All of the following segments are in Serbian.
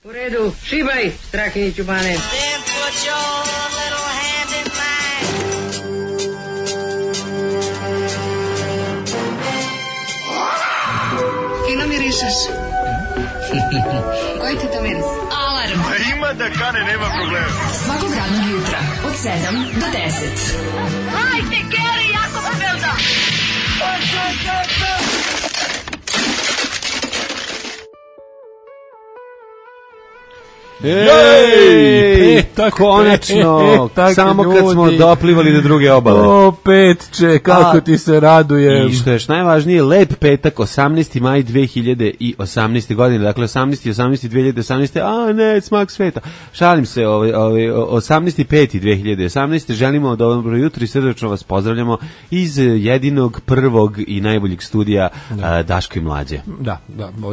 U redu, šibaj, Strahinji Ćubane. Then put your little hand in mine. Fino mirišeš. Koji ti to miris? Alarm. A ima da kane, nema problema. Svakog radnog jutra, od 7 do 10. Hajde, Geri, jako se velda. Ej, konačno, samo kad smo doplivali do druge obale. O, Petče, kako ti se radujem. I što je najvažnije, lep petak, 18. maj 2018. godine, dakle 18. a ne, smak sveta. Šalim se, 18.5.2018. Želimo dobro jutro i srdačno vas pozdravljamo iz jedinog, prvog i najboljeg studija Daško i Mlađe. Da,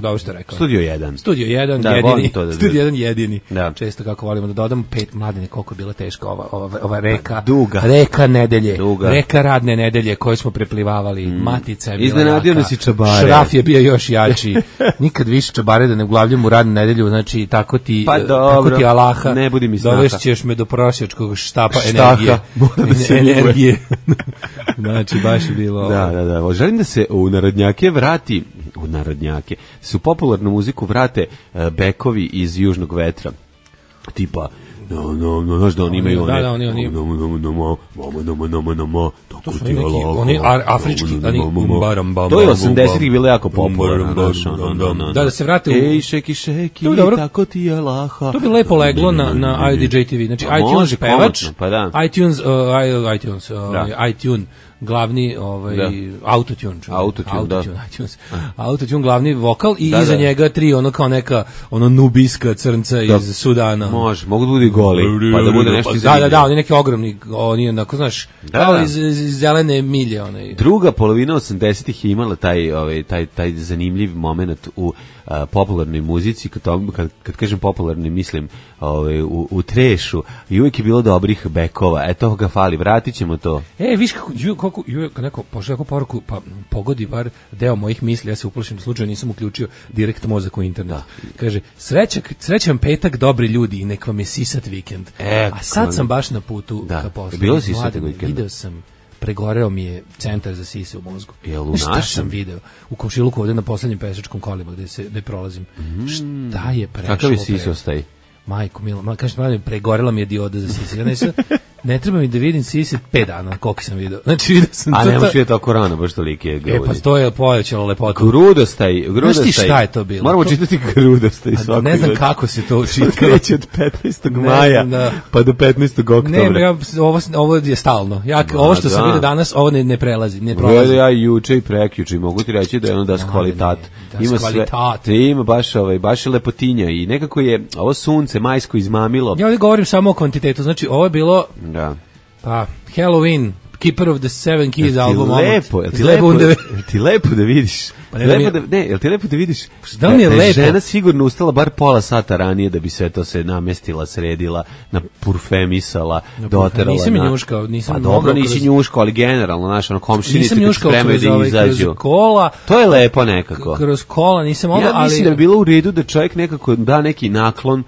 ovo što rekao. Studio 1. Studio 1, da, jedini. To da Studio 1, jedini. Da. Često kako volimo da dodamo, Mladine, koliko je bila teška ova reka. Duga. Reka nedelje. Duga. Reka radne nedelje koje smo preplivavali. Matica je bila iznenadio jaka. nas i čabare. Šraf je bio još jači. Nikad više čabare da ne uglavljam u radnu nedelju, znači tako ti, tako ti Alaha. Ne budi mi snaha. Dovešćeš me do prosjačkog štapa energije. Energije. Znači, baš je bilo... Da. Želim da se u narodnjake vrati, su popularnu muziku vrate bekovi iz Južnog vetra. Tipa, znaš da oni imaju one... Da, oni... To su neki, oni afrički, to je 80-ih bilo jako popularno. Da se vrate u... Ej, šeki, tako ti je laha. To bi lepo leglo na IDJ TV. Znači, iTunes pevač, iTunes, glavni autotune glavni vokal i iza njega tri ono kao neka nubijska crnca iz Sudana. Mogu da bude goli, pa da bude nešto zanimljivo. Da, oni neki ogromni, oni onako, znaš, kao iz zelene milje. Druga polovina 80-ih je imala taj zanimljiv moment u popularnoj muzici, kad kažem popularni mislim u trešu, i uvijek je bilo dobrih bekova, to ga fali, vratit ćemo to. Viš kako neko pošao poruku, pa pogodi bar deo mojih misli, ja se uplašim da slučajno nisam uključio direkt mozak u internet. Kaže, srećan petak, dobri ljudi, i nek vam je sisat vikend. A sad sam baš na putu ka poslu. Bilo sisat vikend. Video sam, pregoreo mi je centar za sise u mozgu. Šta sam video? U komšiluku ovde na poslednjem pešačkom kolima gde prolazim. Šta je prešlo? Kakav je sis ostaje? Majko mila, kažete, pregorela mi je dioda za sise. Ne treba mi da vidim sise 5 dana, koliko sam video. Znači, vidio sam to. A ne možeš vidjeti tako rano, baš toliki je grudi. Pa to je pojačalo lepotu. Grudostaj. Znaš ti šta je to bilo? Moramo čitati grudostaj svako. Ne znam kako se to čita. Kreće od 15. maja pa do 15. oktobra. Ne, ovo je stalno. Ovo što sam vidio danas, ovo ne prelazi. Ne prolazi. Ja juče i prekjuče mogu ti reći da je ono das kvalitat. Ima sve. Ima baš lepotinja i nekako je ovo sunce majsko izmamilo. Ja ovdje govorim samo o kvantitetu. Znači, ovo je bilo Halloween, Keeper of the Seven Keys album. Ti lepo da vidiš? Jel ti lepo da vidiš da je žena sigurno ustala bar pola sata ranije da bi sve to se namestila, sredila, napurfemisala, doterala. Nisam njuškao, pa dobro, nisi njuškao, ali generalno, naš, komšinice te spremaju da izađu. Kola. To je lepo nekako. Kroz kola nisam mogao, ali... Ja mislim da bi bilo u redu da čovjek nekako da neki naklon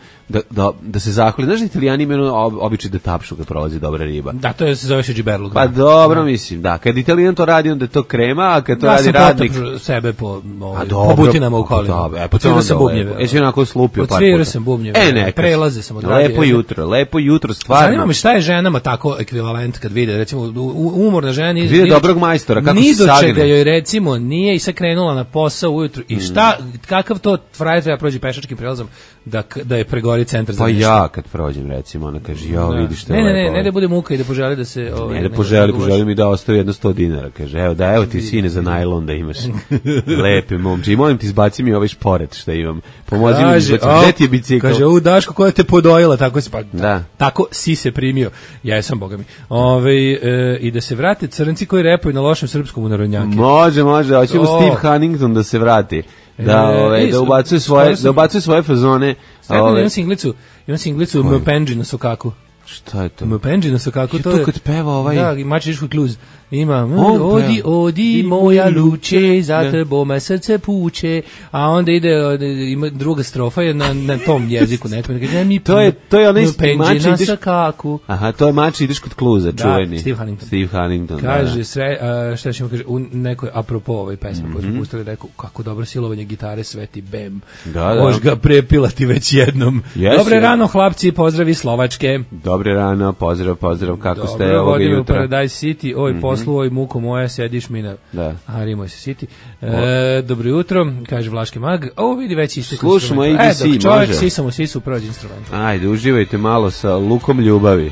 da se zahvali. Znaš da Italijani imaju običaj da tapšu kad prolazi dobra riba? Da, to se zove Šiđiberluk. Pa dobro, mislim, da. Kad Italijan to radi, onda je to krema, a kad to radi radnik... Sebe po butinama u kolima. Odsvirao sam bubnjeve. Jesi onako slupio par puta? Odsvirao sam bubnjeve. Prelaze sam odradio. Lepo jutro, stvarno. Zanima me šta je ženama tako ekvivalent kad vide, recimo, umorna žena nije... Vide dobrog majstora, kako se sagne. Ni do čega joj, recimo, nije i sad krenula na posao ujutru. I šta, kakav to frajer treba prođi pešačkim prelazom da je pregori centar za nešto? Pa ja kad prođem, recimo, ona kaže, vidiš što je lepo. Ne da bude muka i da poželi da se... Ne da poželi mi da ostavi jedno 100 dinara. Kaže, evo ti sine za najlon da imaš lepe momče. I molim ti, izbaci mi ovaj šporet što imam. Pomozi mi izbaci. Gde ti je bicikl? Kaže, Daško, koja te podojila, tako si tako si se primio. Ja sam, boga mi. I da se vrate crnci koji repaju na lošem srpskom u narodnjake. Može. Hoćemo Steve Huntington da se vrati. Da ubacuje svoje fazone. Imam singlicu Mpenđi na sokaku. Šta je to? Mpenđi na sokaku. To kad peva ovaj... Da, Mačiško kluz. ima On odi moja luče, za tebo me srce puče, a onda ima druga strofa je na tom jeziku nekom. To je onaj penđe na sakaku. Aha, to je mač ideš kod Kluza, čuveni. Steve Huntington. Kaže šta ćemo kaže u nekoj apropo ovoj pesmi koju smo pustili, rekao kako dobro silovanje gitare sveti bem. Moš ga prepilati već jednom. Dobre rano hlapci, pozdravi Slovačke. Dobre rano, pozdrav, kako ste ovoga vodimo jutra. Paradise City, oj poslu, oj muko moja, sediš mi na Harimoj se City. Dobro jutro, kaže Vlaški mag. Vidi već istekli. Slušamo ABC, može. Čovjek sisu prođe instrument. Ajde, uživajte malo sa lukom ljubavi.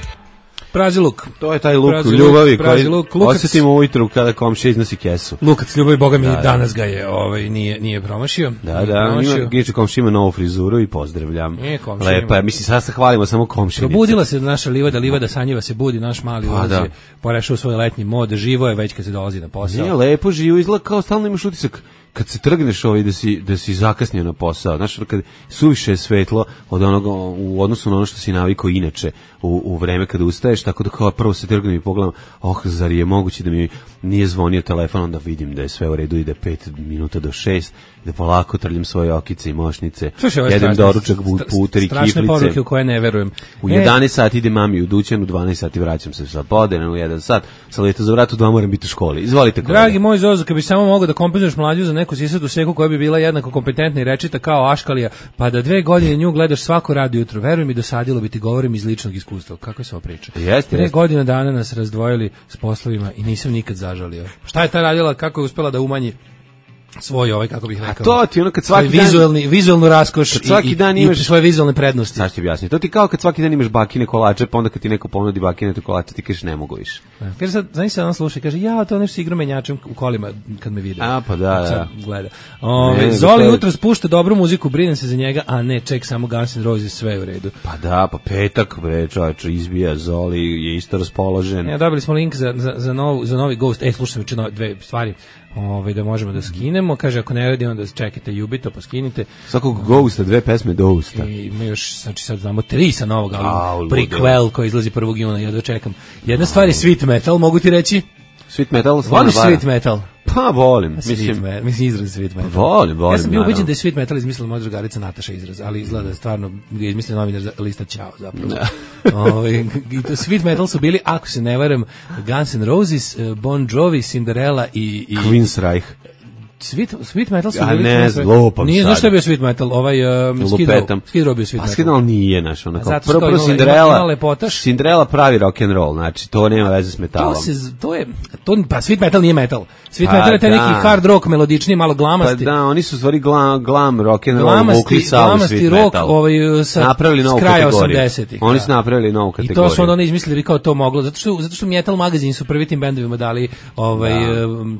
Prazi luk. To je taj luk ljubavi koji osjetimo ujutru kada komšija iznosi kesu. Lukac ljubavi, boga mi, danas ga je nije promašio. Giče komšija ima novu frizuru i pozdravljam. Lepa je, mislim, sada se hvalimo samo komšinica. Probudila se naša livada sanjiva se budi, naš mali ulaz je porešao svoj letnji mod, živo je već kad se dolazi na posao. Nije lepo, živo izgleda kao stalno imaš utisak kad se trgneš da si zakasnio na posao, znaš, kad suviše je svetlo od onoga, u odnosu na ono što si navikao inače u vreme kada ustaješ, tako da kao prvo se trgnem i pogledam, zar je moguće da mi nije zvonio telefon, onda vidim da je sve u redu, ide 5 minuta do 6, da polako trljam svoje okice i mošnice, jedem doručak, puter i kiflice. Strašne poruke u koje ne verujem. U 11 sati ide mami u dućan, u 12 sati vraćam se sa podene, u 1 sat, sa leta za vrat, u 2 moram biti u školi. Izvolite. Dragi moj Zozo, kad bi samo mogao da kompenzuješ mlađu za neku sisatu seku koja bi bila jednako kompetentna i rečita kao Aškalija, pa da 2 godine nju gledaš svako radio jutro, veruj mi, dosadilo bi ti, govorim iz ličnog iskustva. Kako je se ovo priča? 2 godine dana nas razdvojili s poslovima i nisam nikad zažalio. Šta je ta radila, kako je uspela da umanji svoj kako bih rekao. To ti ono kad svaki vizualnu raskoš i svoje vizualne prednosti. Sad ću objasniti. To ti kao kad svaki dan imaš bakine kolače, pa onda kad ti neko ponudi bakine kolače, ti kažeš ne mogu više. Kaže sad, znaš se on sluša, kaže to nešto igra menjačem u kolima kad me vide. Pa da. Sad gleda. Zoli jutro spušta dobru muziku, brinem se za njega, a ne, ček samo Guns N' Roses, sve u redu. Pa da, pa petak, bre, čovječe, izbija, Zoli je isto raspoložen. Dobili smo link za novi Ghost. Slušaj, dve stvari. Da možemo da skinemo, kaže ako ne radi onda čekajte Jubito pa skinite svakog Ghosta, 2 pesme do Usta i ima još, znači sad znamo 3 sa novog albuma, Prequel koji izlazi 1. juna, ja dočekam. Jedna stvar je Sweet Metal, mogu ti reći? Sweet Metal? Voliš Sweet Metal? Pa volim, mislim izraz Sweet Metal. Volim. Ja sam bio ubeđen da je Sweet Metal izmislila moja drugarica Nataša izraz, ali izgleda stvarno je izmislila novinar za lista Ćao zapravo. Sweet Metal su bili, ako se ne varam, Guns N' Roses, Bon Jovi, Cinderella i Queensryche. Sweet Metal su bili. Ne znam, nije, znaš što je bio Sweet Metal? Skid Row bio Sweet Metal. A Skid Row nije, znaš, prvo Cinderella pravi rock and roll, znači, to nema veze s metalom. Pa Sweet Metal nije metal. Sweet Metal je taj neki hard rock, melodični, malo glamasti. Pa da, oni su stvari glam rock and roll, vukli salu Sweet Metal. Napravili novu kategoriju. Oni su napravili novu kategoriju. I to su onda oni izmislili kao to moglo, zato što Metal magazin su prvi tim bendovima dali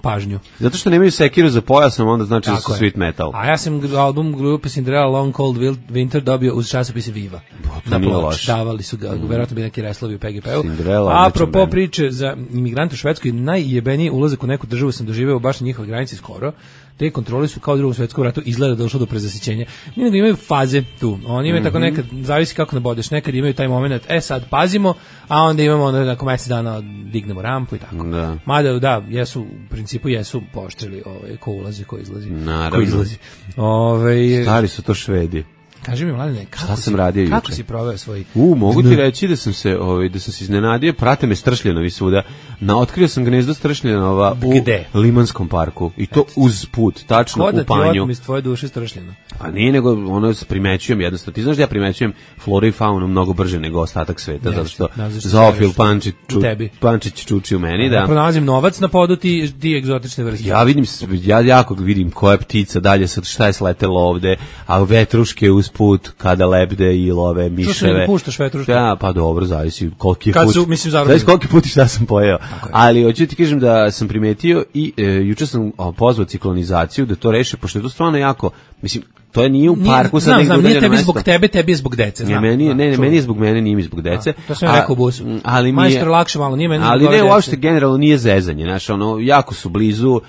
pažnju. Zato što nemaju sekiru za pojasom, onda znači da su Sweet Metal. A ja sam album grupe Cinderella Long Cold Winter dobio uz časopise Viva. Na ploč. Davali su ga, verovatno bi neki reslovi u PGP-u. Apropo priče za imigrante u Švedskoj, najjebeniji ulazak u neku državu sam doživeo baš na njihovoj granici skoro. Te kontrole su kao u Drugom svjetskom ratu, izgleda došlo do prezasićenja. Nego imaju faze tu. Oni imaju tako nekad, zavisi kako nabodeš, nekad imaju taj moment, sad pazimo, a onda imamo nakon mjesec dana dignemo rampu i tako. Da. Mada da, u principu jesu pooštrili ko ulazi, ko izlazi. Naravno. Ko izlazi. Stari su to Švedi. Kaži mi, Mladene, kako si proveo svoj... Mogu ti reći da sam se iznenadio, prate me stršljenovi svuda. Otkrio sam gnezdo stršljenova u Limanskom parku. I to uz put, tačno u panju. Ko da ti otmi iz tvoje duše stršljeno? Pa nije, nego ono primećujem jednostavno. Ti znaš da ja primećujem floru i faunu mnogo brže nego ostatak sveta, zato što zoofil Pančić čuči u meni. Ja pronalazim novac na podu ti egzotične vrste. Ja jako vidim koja ptica dalje, šta je sletelo ovde, a vetruške uz put kada lebde i love miševe. Što se puštaš vetruške? Ja, pa dobro, zavisi koliki put i šta sam pojeo. Ali hoću ti kažem da sam primetio i juče sam pozvao ciklonizaciju da to reše, pošto je to stvarno jako, mislim, to je nije u parku sad negdje nije udaljeno tebi mesto. zbog tebe, tebi je zbog dece. Ne, meni je zbog mene, nije mi zbog dece. To sam rekao u busu. Ali mi Majstor lakše malo, nije meni. Ali ne, uopšte generalno nije zezanje, znaš, ono, jako su blizu,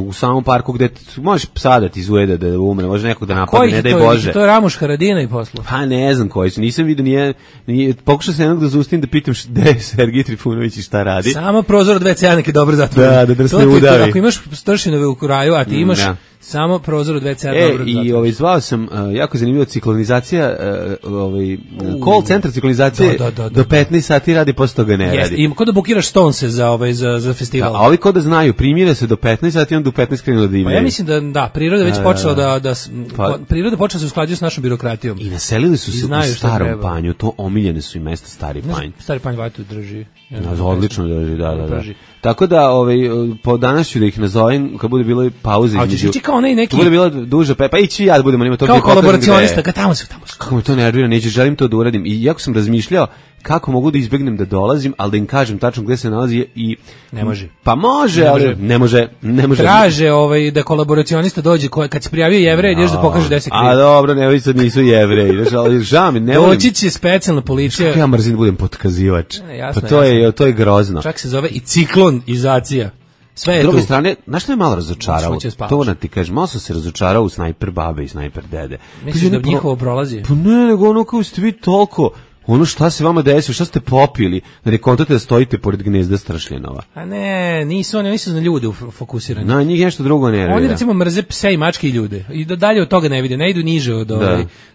u samom parku gde možeš sada ti izujede da umre, može nekog da napadne, ne daj Bože. To je Ramuš Haradina i poslu. Pa ne znam koji su, nisam vidio, pokušao sam jednog da zaustim da pitam gde je Sergij Trifunović i šta radi. Samo prozor od WC-a neki dobro zatvoren. Da drsne udavi. Ako imaš stršinove u kraju, a ti imaš samo prozor od WC-a dobro zatvoren. I zvao sam, jako zanimljivo, ciklonizacija, call centar ciklonizacije do 15 sati radi, posle toga ne radi. I kod da bukiraš Stonese za festival. A ovi kod da znaju, primire se do 15 sati, onda do 15 krenulo da imaju. Pa ja mislim da priroda već počela priroda počela se usklađuje s našom birokratijom. I naselili su se u Starom Panju, to omiljene su i mesta Stari Panj. Stari Panj vatu drži. Odlično drži, da. Tako da, po danas ću da ih nazovem, kad bude bilo pauze između. Hoćeš kao neki. Bude bila duža pa ići ja da budemo njima to. Kao kolaboracionista, kad tamo su. Kako me to nervira, neću, želim to da uradim. I jako sam razmišljao kako mogu da izbegnem da dolazim, ali da im kažem tačno gde se nalazi i ne može. Pa može, ali ne može. Traže da kolaboracionista dođe kad se prijavio Jevrej, ideš da pokaže gde se krije. A dobro, ne sad nisu Jevreji, ali žao mi, ne volim. Doći će specijalna policija. Kako ja mrzim da budem potkazivač. Pa to je grozno. Čak se zove i ciklonizacija. Sve je s druge tu. strane, znaš što je malo razočaralo? To da ti kažem, malo sam se razočarao u Snajper babe i Snajper dede. Misliš da njihovo prolazi? Pa ne, nego ono kao ste vi toliko, ono šta se vama desilo, šta ste popili, da ne kontate da stojite pored gnezda strašljenova. A ne, nisu na ljude fokusirani. Na njih nešto drugo ne nervira. Oni recimo mrze pse i mačke i ljude. I dalje od toga ne vide, ne idu niže od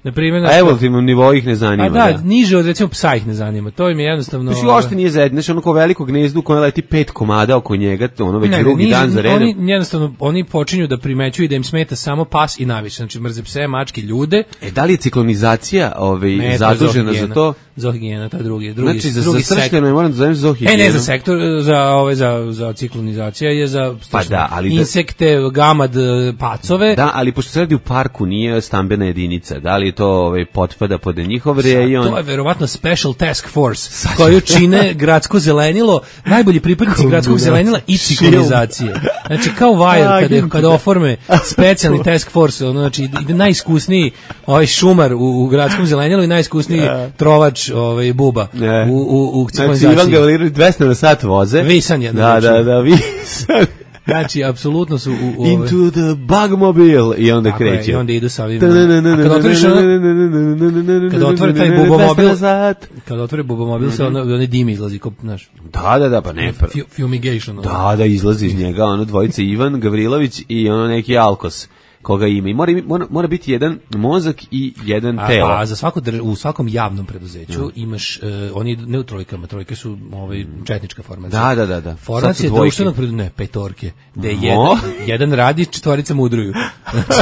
na primjer. A evolutivnom nivou ih ne zanima. A da, niže od recimo psa ih ne zanima. To im je jednostavno. Mislim, uopšte nije zajedno, znači ono kao veliko gnezdu koje leti 5 komada oko njega, ono već drugi dan za redom. Oni počinju da primećuju da im smeta samo pas i naviše. Znači mrze pse, mačke, ljude. Da li je ciklonizacija zadužena za to? Zoohigijena, to je drugi znači, za stršljeno moram da zovem zoohigijenu. Ne za sektor, za ciklonizacija je za insekte, gamad, pacove. Da, ali pošto se radi u parku, nije stambena jedinica. Da li to potpada pod njihov rejon? To je verovatno Special Task Force, koju čine gradsko zelenilo, najbolji pripadnici gradskog zelenila i ciklonizacije. Znači, kao Wire, kada oforme specijalni Task Force, znači, najiskusniji šumar u gradskom zelenilu i najiskusniji trovač buba u ciklonizaciji. Znači, Ivan Gavrilović 200 na sat voze. Visan je. Da, Visan. Znači, apsolutno su Into the bugmobile i onda kreće. I onda idu sa ovim. Kada otvori taj bubomobil, kada otvori bubomobil, se onaj dim izlazi, znaš. Da, pa ne. Fumigation. Da, izlazi iz njega, ono dvojice Ivan Gavrilović i ono neki Alkos. Koga ima i mora biti jedan mozak i jedan telo. A za u svakom javnom preduzeću imaš oni ne u trojkama, trojke su četnička formacija. Da. Formacija društvenog preduzeća, ne, petorke, gde jedan radi, četvorica mudruju. Znači,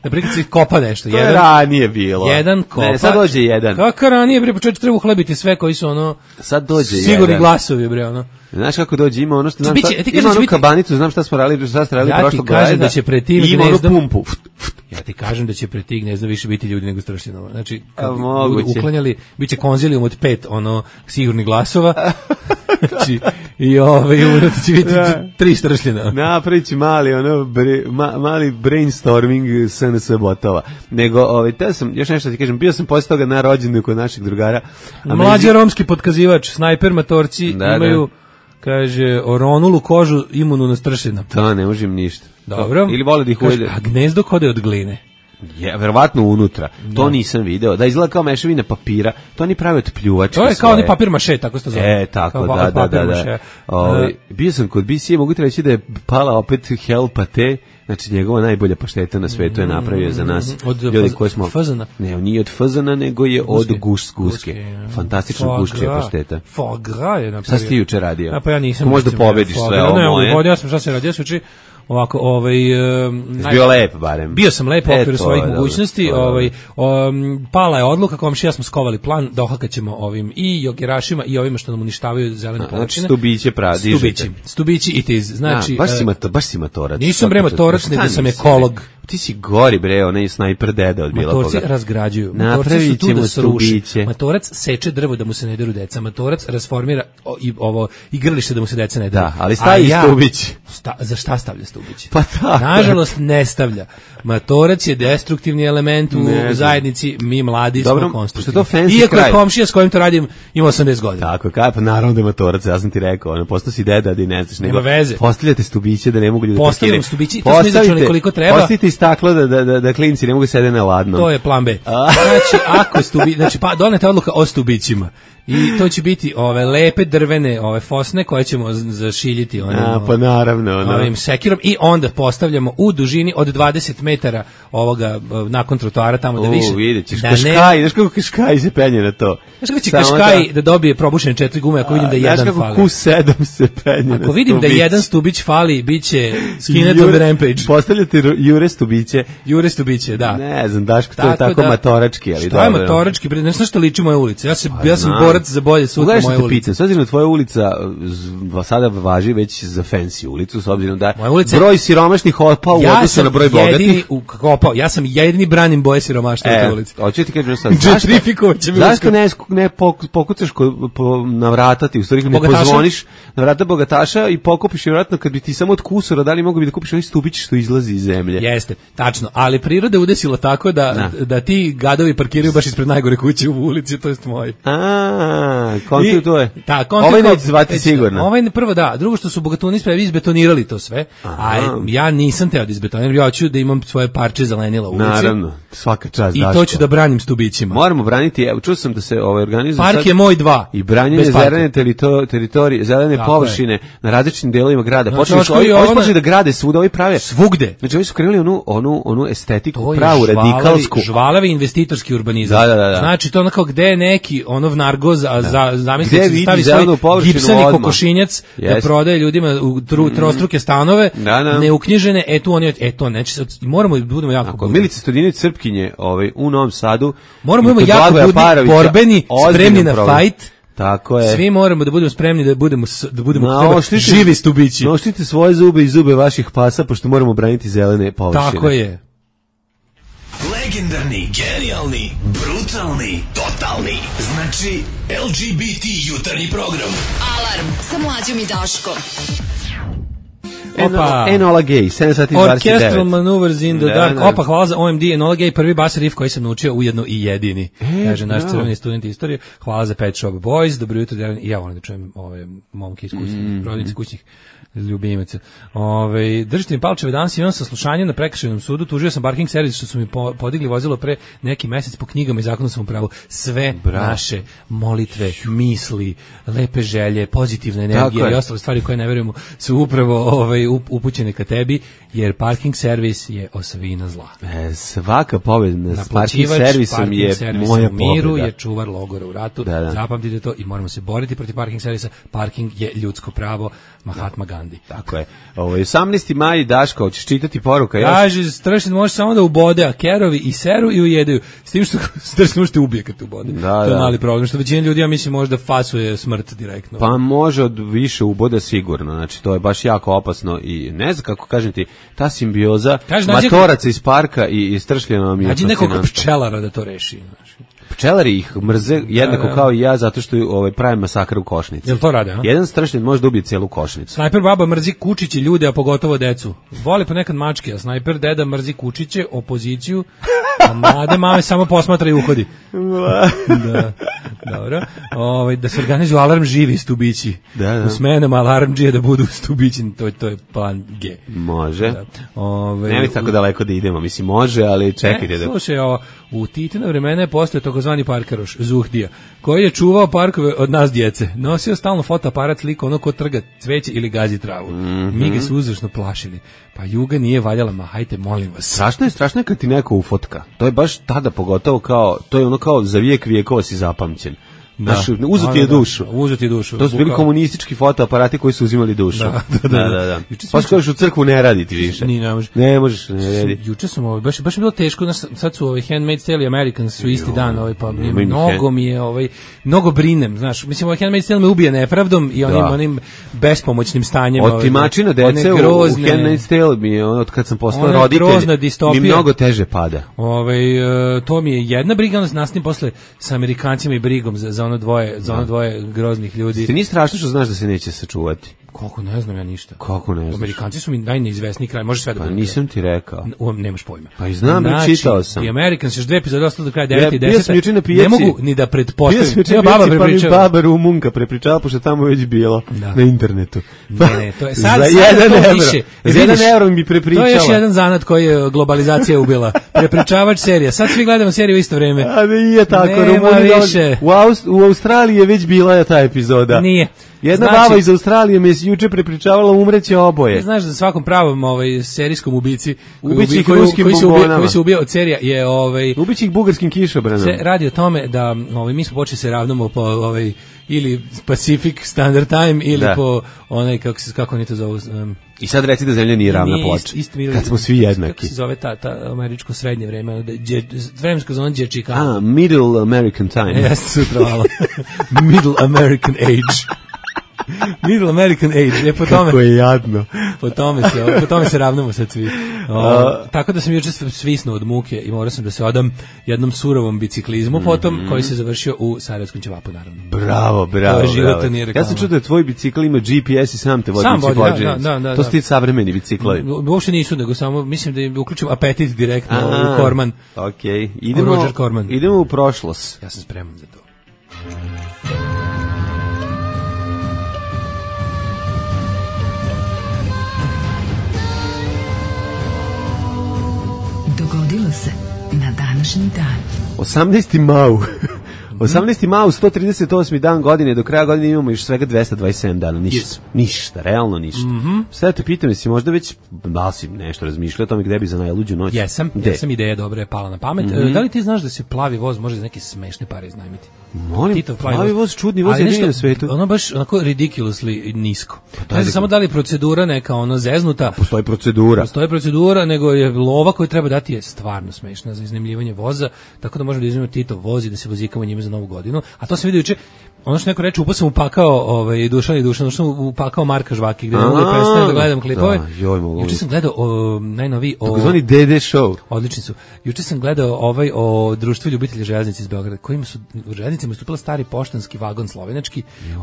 na primjer se kopa nešto, jedan ranije bilo. Jedan kopa. Ne, sad dođe jedan. Kako ranije bre, početak treba uhlebiti sve koji su sad dođe sigurni glasovi bre Znaš kako dođe, ima ono što znam ima onu kabanicu, znam šta smo radili prošlog godine. Ja ti kažem da će pred tim gnezdom pumpu. Ja ti kažem da će pred tim gnezdom više biti ljudi nego stršljenova. Znači, kad uklanjali, bit će konzilijum od 5 sigurnih glasova. Znači, i će biti 3 stršljena. Napravit će mali brainstorming SNS botova. Nego, te sam, još nešto ti kažem, bio sam posle toga na rođendu kod našeg drugara. Mlađi romski potkazivač, snajper matorci imaju, kaže, oronulu kožu imunu na stršljena. Da, ne možem ništa. Dobro. Ili vole da ih ujede. A gnezdo kode od gline. Je, verovatno unutra. To nisam video. Da izgleda kao mešavina papira. To oni prave od pljuvačke svoje. To je kao oni papir maše, tako se to zove. Tako, da. Bio sam kod BC, mogu ti reći da je pala opet Hel Pate, znači njegova najbolja pašteta na svetu je napravio za nas. Od fazana? Ne, nije od fazana, nego je od guske. Fantastično guščija pašteta. Foie gras je napravio. Šta si ti juče radio? A pa ja nisam. Možda pobediš sve ovo moje. Ja sam šta se radio, suči. Ovako, bio lep barem. Bio sam lep u okviru svojih mogućnosti. Pala je odluka, komšija smo skovali plan, dohakaćemo ovim i jogerašima i ovima što nam uništavaju zelene površine. Stubiće Stubići it is. Znači, baš si matorac. Nisam bre matorac, nego sam ekolog. Ti si gori, bre, onaj snajper deda od bilo Matorci koga. razgrađuju. Matorci Napravit su tu ćemo da se ruši. stubiće. Matorac seče drvo da mu se ne deru deca. Matorac rasformira i ovo igralište da mu se deca ne deru. Da, ali stavi stubić. Za šta stavlja stubić? Pa tako. Nažalost ne stavlja. Matorac je destruktivni element u zajednici, mi mladi Dobro, smo konstruktivni. što je to fancy Iako kraj. je komšija s kojim to radim ima 80 godina. Tako, pa naravno da je Matorac, ja sam ti rekao, ono, postao si deda, da ne znaš, nego veze. postavljate stubiće da ne mogu ljudi da Postavljam stubiće, to smo izračunali koliko treba. Postavite i staklo da klinci ne mogu sede na ladnom. To je plan B. Znači, ako znači pa doneta odluka o stubićima. I to će biti ove lepe drvene, ove fosne koje ćemo zašiljiti pa naravno, ovim sekirom i onda postavljamo u dužini od 20 metara ovoga nakon trotoara tamo da više. Vidjet ćeš, da Kaškaj, znaš kako Kaškaj se penje na to. Znaš kako će Kaškaj da dobije probušene 4 gume ako vidim da jedan fali. Znaš kako Q7 se penje na ako vidim stubić. da jedan stubić fali, bit će skinet on the rampage. Postavljate Jure stubiće. Jure stubiće, da. Ne znam, Daško, to je tako matorački. Ali šta je matorački? Ne znaš što liči moja ulica. Ja sam borac za bolje sutra moje ulice. S obzirom da tvoja ulica sada važi već za fancy ulicu, s obzirom da ulica, broj siromašnih opao u odnosu na broj bogatih. Ja sam jedini branim boje siromaštva u toj ulici. Hoću ti kažem sad, zašto ne pokucaš na vrata ti, u stvari ne pozvoniš na vrata bogataša i pokupiš, vjerojatno kad bi ti samo od kusura dali, mogu bi da kupiš ovaj stubić što izlazi iz zemlje. Jeste, tačno, ali priroda je udesila tako da ti gadovi parkiraju baš ispred najgore kuće u ulici, to jest moji. Kontu to je. Da, ovaj neće zvati sigurno. Ovaj prvo da, drugo što su bogatuni spravi izbetonirali to sve, a ja nisam teo da izbetoniram, ja hoću da imam svoje parče zelenila u ulici. Naravno, svaka čast Daško. I to ću da branim stubićima. Moramo braniti, evo čuo sam da se organizuje park je moj 2. I branjenje zelene teritorije, zelene površine na različitim delovima grada. Počeli da grade svuda, ovi prave. Svugde. Znači ovi su krenuli onu estetiku, pravu radikalsku. Žvalavi investitorski urbanizam. Da. Znači to onako gde je neki vnargoz, a zamislite se stavi svoj gipsani kokošinjac da prodaje ljudima u trostruke stanove, neuknjižene, to neće, moramo da budemo jako budni. Milica Stojinović Srpkinje u Novom Sadu. Moramo da jako budni, borbeni, spremni na fajt. Tako je. Svi moramo da budemo spremni da budemo živi stubići. Noštite svoje zube i zube vaših pasa, pošto moramo braniti zelene površine. Tako je. Legendarni, genijalni, brutalni, totalni. Znači, LGBT jutarnji program. Alarm sa Mlađom i Daškom. Enola Gay, 7 sati 29. Orchestral Maneuvers in the Dark. Opa, hvala za OMD, Enola Gay, prvi bas riff koji sam naučio, ujedno i jedini. Kaže naš crveni student istorije. Hvala za Pet Shop Boys, dobro jutro, i ja volim da čujem ove momke iz kućnih, rodnici kućnih ljubimaca. Držite mi palčeve, danas imam saslušanje na prekršajnom sudu, tužio sam parking servis što su mi podigli vozilo pre neki mesec po knjigama i zakonu sam upravo. Sve naše molitve, misli, lepe želje, pozitivna energija i ostale stvari koje ne verujemo su upravo upućene ka tebi, jer parking servis je osovina zla. Svaka pobjeda s parking servisom je moja u miru, pobjeda. je čuvar logora u ratu. Zapamtite to i moramo se boriti protiv parking servisa. Parking je ljudsko pravo. Mahatma Gandhi. Tako je. 18. maj, Daško, hoćeš čitati poruka? Kaže, Stršin može samo da ubode, a kerovi i seru i ujedaju. S tim što Stršin može te ubije kad te ubode. To je mali problem. Što većina ljudi, ja mislim, možda fasuje smrt direktno. Pa može od više uboda sigurno. Znači, to je baš jako opasno i ne znam kako kažem ti, ta simbioza matoraca iz parka i Stršljena mi je fascinantna. Nađi nekog pčelara da to reši. Pčelari ih mrze jednako kao i ja zato što pravi masakr u košnici. Jel to rade, a? Jedan Stršljen može da ubije cijelu košnicu. Snajper baba mrzi kučiće ljude, a pogotovo decu. Voli ponekad mačke, a snajper deda mrzi kučiće, opoziciju, a mlade mame samo posmatra i uhodi. Da. Dobro. Da se organizuju alarm živi stubići. Da. U smenama alarmdžije da budu stubići, to je plan G. Može. Ne mi tako daleko da idemo, mislim može, ali čekajte da... Slušaj, u Titina vremena je postao takozvani parkaroš, Zuhdija, koji je čuvao parkove od nas djece. Nosio stalno fotoaparat, sliko ono ko trga cveće ili gazi travu. Mi ga su uzrašno plašili. Pa Juga nije valjala, ma hajte, molim vas. Strašno je kad ti neko ufotka. To je baš tada pogotovo kao, to je ono kao za vijek vijekova si zapamćen. Znaš, uzu ti je dušu. Uzu ti je dušu. To su bili komunistički fotoaparati koji su uzimali dušu. Da. Pa skojiš u crkvu, ne radi ti više. Ne možeš, ne radi. Juče sam, baš je bilo teško, sad su Handmaid's Tale i Americans su isti dan, pa mnogo mi je, mnogo brinem, znaš, mislim, Handmaid's Tale me ubije nepravdom i onim bespomoćnim stanjem. Otimačina dece u Handmaid's Tale mi je, od kad sam postao roditelj, mi mnogo teže pada. To mi je jedna briga, onda nastavim posle sa Amerikancima i brigom za ono dvoje groznih ljudi. Ti nije strašno što znaš da se neće sačuvati? Kako ne znam ja ništa. Kako ne znaš? Amerikanci su mi najneizvesniji kraj, može sve da bude. Pa nisam ti rekao. Nemaš pojma. Pa i znam, čitao sam. The Americans, još 2 epizode ostalo do kraja 9 i 10. Bio sam juče na pijaci. Ne mogu ni da pretpostavim. Bio sam juče na pijaci, pa mi baba Rumunka prepričala, pošto tamo već bilo na internetu. Ne, to je sad za €1 evro mi prepričala. To je još jedan zanat koji je globalizacija ubila. Prepričavač serija. Sad svi gledamo seriju u isto vreme. A nije tako, u Australiji je već bila ta epizoda. Nije. Jedna baba iz Australije mi je juče prepričavala umreće oboje. Znaš da svakom pravom serijskom ubici koji se ubija od serija je ubići ih bugarskim kišobranom. Se radi o tome da mi smo počeli se ravnamo po ili Pacific Standard Time ili po onaj kako oni to zovu. I sad reci da zemlja nije ravna ploča. Kad smo svi jednaki. Kako se zove ta američko srednje vreme, vremensko zona Dječika. Middle American Time. Jeste sutra malo. Middle American Age. Middle American Age, po tome. Kako je jadno. Po tome se ravnamo sad svi. Tako da sam juče svisnuo od muke i morao sam da se odam jednom surovom biciklizmu potom, koji se završio u Sarajevskom ćevapu, naravno. Bravo. Ja sam čuo da tvoj bicikl ima GPS i sam te vodi bicikl. Da. To su ti savremeni biciklovi. Uopšte nisu, nego samo mislim da je uključim apetit direktno u Korman. Okej, idemo u prošlost. Ja sam spreman za to. Dogodilo se na današnji dan. 18. mau. 18. mau, 138. dan godine, do kraja godine imamo još svega 227 dana, ništa, realno ništa. Sada te pitam, jesi možda već, da li si nešto razmišljao o tome gde bi za najluđu noć? Jesam, ideja dobra je pala na pamet. Da li ti znaš da se plavi voz može za neke smešne pare iznajmiti? Molim, plavi voz, čudni voz jedini na svetu. Ono baš onako ridiculously nisko. Ne znam samo da li procedura neka zeznuta. Postoji procedura, nego je lova koju treba dati je stvarno smešna za iznajmljivanje voza, tako da možemo da iznajmimo Tito voz i da se vozikamo njime za Novu godinu. A to sam vidio juče, ono što neko reče, upao sam upakao Dušan, što upakao Marka Žvaki, gde ne mogu da prestanem da gledam klipove. Juče sam gledao najnoviji takozvani DD show. Odlični su. Juče sam gledao o društvu ljubitelja železnice iz Beograda, kojima su u železnicama istupila stari poštanski vagon slovenački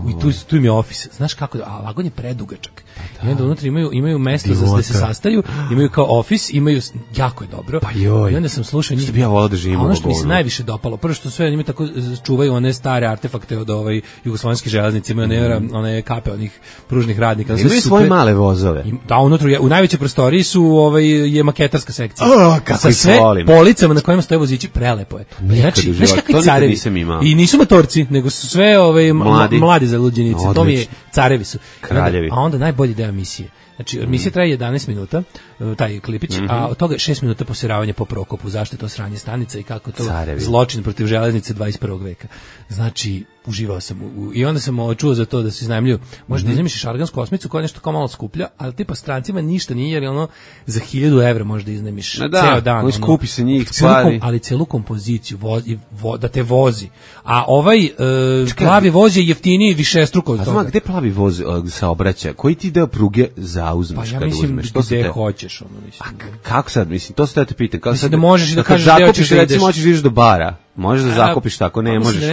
i tu im je ofis. Znaš kako, a vagon je predugačak. I onda unutra imaju mesto da se sastaju, imaju kao ofis, imaju, jako je dobro. I onda sam slušao njih. Što bi ja volao da živim u vagonu. Ono što mi se najviše dopalo, prvo što sve njima tako čuvaju one stare artefakte od jugoslovenske železnice, imaju one kape onih pružnih radnika. Imaju svoje male vozove. Da, unutra, u najvećoj prostoriji je maketarska sekcija. Kako sa sve policama na kojima stoje vozići, prelepo je. Znači, znaš kakvi carevi. I nisu motorci, nego su sve mladi zaluđenici. To mi je, carevi su. Kraljevi. A onda najbolji deo emisije. Znači, emisija traje 11 minuta, taj klipić, a od toga 6 minuta posiravanja po Prokopu, zašto je to sranje stanica i kako to zločin protiv železnice 21. veka. Znači, uživao sam i onda sam čuo za to da se iznajmljuju. Možda iznajmiš šargansku osmicu koja je nešto kao malo skuplja, ali tipa strancima ništa nije, jer je za 1000 evra možda iznajmiš ceo dan. Skupi se njih stvari. Ali celu kompoziciju da te vozi. A ovaj plavi voz je jeftiniji višestruko od toga. A gde plavi voz saobraća? Koji ti deo pruge zauzmeš kada uzmeš? Pa ja mislim gde hoćeš. Kako sad? Mislim, to se da te pitam. Mislim da možeš da kažeš gde hoćeš da ideš. Recimo, hoćeš da ideš do bara. Možeš da zakupiš tako, ne možeš.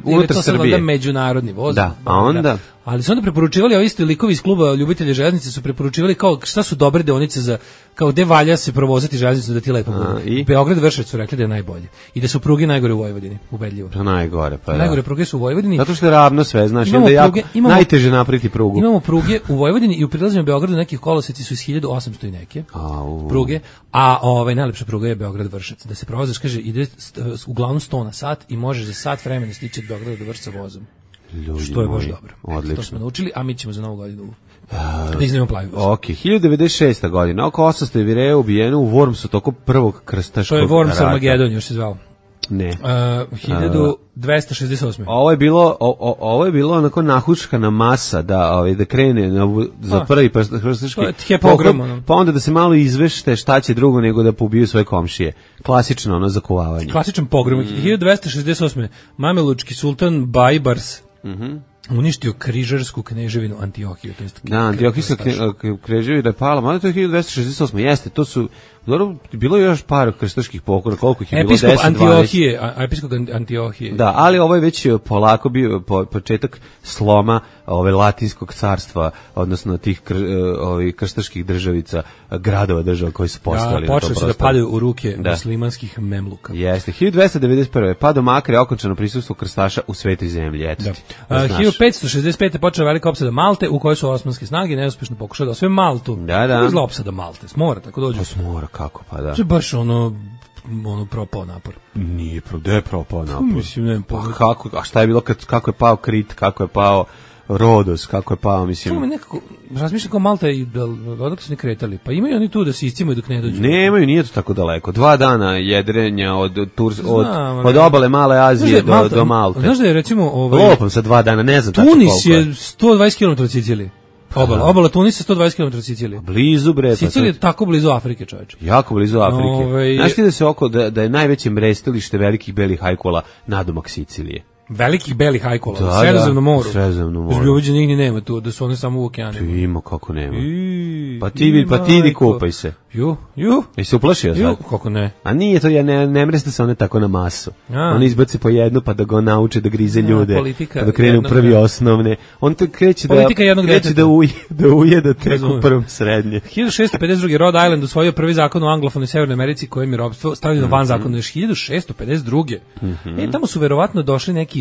Unutar Srbije. Međunarodni voz. Da, a onda... Ali su onda preporučivali, ovi isti likovi iz kluba ljubitelja železnice su preporučivali kao šta su dobre deonice za, kao gde valja se provozati železnicu da ti lepo bude. Beograd Vršac su rekli da je najbolje. I da su pruge najgore u Vojvodini, ubedljivo. Pa najgore, pa najgore pruge su u Vojvodini. Zato što je ravno sve, znaš, onda je jako najteže napraviti prugu. Imamo pruge u Vojvodini i u prilazima Beogradu nekih koloseci su iz 1800 i neke pruge, a najlepša pruga je Beograd Vršac. Da se provozaš, kaže, ide uglavnom 100 na sat i možeš za sat vremena stići od Beograda do Vršca vozom. Što je baš dobro. Odlično. To smo naučili, a mi ćemo za Novu godinu da iznajmimo plavi voz. Ok, 1096. godina, oko 800 Jevreja ubijeno u Wormsu toko prvog krstaškog rata. To je Worms Armageddon, još se zvao. Ne. 1268. Ovo je bilo onako nahuškana masa da krene za prvi krstaški pohled, pa onda da se malo izvešte šta će drugo nego da pobiju svoje komšije. Klasično ono zakovavanje. Klasičan pogrom. 1268. Mamelučki sultan Bajbars uništio križarsku kneževinu Antiohiju. Da, Antiohijska kneževina je pala, mada to je 1268. Jeste, to su bilo je još par krstaških pokolja, koliko ih je bilo? 10-12. Episkop Antiohije. Da, ali ovo je već polako bio početak sloma latinskog carstva, odnosno tih krstaških državica, gradova država koji su postojali. Da, počeli su da padaju u ruke muslimanskih memluka. Jeste, 1291. Padom Akre okončano prisustvo krstaša u svetoj zemlji. Eto, 1565. počela velika opsada Malte, u kojoj su osmanske snage neuspešno pokušali da osvoje Maltu. Da. Izla opsada Malte, smora, tako dođu. Pa smora, kako, pa da. To je baš ono propao napor. Nije, gde je propao napor? Mislim, ne a šta je bilo kako je pao Krit, kako je pao Rodos, kako je pao, mislim. Čemu nekako, razmišljam kao Malta i odakle su ne kretali, pa imaju oni tu da se iscimaju dok ne dođu. Nemaju, nije to tako daleko. 2 dana jedrenja od obale Male Azije do Malte. Znaš da je recimo... Lopam sa 2 dana, ne znam tačno koliko je. Tunis je 120 km od Sicilije. Obala Tunisa 120 km od Sicilije. Blizu, bre. Sicilija je tako blizu Afrike, čoveče. Jako blizu Afrike. Znaš ti da se da je najveće mrestilište velikih belih hajkola nadomak Sicilije? Velikih belih hajkola, u Sredozemnom moru. Sredozemnom moru. Uviđe nigdje nema tu, da su one samo u okeanima. Ima, kako nema. Pa ti idi kupaj se. Jesi se uplašio sad? Kako ne? A nije to, ne mreste se one tako na masu. Oni izbaci po jednu pa da ga nauče da grize ljude. Pa da krenu prvi osnovne. On to kreće da ujeda tek u prvom srednje. 1652. Rhode Island usvojio prvi zakon u anglofonoj Severnoj Americi kojem je ropstvo stavljeno van zakona još 1652. Tamo su verovatno došli neki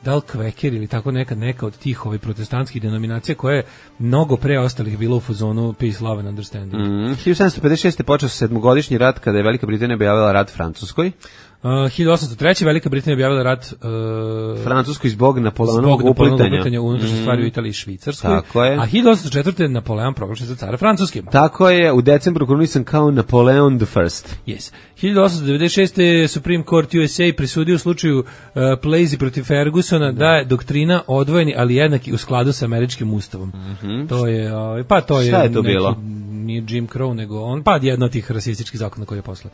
da li Kveker ili tako neka od tih protestantskih denominacija koja je mnogo pre ostalih bilo u fazonu Peace, Love and Understanding. 1756. počeo se 7-godišnji rat kada je Velika Britanija objavila rat Francuskoj. 1803. Velika Britanija objavila rat Francuskoj zbog Napoleonovog uplitanja u unutrašnje stvari u Italiji i Švicarskoj. Tako je. A 1804. Napoleon proglašen za cara Francuske. Tako je, u decembru krunisan kao Napoleon the First. Yes. 1896. Supreme Court USA presudio u slučaju Plessy protiv Fergusona da je doktrina odvojeni, ali jednaki u skladu sa američkim ustavom. To je, Šta je to bilo? Nije Jim Crow, nego jedno od tih rasističkih zakona koji je posle.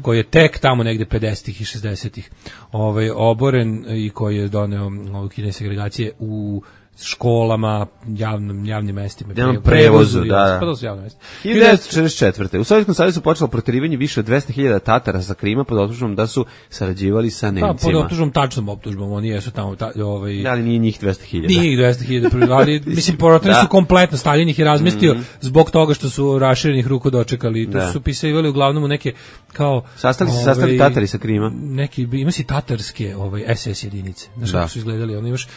Koji je tek tamo negde 50-ih i 60-ih oboren i koji je doneo ukidanje segregacije u školama, javnim mestima, prevozu, da. Pa to su javne mesta. 1944. U Sovjetskom savezu počelo proterivanje više od 200.000 Tatara sa Krima pod optužbom da su sarađivali sa Nemcima. Pod optužbom, tačnom optužbom, oni jesu tamo ali nije njih 200.000. Nije njih 200.000, ali mislim porotili su kompletno, Stalin ih je razmestio zbog toga što su raširenih ruku dočekali. To su pisivali uglavnom u neke kao sastali Tatari sa Krima. Neki ima si tatarske SS jedinice. Znaš kako su izgledali, oni još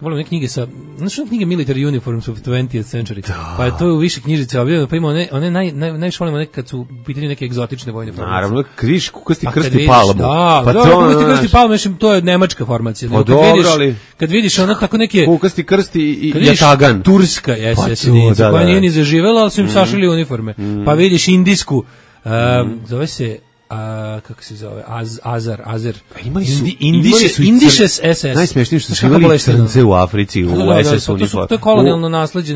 volim neke knjige sa, znači knjige Military Uniforms of 20th Century, pa je to u više knjižice objavljeno, pa ima one najviše volimo neke kad su u pitanju neke egzotične vojne formacije. Naravno, križ, kukasti krsti palmu. Kukasti krsti palmu, mislim, to je nemačka formacija. Kad vidiš ono tako neke... Kukasti krsti i jatagan. Turska SS jedinica, koja nije ni zaživela, ali su im sašili uniforme. Pa vidiš indijsku, zove se... kako se zove, Azer. Imali su Indišes SS. Najsmešnije što su imali crnce u Africi, u SS uniformu. To je kolonijalno nasleđe,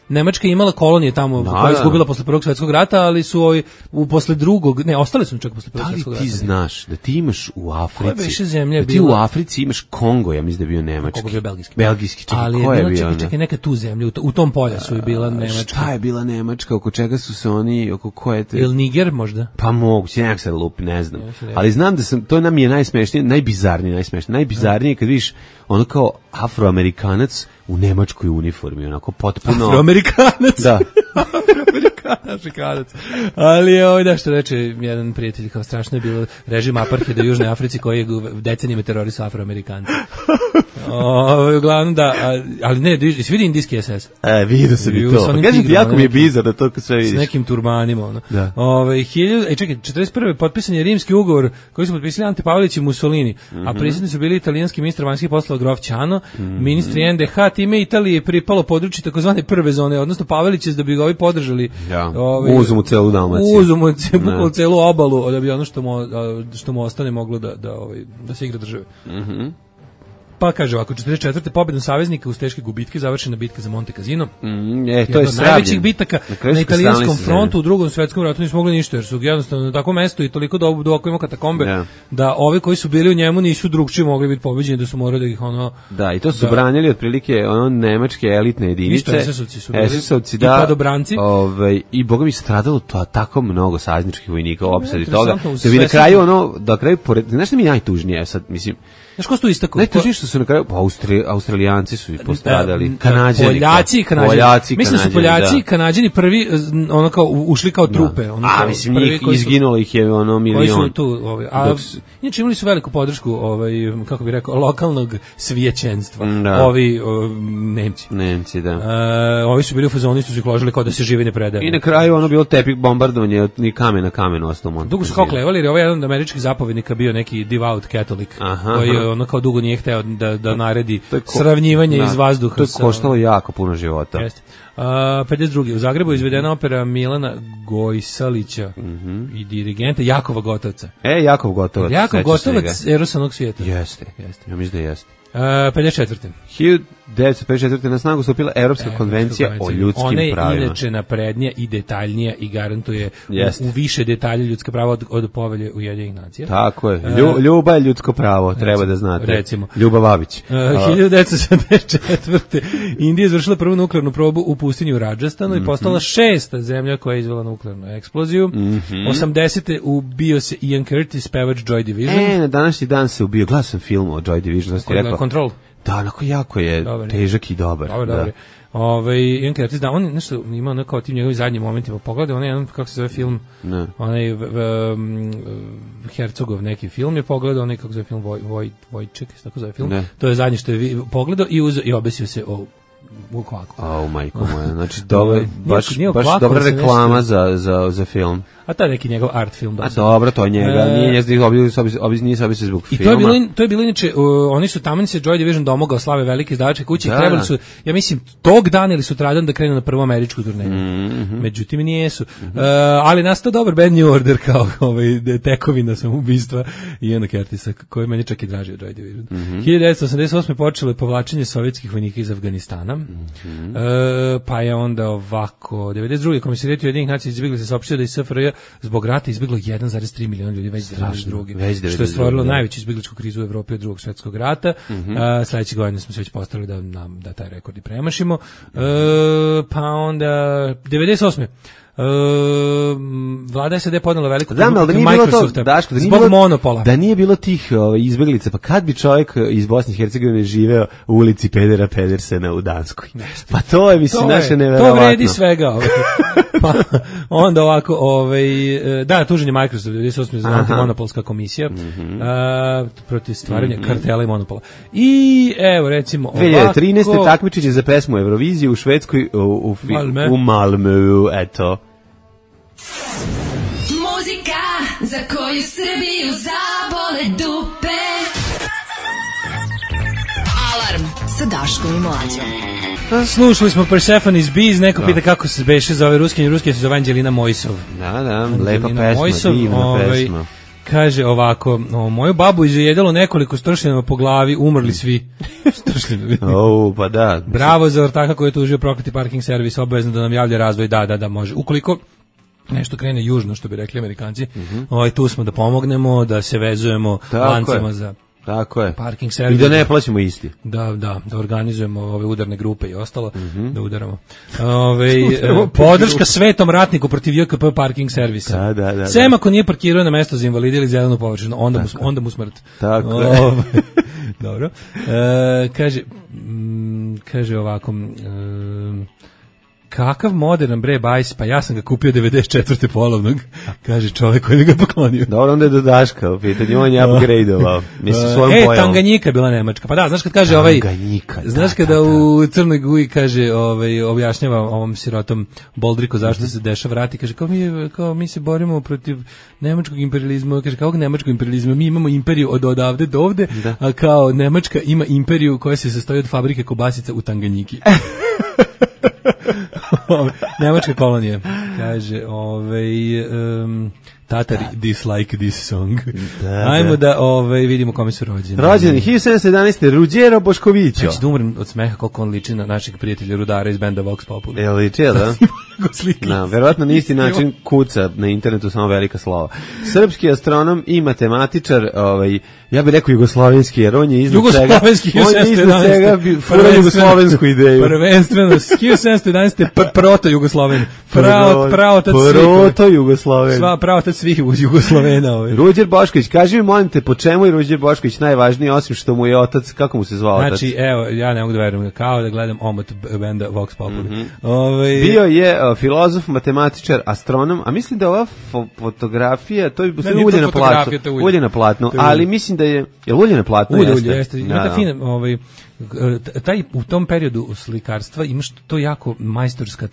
Nemačka je imala kolonije tamo koje je izgubila posle Prvog svjetskog rata, ali su posle drugog, ostali su čak posle Prvog svjetskog rata. Da li ti znaš da ti imaš u Africi, da ti u Africi imaš Kongo, ja mislim da je bio nemački. Kongo je belgijski. Belgijski, ali ko je bio? Čekaj, neka tu zemlju, u tom poljasu je bila nemačka. Šta je bila nemačka, oko čega su se oni, oko koje te... Ili Niger možda? Pa moguće, nekak se lupi, ne znam. Ali znam da to nam je najsmešnije, najbizarnije kad vidiš ono kao Afroamerikanac u nemačkoj uniformi, onako potpuno... Afroamerikanac? Da. Afroamerikanac. Ali da što reče jedan prijatelj, kao strašno je bilo režim apartheida u Južnoj Africi koji je decenijama terorisao Afroamerikanci. Uglavnom da, ali ne, si vidi indijski SS? Vidio sam i Vidio sa to. onim Kažem ti, tigrama jako mi je nekim. bizarno to kad sve S vidiš. nekim turbanima. Ono. Da. Čekaj, 41. potpisan je rimski ugovor koji su potpisali Ante Pavelić i Mussolini, a prisutni su bili italijanski ministar vanjskih poslova Grof Ćano, ministri NDH, time Italiji je pripalo područje takozvane prve zone, odnosno Pavelić je da bi ga ovi podržali. Ja. Uzmu mu celu Dalmaciju. Uzmu mu celu obalu, da bi ono što mu ostane moglo da se igra države. Pa kaže ovako, 44. pobedom saveznika uz teške gubitke završena bitka za Monte Cassino. To je od najvećih bitaka na italijanskom frontu u Drugom svetskom ratu nisu mogli ništa, jer su jednostavno na takvom mestu i toliko duboko ima katakombe, da ovi koji su bili u njemu nisu drugčije mogli biti pobeđeni, da su morali da ih ono... Da, i to su branili otprilike nemačke elitne jedinice. Isto, SS-ovci su bili. SS-ovci, i padobranci. I boga mi stradalo to tako mnogo savezničkih vojnika u opsadi toga. Da bi na kraju, znaš što mi najtužnije sad, mislim, znaš ko su tu istakao? Najtužnije što su na kraju, Australijanci su i postradali, Poljaci i Kanadžani. Mislim su Poljaci i Kanadžani prvi ono kao ušli kao trupe. Mislim, njih izginulo ih je milion. Koji su tu, inače imali su veliku podršku, kako bih rekao, lokalnog svijećenstva. Ovi Nemci, da. Ovi su bili u fazoni, su se ložili kao da se živi ne predaje. I na kraju ono bilo tepih bombardovanje, ni kamen na kamen ostao Monte. Dugo su kao klevali, jer ovaj jedan od američkih zapovjednika bio neki devout katolik, koji ono kao dugo nije hteo da naredi sravnjivanje iz vazduha. To je koštalo jako puno života. Jeste. 52. U Zagrebu je izvedena opera Milana Gojsalića i dirigenta Jakova Gotovca. Jakov Gotovac. Jakov Gotovac, Eros onog svijeta. Jeste. Ja mislim da jeste. 54. 1954. na snagu stupila Evropska konvencija o ljudskim pravima. Ona je inače naprednija i detaljnija i garantuje u više detalje ljudska prava od povelje Ujedinjenih nacija. Tako je. Ljubav je ljudsko pravo, treba da znate. Recimo. Ljubav Babić. 1974. Indija je izvršila prvu nuklearnu probu u pustinju Rajasthanu i postala 6. zemlja koja je izvela nuklearnu eksploziju. 80. ubio se Ian Curtis, pevač Joy Division. Na današnji dan se ubio. Gledao sam film o Joy Division. Control. Da, onako jako je težak i dobar. Dobar. Ian Curtis, da, on nešto ima ono kao tim njegovim zadnjim momentima. Pogledaj, on je jedan, kako se zove film, onaj Herzogov neki film je pogledao, onaj kako se zove film Vojček, tako zove film. To je zadnje što je pogledao i obesio se u kvaku. Majko moja, znači baš dobra reklama za film. A to je neki njegov art film. Dobro, to je njega, nije se obisio zbog filma. I to je bilo inače, oni su tamo se Joy Division domogao slave velike izdavačke kuće i trebali su, ja mislim, tog dana ili sutradan da krenu na prvu američku turneju. Međutim, nijesu. Ali nastao dobar band New Order kao tekovina samoubistva Iana Curtisa, koji je meni čak i draži od Joy Division. 1988. počelo je povlačenje sovjetskih vojnika iz Afganistana. Pa je onda ovako 92. Komisarijet Ujedinjenih nacija izbjegli se saopštio da iz SFRJ zbog rata izbjeglo 1,3 miliona ljudi već 92. Što je stvorilo najveću izbjegličku krizu u Evropi od Drugog svjetskog rata. Sledeće godine smo se već postavili da taj rekord i premašimo. Pa onda 98. Vlada SAD podnela veliku Microsofta zbog monopola. Da nije bilo tih izbjeglica, pa kad bi čovjek iz Bosne i Hercegovine živeo u ulici Pedera Pedersena u Danskoj? Pa to je, mislim, naše neverovatno. To vredi svega. Pa onda ovako, da, tužen je Microsoft 98. za antimonopolska komisija protiv stvaranja kartela i monopola. I evo, recimo ovako... 2013. takmičenje za pesmu Eurovizije u Švedskoj u Malmöu, eto. Muzika za koju Srbiju zabole dupe. Alarm sa Daškom i Mlađom. Slušali smo Persephone's Bees, neko pita kako se beše za ove ruskinje se zove Anđelina Mojsov. Da, lepa pesma, divna pesma. Kaže ovako, moju babu izjedalo nekoliko stršljena po glavi, umrli svi. Stršljena. Pa da. Bravo za ortaka koji je tužio prokleti parking servis, obavezno da nam javlja razvoj, da, može. Ukoliko nešto krene južno, što bi rekli Amerikanci, tu smo da pomognemo, da se vezujemo lancima za... Tako je. Parking servis. I da ne plaćamo isti. Da organizujemo ove udarne grupe i ostalo, da udaramo. Podrška svetom ratniku protiv JKP parking servisa. Da. Sem ako nije parkirao na mesto za invalide ili zelenu površinu, onda mu smrt. Tako je. Dobro. Kaže ovako... kakav modern bre bajs, pa ja sam ga kupio 94. polovnog, kaže čovjek koji mi ga poklonio. Dobro, onda je do Daška u pitanju, on je upgradeovao. Mislim, svojom pojavom. Tanganjika je bila nemačka. Pa da, znaš kad kaže Tanganjika, znaš kada u Crnoj Guji kaže, objašnjava ovom sirotom Boldriku zašto se dešava rati, kaže kao mi se borimo protiv nemačkog imperializma, kaže kakvog nemačkog imperializma, mi imamo imperiju od odavde do ovde, a kao Nemačka ima imperiju koja se sastoji od fabrike kobasica u Tanganjiki. Nemačka kolonija, kaže, Tatari dislike this song. Ajmo da vidimo kome su rođeni. Rođeni 1711. Ruđero Boškovićo. Ja ću da umrem od smeha koliko on liči na našeg prijatelja Rudara iz benda Vox Populi. Liči, da? Da, verovatno na isti način kuca na internetu, samo velika slova. Srpski astronom i matematičar, ja bih rekao jugoslovenski, jer on je iznad svega fura jugoslovensku ideju. Prvenstveno, 1711. proto-Jugosloven. Proto-Jugosloven. Pravotac svih Jugoslovena. Ruđer Bošković, kaži mi, molim te, po čemu je Ruđer Bošković najvažniji, osim što mu je otac, kako mu se zvao otac? Znači, evo, ja ne mogu da verujem, kao da gledam omot benda Vox Populi. Bio je filozof, matematičar, astronom, a mislim da ova fotografija, to je ulje na platnu, ali mislim da je ulje na platnu? Ulje, jeste. Ima ta fina, taj u tom periodu slikarstva imaš to jako majstorska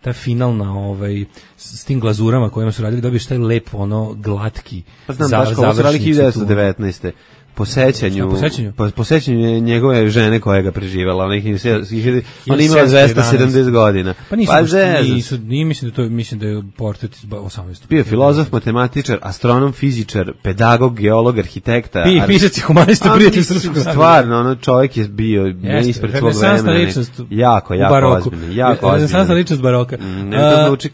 ta finalna s tim glazurama kojima su radili, dobiješ taj lep glatki završnicu. Znam, baš su radili 1919. Po sećanju njegove žene koja ga preživela, ona imala 270 godina. Pa mislim da je portret iz 18. Bio filozof, matematičar, astronom, fizičar, pedagog, geolog, arhitekta. Pisac i humanista, prijatelj srpskog naroda. Stvarno, čovjek je bio ispred svog vremena. Jako ozbiljno. Renesansna ličnost baroka. Ne to zvuči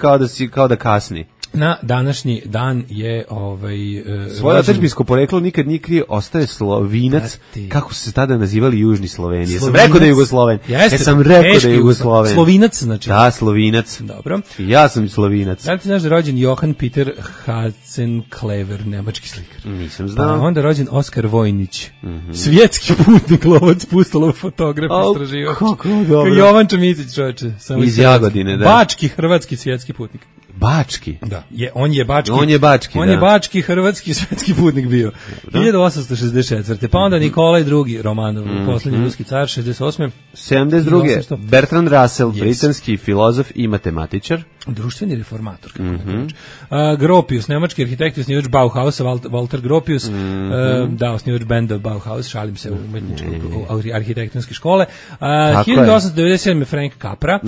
kao da kasni. Na današnji dan je svoje otadžbinsko poreklo nikad nije krio, ostaje Slovinac, kako su se tada nazivali južni Sloveni. Ja sam rekao da je Jugosloven. Slovinac, znači. Da, Slovinac. Dobro. Ja sam Slovinac. Da li ti znaš da je rođen Johann Peter Hatzenklever, nemački slikar? Nisam znao. Pa onda rođen Oskar Vojnić, svjetski putnik, lovac, pustolov, fotograf, istraživač. Kako dobro. Jovan Čomizić, čoveče. Iz Jagodine, da. Bački, hrvatski, svjetski putnik. Bački? Da, on je bački. On je bački, hrvatski, svetski putnik bio. 1864. Pa onda Nikolaj II. Romanov, posljednji ruski car, 68. 72. Bertrand Russell, britanski filozof i matematičar. Društveni reformator, kako Gropius, nemački arhitekt, osnivač Bauhausa, Walter Gropius, osnivač benda Bauhaus, šalim se, arhitektonske škole. 1897. Frank Capra.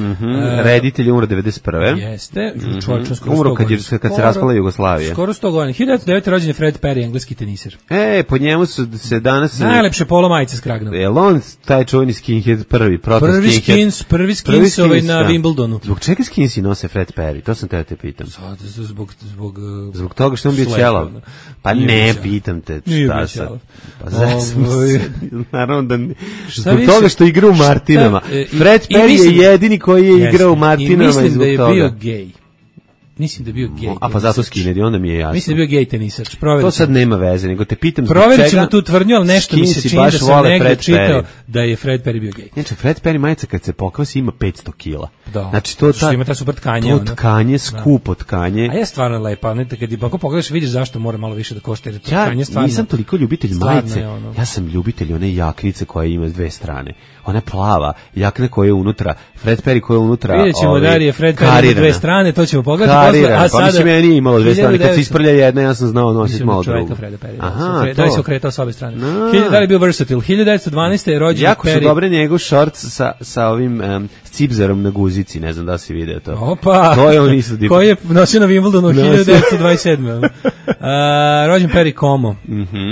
Reditelj umro 91. Jeste, umro kad se raspala Jugoslavija. Skoro 100 godina. 1909. rođen je Fred Perry, engleski teniser. Po njemu su se danas... Najlepše polo majice s kragnom. On taj čuveni skinhead prvi skins na Wimbledonu. Zbog čega skinsi nose Fred Perry? To sam te pitam. Zbog toga što on bio ćelav. Pa ne, pitam te. Šta sad? Pa zesam se. Naravno da... Zbog toga što igra u Martinama. Fred Perry je jedini koji je igrao u Martinama i zbog toga. Mislim da je bio gej. Mislim da je bio gej. A pa zato skinedi, onda mi je jasno. Mislim da je bio gej tenisač. To sad nema veze, nego te pitam zbog čega. Proverit ćemo tu tvrdnju, ali nešto mi se čini da sam negdje čitao da je Fred Perry bio gej. Znači, Fred Perry majica kad se pokvasi ima 500 kila. Da. Znači, to ima ta super tkanje. To tkanje, skupo tkanje. A je stvarno lepa. Kad pogledaš, vidiš zašto mora malo više da košta. Ja nisam toliko ljubitelj majice. Ja sam ljubitelj one jaknice koja ima s dve strane. Ona plava, jakna koja je unutra, Fred Perry koja je unutra. Vidjet ćemo da li je Fred Perry na dve strane, to ćemo pogledati. Pa mislim, meni je imalo dve strane, kad se isprlja jedna, ja sam znao nositi malo drugu. Da li se okretao s obe strane. Da li je bio versatile? 1912. je rođen Perry. Jako su dobre njegov shorts sa ovim cipzerom na guzici, ne znam da si video to. Opa! To je on isto dipo. Koji je nosio na Wimbledonu 1927. Rođen Perry Como,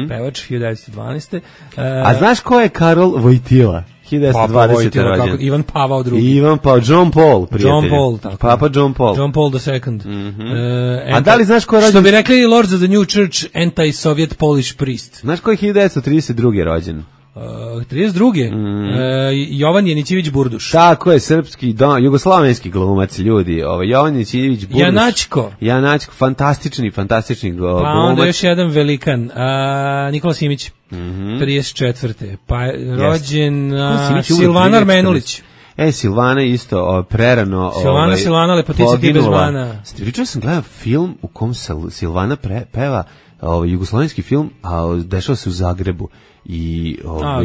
pevač 1912. A znaš ko je Karol Vojtila? 1920. rođen. Ivan Pavao II. John Paul, prijatelji. John Paul, tako. Papa John Paul. John Paul II. A da li znaš ko je rođen? Što bi rekli Lords of the New Church, anti-Soviet Polish priest. Znaš ko je 1932. rođen? 32. Jovan Janićević Burduš. Tako je, srpski, jugoslavenski glumac, ljudi. Jovan Janićević Burduš. Janačko, fantastični glumac. Pa onda još jedan velikan, Nikola Simić. 34. Pa rođen Silvana Armenulić. Silvana isto prerano Silvana, lepotica ti bez mana. Pričao sam gledao film u kom Silvana peva jugoslovenski film, a dešava se u Zagrebu. I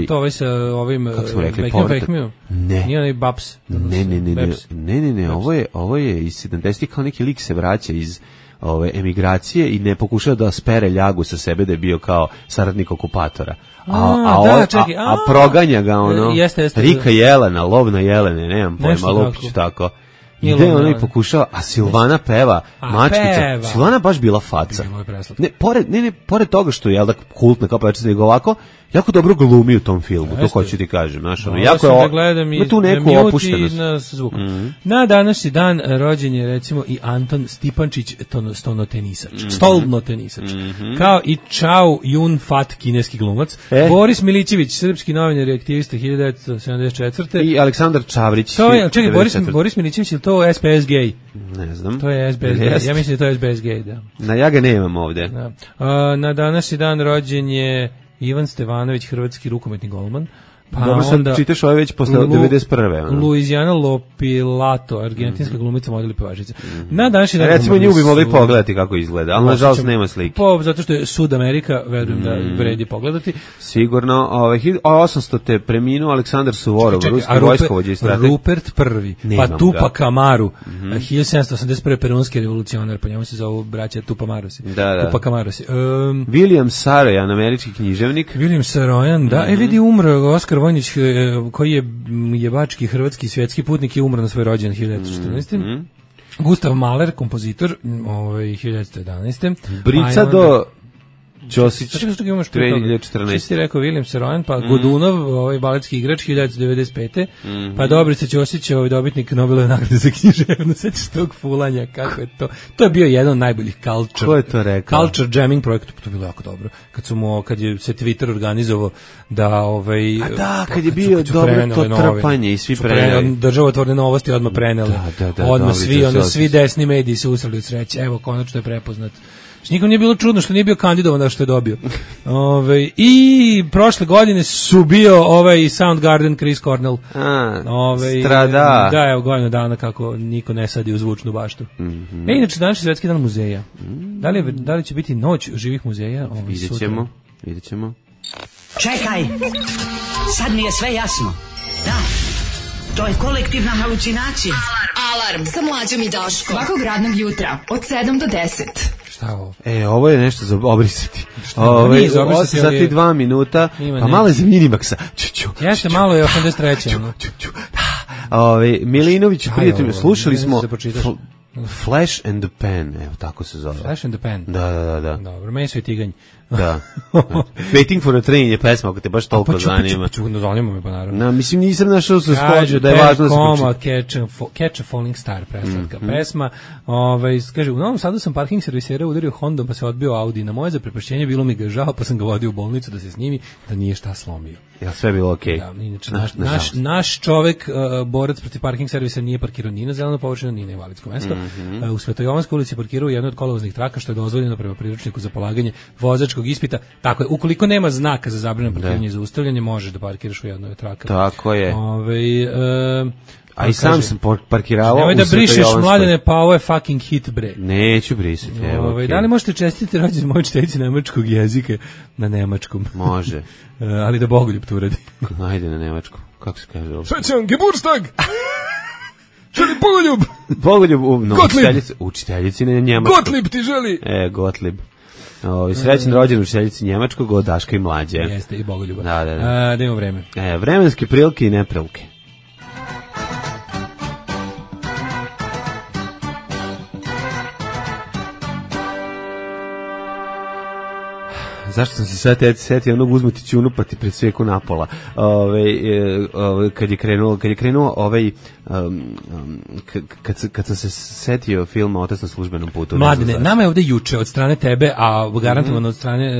to ovaj sa ovim kako smo rekli, ne. Nije onaj Babs. Ne, ovo je iz 70-ih, kao neki lik se vraća iz emigracije i ne pokušava da spere ljagu sa sebe da je bio kao saradnik okupatora. A proganja ga Rika Jelena, lov na jelene, nemam pojma, Lupić tako. Ide ono i pokušava, a Silvana peva, mačkica. Silvana baš bila faca. Pored toga što je kultna kao pevačica, nego ovako jako dobro glumi u tom filmu, to hoću ti kažem, znaš, jako je ima tu neku opuštenost. Na današnji dan rođen je recimo i Anton Stipančić, stolnotenisač, kao i Chao Yun Fat, kineski glumac, Boris Milićević, srpski novinar i aktivista 1974. I Aleksandar Čavrić. Čekaj, Boris Milićević, je to SPS gay? Ne znam. To je SBS gay, ja mislim da je to SBS gay, da. Ja ga nemam ovde. Na današnji dan rođen je Ivan Stevanović, hrvatski rukometni golman. Pa dobro, sad čitaš ovo već posle 91. Luizijana Lopilato, argentinska glumica, model i pevačica. Na današnji dan... Recimo nju bi mogli pogledati kako izgleda, ali nažalost nema slike. Zato što je Sud Amerika, verujem da vredi pogledati. Sigurno. 1800 te preminuo Aleksandar Suvorov, ruski vojskovođa i strateg. Rupert I, pa Tupac Amaru, 1781. perunski revolucionar, po njemu se zovu braća Tupamarosi. Tupac Amarosi. William Sarojan, američki književnik. William Sarojan, da. Vidi, umro Oskar Vojnić, koji je jebački hrvatski svjetski putnik, je umro na svoj rođendan 1914. Gustav Mahler, kompozitor, 1911. Bricado Ćosić, 2014. Što ti rekao, William Sarojan, pa Godunov, baletski igrač, 1995. Pa Dobrica Ćosić, dobitnik Nobelove nagrade za književnost. Sećaš tog fulanja, kako je to? To je bio jedan od najboljih culture jamming projekta, to je bilo jako dobro. Kad je se Twitter organizovao da kad je bio dobro to trpanje i svi preneli. Državotvorne novosti odmah preneli. Odmah svi desni mediji su usrali od sreće. Evo, konačno je prepoznat. Nikom nije bilo čudno što nije bio kandidovan da što je dobio. I prošle godine su bio Soundgarden, Chris Cornell. Strada. Da, evo godinu dana kako niko ne sadi u zvučnu baštu. Inače, današnji svetski dan muzeja. Da li će biti noć živih muzeja? Vidjet ćemo. Čekaj, sad mi je sve jasno. Da, to je kolektivna halucinacija. Alarm sa Mlađom i Daškom. Svakog radnog jutra od 7 do 10. Šta ovo? Ovo je nešto za obrisati. 8 sati 2 minuta, pa malo je za Minimaxa. Jeste, malo je 83. Milinović, prijatelj, slušali smo Flash and the Pan, evo tako se zove. Flash and the Pan? Da. Dobro, Meso i Tiganj. Da. Waiting for a Train je pesma, ako te baš toliko zanima. Zanima me pa naravno. Mislim, nisam našao se skođu da je važno da se Catch a Falling Star, predstavka pesma. Kaže, u Novom Sadu sam parking servisera udario Hondom pa se odbio Audi. Na moje zaprepašćenje bilo mi ga žao pa sam ga vodio u bolnicu da se snimi da nije šta slomio. Ja, sve bilo okej. Da, inače, naš čovek, borac protiv parking servisa, nije parkirao ni na zelenu površinu, ni na invalidsko mesto. U Svetojovanskoj ulici parkirao jednu od kolovoznih traka, što je dozvoljeno prema priručniku za polaganje vozačkog ispita. Tako je, ukoliko nema znaka za zabranjeno parkiranje i zaustavljanje, možeš da parkiraš u jednoj traka. Tako je. A i sam sam parkirao. Nemoj da brišeš, Mladene, pa ovo je fucking hit, bre. Neću brisati, evo. Okay. Da li možete čestiti rođendan moje učiteljici nemačkog jezika na nemačkom? Može. Ali da Bogoljub to uradi. Ajde na nemačkom. Kako se kaže ovo? Srećan Geburtstag! Želi Bogoljub! Učiteljici na njemačkom. Gottlieb ti želi! Gottlieb. Srećan rođendan učiteljici njemačkog od Daška i Mlađe. Jeste, i Bogoljuba. Da imamo vreme. Vremenske prilike i neprilike. Zašto sam se sad setio onog uzmati ćunu pa ti pred svijeku napola. Kad je krenuo kad sam se setio filma Otac na službenom putu. Mladine, nama je ovde juče od strane tebe, a garantovano od strane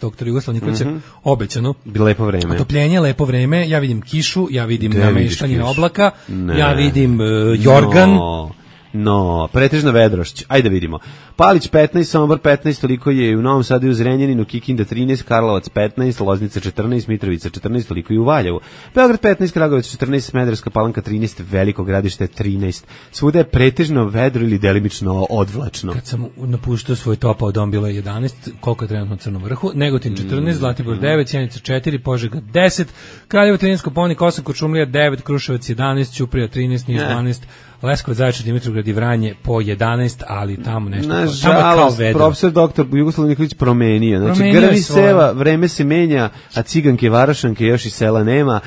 doktora Jugoslava Nikolića obećano. Lepo vreme. Otopljenje, lepo vreme. Ja vidim kišu, ja vidim nameštanje oblaka, ja vidim jorgan. No, pretežna vedrošć. Ajde vidimo. Palić 15, Sombor 15, toliko je i u Novom Sadu i u Zrenjaninu, Kikinda 13, Karlovac 15, Loznica 14, Mitrovica 14, toliko i u Valjevu. Beograd 15, Kragujevac 14, Smederevska Palanka 13, Veliko Gradište 13. Svuda je pretežno vedro ili delimično odvlačno. Kad sam napuštao svoj topao dom bilo je 11, koliko je trenutno u Crnom Vrhu, Negotin 14, Zlatibor 9, Sjenica 4, Požega 10, Kraljevo 13, Kopaonik 8, Kočumlija 9, Kruševac 11, Ćuprija 13, Niš 12, Leskovac, Zaječar, Dimitrovgrad i Vranje po 11, ali tamo nešto. Nažalost, profesor doktor Jugoslav Nikolić promenio. Znači, grmi seva, vreme se menja, a ciganke, varašanke još i sela nema.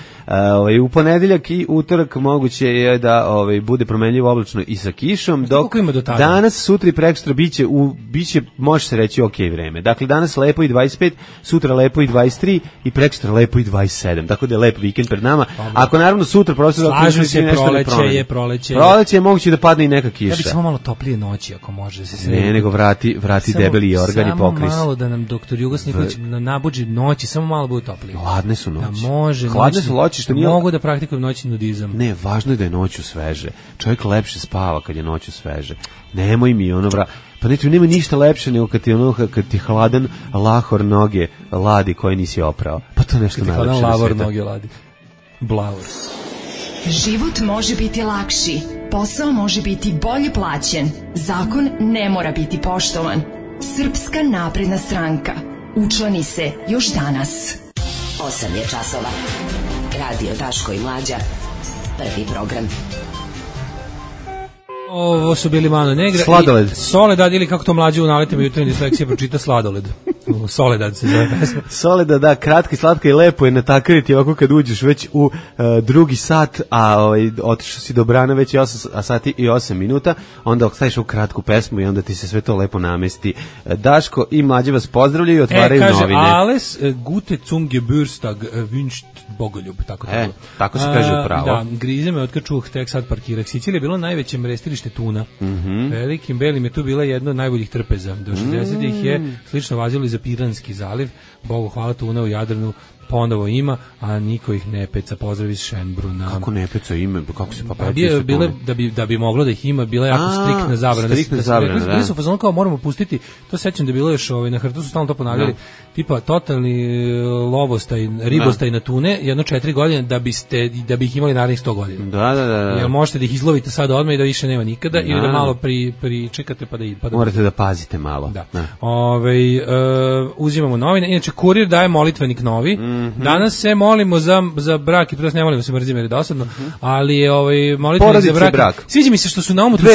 U ponedeljak i utorak moguće je da bude promenljivo oblačno i sa kišom, dok danas, sutra i prekstra biće, može se reći, ok vreme. Dakle, danas lepo i 25, sutra lepo i 23 i prekstra lepo i 27. Tako da je lep vikend pred nama. Ako naravno sutra profesor doktor Nikolić nešto ne promeni. Proleće je moguće da padne i neka kiša. Ja bih samo malo toplije noći, ako može se sredi. Ne, nego vrati debeli organ i pokris. Samo malo da nam doktor Jugos Nikolić nabuđi noći, samo malo bude toplije. Hladne su noći. Da može. Hladne su noći, što nije... Mogu da praktikujem noćni nudizam. Ne, važno je da je noću sveže. Čovjek lepše spava kad je noću sveže. Nemoj mi pa neću, nema ništa lepše nego kad ti hladan lahor noge ladi koje nisi oprao. Pa to nešto najlepše na hladan svijetu. lavor noge ladi. Blavor. Život može biti lakši, posao može biti bolje plaćen, zakon ne mora biti poštovan. Srpska napredna stranka. Učlani se još danas. 8 je časova. Radio Daško i Mlađa. Prvi program. Ovo su bili Mano Negra. Sladoled. Soledad, ili kako to Mlađe u naletima jutarnje disleksije pročita Sladoled. Soledad se zove pesma. Soledad, da, kratka i slatka i lepo je natakariti ovako kad uđeš već u drugi sat, a otišao si do brana već 8 sati i 8 minuta, onda staviš u kratku pesmu i onda ti se sve to lepo namesti. Daško i Mlađe vas pozdravljaju i otvaraju kaže, novine. Alles gute zum Geburtstag wünscht Bogoljub, tako to bilo. Tako se kaže upravo. Da, grize me otkad čuh, tek sad parkirah. Sicilija je bilo najveće mrestilište tuna. Velikim belim je tu bila jedna od najboljih trpeza. Do 60-ih je slično vazilo i za Piranski zaliv. Bogu hvala, tuna u Jadranu ponovo ima, a niko ih ne peca. Pozdrav iz Šenbruna. Kako ne peca ime? Kako se pa peca? Da bi moglo da ih ima, bila je jako striktna zabrana. Striktna zabrana, da. Bili su fazonu kao moramo pustiti, to sećam da je bilo još na Hrtu su stalno to ponavljali, tipa totalni lovostaj, ribostaj na tune, jedno 4 godine da bi ih imali narednih 100 godina. Da. Jer možete da ih izlovite sad odmah i da više nema nikada, ili da malo pričekate pa da morate da pazite malo. Da. Uzimamo novine. Inače, Kurir daje molitvenik novi. Danas se molimo za brak i to ne molimo se, mrzim jer je dosadno, ali je molitvenik za brak. Sviđa mi se što su na omotru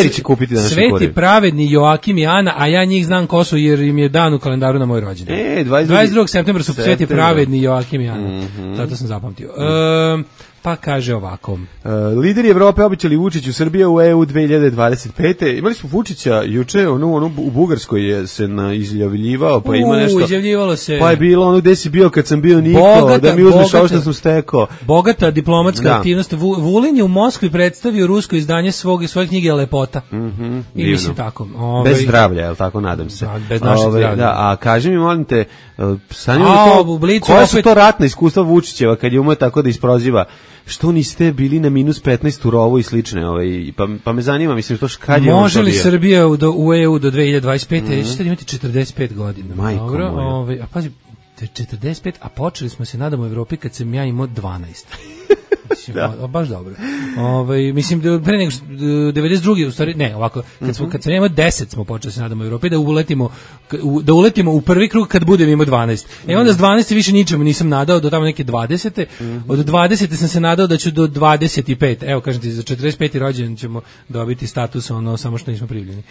Sveti pravedni Joakim i Ana, a ja njih znam ko su jer im je dan u kalendaru na moj rođendan. 22. septembra su Sveti pravedni Joakim i Ana. Zato sam zapamtio. Pa kaže ovako. Lideri Evrope obećali Vučiću Srbija u EU 2025. Imali smo Vučića juče, u Bugarskoj je se izjavljivao, pa ima nešto. Izjavljivalo se. Pa je bilo ono gde si bio kad sam bio Niko, da mi uzmeš ovo što sam stekao. Bogata diplomatska aktivnost. Vulin je u Moskvi predstavio rusko izdanje svoje knjige Lepota. I mislim tako. Bez zdravlja, jel tako, nadam se. Bez našeg zdravlja. Da, a kaži mi, molim te, koja su to ratna iskustva Vučićeva kad je umeo tako da isproziva? Što niste bili na -15 u rovu i slične, pa me zanima, mislim, što kad je on to bio. Može li Srbija u EU do 2025. Ćete imati 45 godina. Majko moja. A pazi, 45, a počeli smo se, nadamo, u Evropi kad sam ja imao 12. Baš dobro. Mislim pre nego 92. u stvari ne, ovako kad sam imao 10 smo počeli se nadamo u Evropi da uletimo u prvi krug kad budem imao 12. Onda s 12 više ničemu nisam nadao do tamo neke 20. Od 20 sam se nadao da ću do 25. Evo kažem ti, za 45. rođendan ćemo dobiti status samo što nismo primljeni.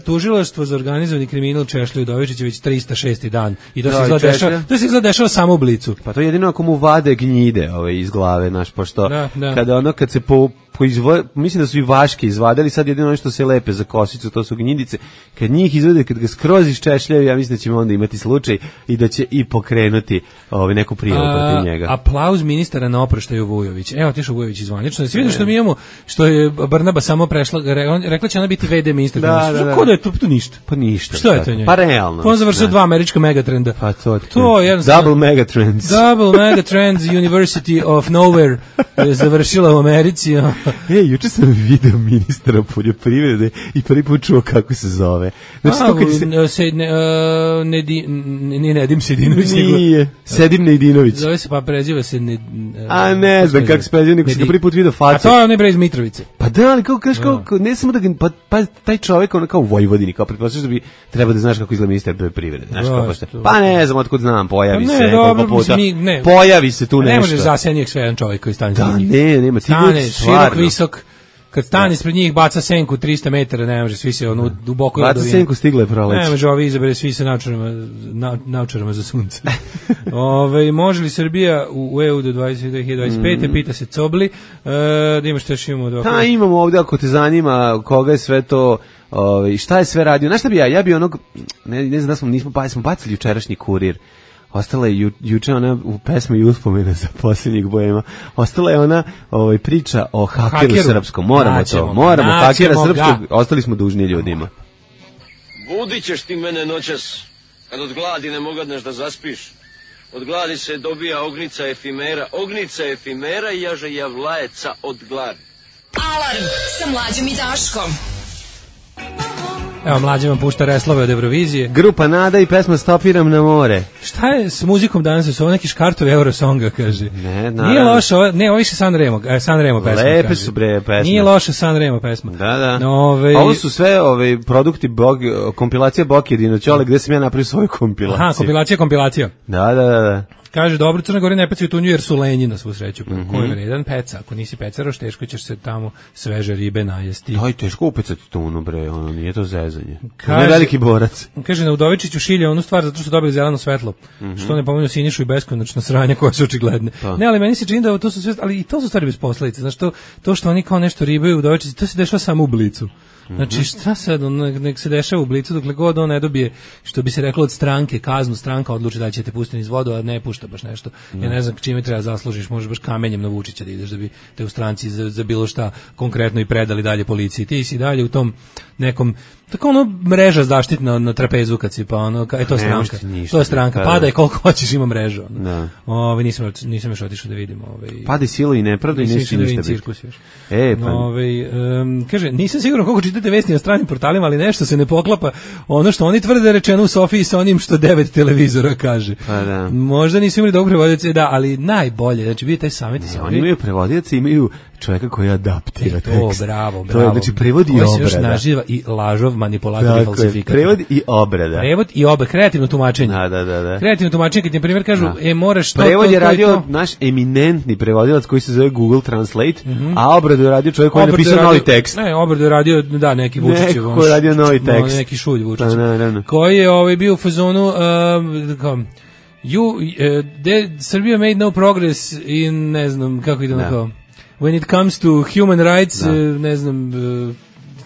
Tužilaštvo za organizovani kriminal Češlja Udovičić već 306. dan i to se izgleda dešava samo u Blicu. Pa to je jedino ako mu vade gnjide iz glave, naš, pošto kad se mislim da su i vaške izvadili, sad jedino ono što se lepe za kosicu, to su gnjidice. Kad njih izvede, kad ga skroz iščešljaju, ja mislim da ćemo onda imati slučaj i da će i pokrenuti neku prijavu protiv njega. Aplauz ministara na oproštaju Vujović. Evo, otišao Vujović izvanično. Svi vidio što mi imamo, što je Brnaba samo prešla, rekla će ona biti VD ministar. Kako da je to ništa? Pa ništa. Što je to njega? Pa realno. On završio 2 američka megatrenda. Pa to je Double megatrends. Double megatrends, University of Nowhere je završila u Americi. Juče sam video ministra poljoprivrede i prvi put čuo kako se zove. Znači, Nedim Sedinović. Nije, Sedim Nejdinović. Zove se, pa preziva se A ne znam kako se preziva, nego sam ga prvi put video facu. A to je onaj bre iz Mitrovice. Pa da, ali kao ne samo da ga, pa taj čovjek ono kao u Vojvodini, kao pretpostavljaš da bi treba da znaš kako izgleda ministar poljoprivrede. Znaš kako pa ne znam otkud znam, pojavi se koliko puta. Pojavi se tu nešto. Ne može zasenjeg sve jedan čovjek koji stane. Da, nema, ti ljudi širok, visok. Kad stane ispred njih, baca senku 300 metara, ne može, svi se ono duboko baca senku, stigle proleće. Ne može, ovi izabere svi se naučarama za sunce. Može li Srbija u EU do 2025. Pita se Cobli. Da imaš što još imamo? Da, imamo ovdje, ako te zanima koga je sve to, šta je sve radio. Znaš šta bi ja bi onog, ne znam da smo bacili jučerašnji Kurir. Ostala je juče ona u pesmi i uspomena za posljednjeg bojema. Ostala je ona priča o hakeru srpskom. Moramo hakera srpskog. Ostali smo dužni ljudima. Budit ćeš ti mene noćas, kad od gladi ne mogadneš da zaspiš. Od gladi se dobija ognica efimera i jaže javlajeca od gladi. Alarm sa Mlađom i Daškom. Evo, Mlađe vam pušta Reslove od Eurovizije. Grupa Nada i pesma Stopiram na more. Šta je s muzikom danas? Su ovo neki škartovi Eurosonga, kaže. Ne, naravno. Nije loše, ovo više San Remo pesma. Lepe kaže. Su bre pesme. Nije loše San Remo pesma. Da. Ovo su sve produkti kompilacija Bokjedino Ćole, gde sam ja napravio svoju kompilaciju. Aha, kompilacija. Da. Kaže, dobro, Crna Gora ne pecaju tunju jer su lenji na svu sreću. Ko je vredan peca? Ako nisi pecaroš, teško ćeš se tamo sveže ribe najesti. Daj, teško upecati tunu, bre, ono nije to zezanje. Kaže, ne veliki borac. Kaže, na Udovičiću šilja onu stvar zato što su dobili zeleno svetlo. Što ne pominju Sinišu i beskonačno sranje koje su očigledne. Pa. Ne, ali meni se čini da to su sve, ali i to su stvari bez posledice. Znaš, to što oni kao nešto ribaju u Udovičici, to se dešava samo u Blicu. Znači, šta sad, nek se dešava u Blicu, dokle god on ne dobije, što bi se reklo od stranke, kaznu, stranka odluči da će te pustiti iz vodu, a ne pušta baš nešto. Ja ne znam čime treba zaslužiš, možeš baš kamenjem na Vučića da ideš, da bi te u stranci za bilo šta konkretno i predali dalje policiji. Ti si dalje u tom nekom, tako ono mreža zaštitna na trapezu kad si, pa ono, to je stranka. To je stranka, padaj koliko hoćeš, ima mrežu. Nisam još otišao da vidim. Padaj silu i nepravdu i neće ništa biti. Kaže, nisam siguran koliko čitate vesti na stranim portalima, ali nešto se ne poklapa ono što oni tvrde rečeno u Sofiji sa onim što 9 televizora kaže. Pa da. Možda nisu imali dobro prevodioce, da, ali najbolje, znači vidite taj savjet. Oni imaju prevodioce, imaju čovjeka koji adaptira tekst. Bravo. To je, znači, prevod i obrada. Koji se još naživa i lažov, manipulator i falsifikat. Prevod i obrada. Prevod i obrada, kreativno tumačenje. Da. Kreativno tumačenje, kad ti na primjer kažu, moraš to... Prevod je radio naš eminentni prevodilac koji se zove Google Translate, a obradu je radio čovjek koji je napisao novi tekst. Ne, obradu je radio, da, neki Vučićev. Neko je radio novi tekst. Neki šulj Vučićev. Koji je bio u fazonu... Serbia made no progress in, ne znam, kako ide na to. When it comes to human rights, ne znam,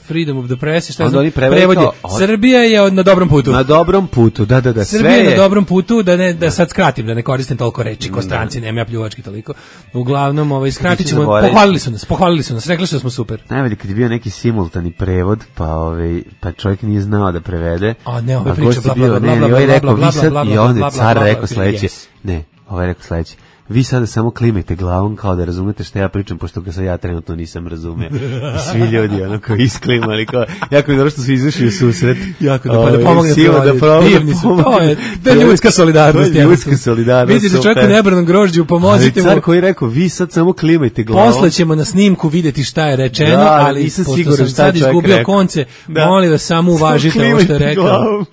freedom of the press, šta znam, prevod je. Srbija je na dobrom putu. Na dobrom putu, da. Srbija je na dobrom putu, da sad skratim, da ne koristim toliko reči ko stranci, nema ja pljuvački toliko. Uglavnom, skratit ćemo, pohvalili su nas, rekli su da smo super. Najbolje kad je bio neki simultani prevod, pa čovjek nije znao da prevede. A ne, ove priče, bla, bla, bla, i on je car rekao sledeće. Ne, ovaj rekao sledeće. Vi sada samo klimajte glavom kao da razumete što ja pričam, pošto ga sad ja trenutno nisam razumeo. I svi ljudi koji isklimali, jako je dobro što su izašli u susret. Jako da, pa da pomogne divni su, to je ljudska solidarnost. To je ljudska solidarnost. Vidite čovjeku nebranom grožđu, pomozite mu. Ali car koji je rekao, vi sad samo klimajte glavom. Posle ćemo na snimku vidjeti šta je rečeno, ali pošto sam sad izgubio konce, molim vas samo uvažite ovo što je rekao.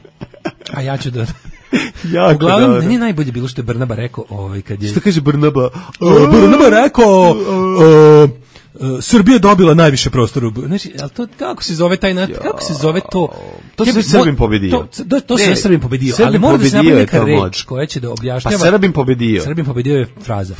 A ja ću da... Uglavnom, meni je najbolje bilo što je Brnaba rekao, kad je... Što kaže Brnaba? Brnaba rekao... Srbija dobila najviše prostora. Znači, al to kako se zove taj kako se zove to? To se Srbin pobedio. To se Srbin pobedio, ali mora da se napravi neka reč koja će da objašnjava. Pa Srbin pobedio. Srbin pobedio je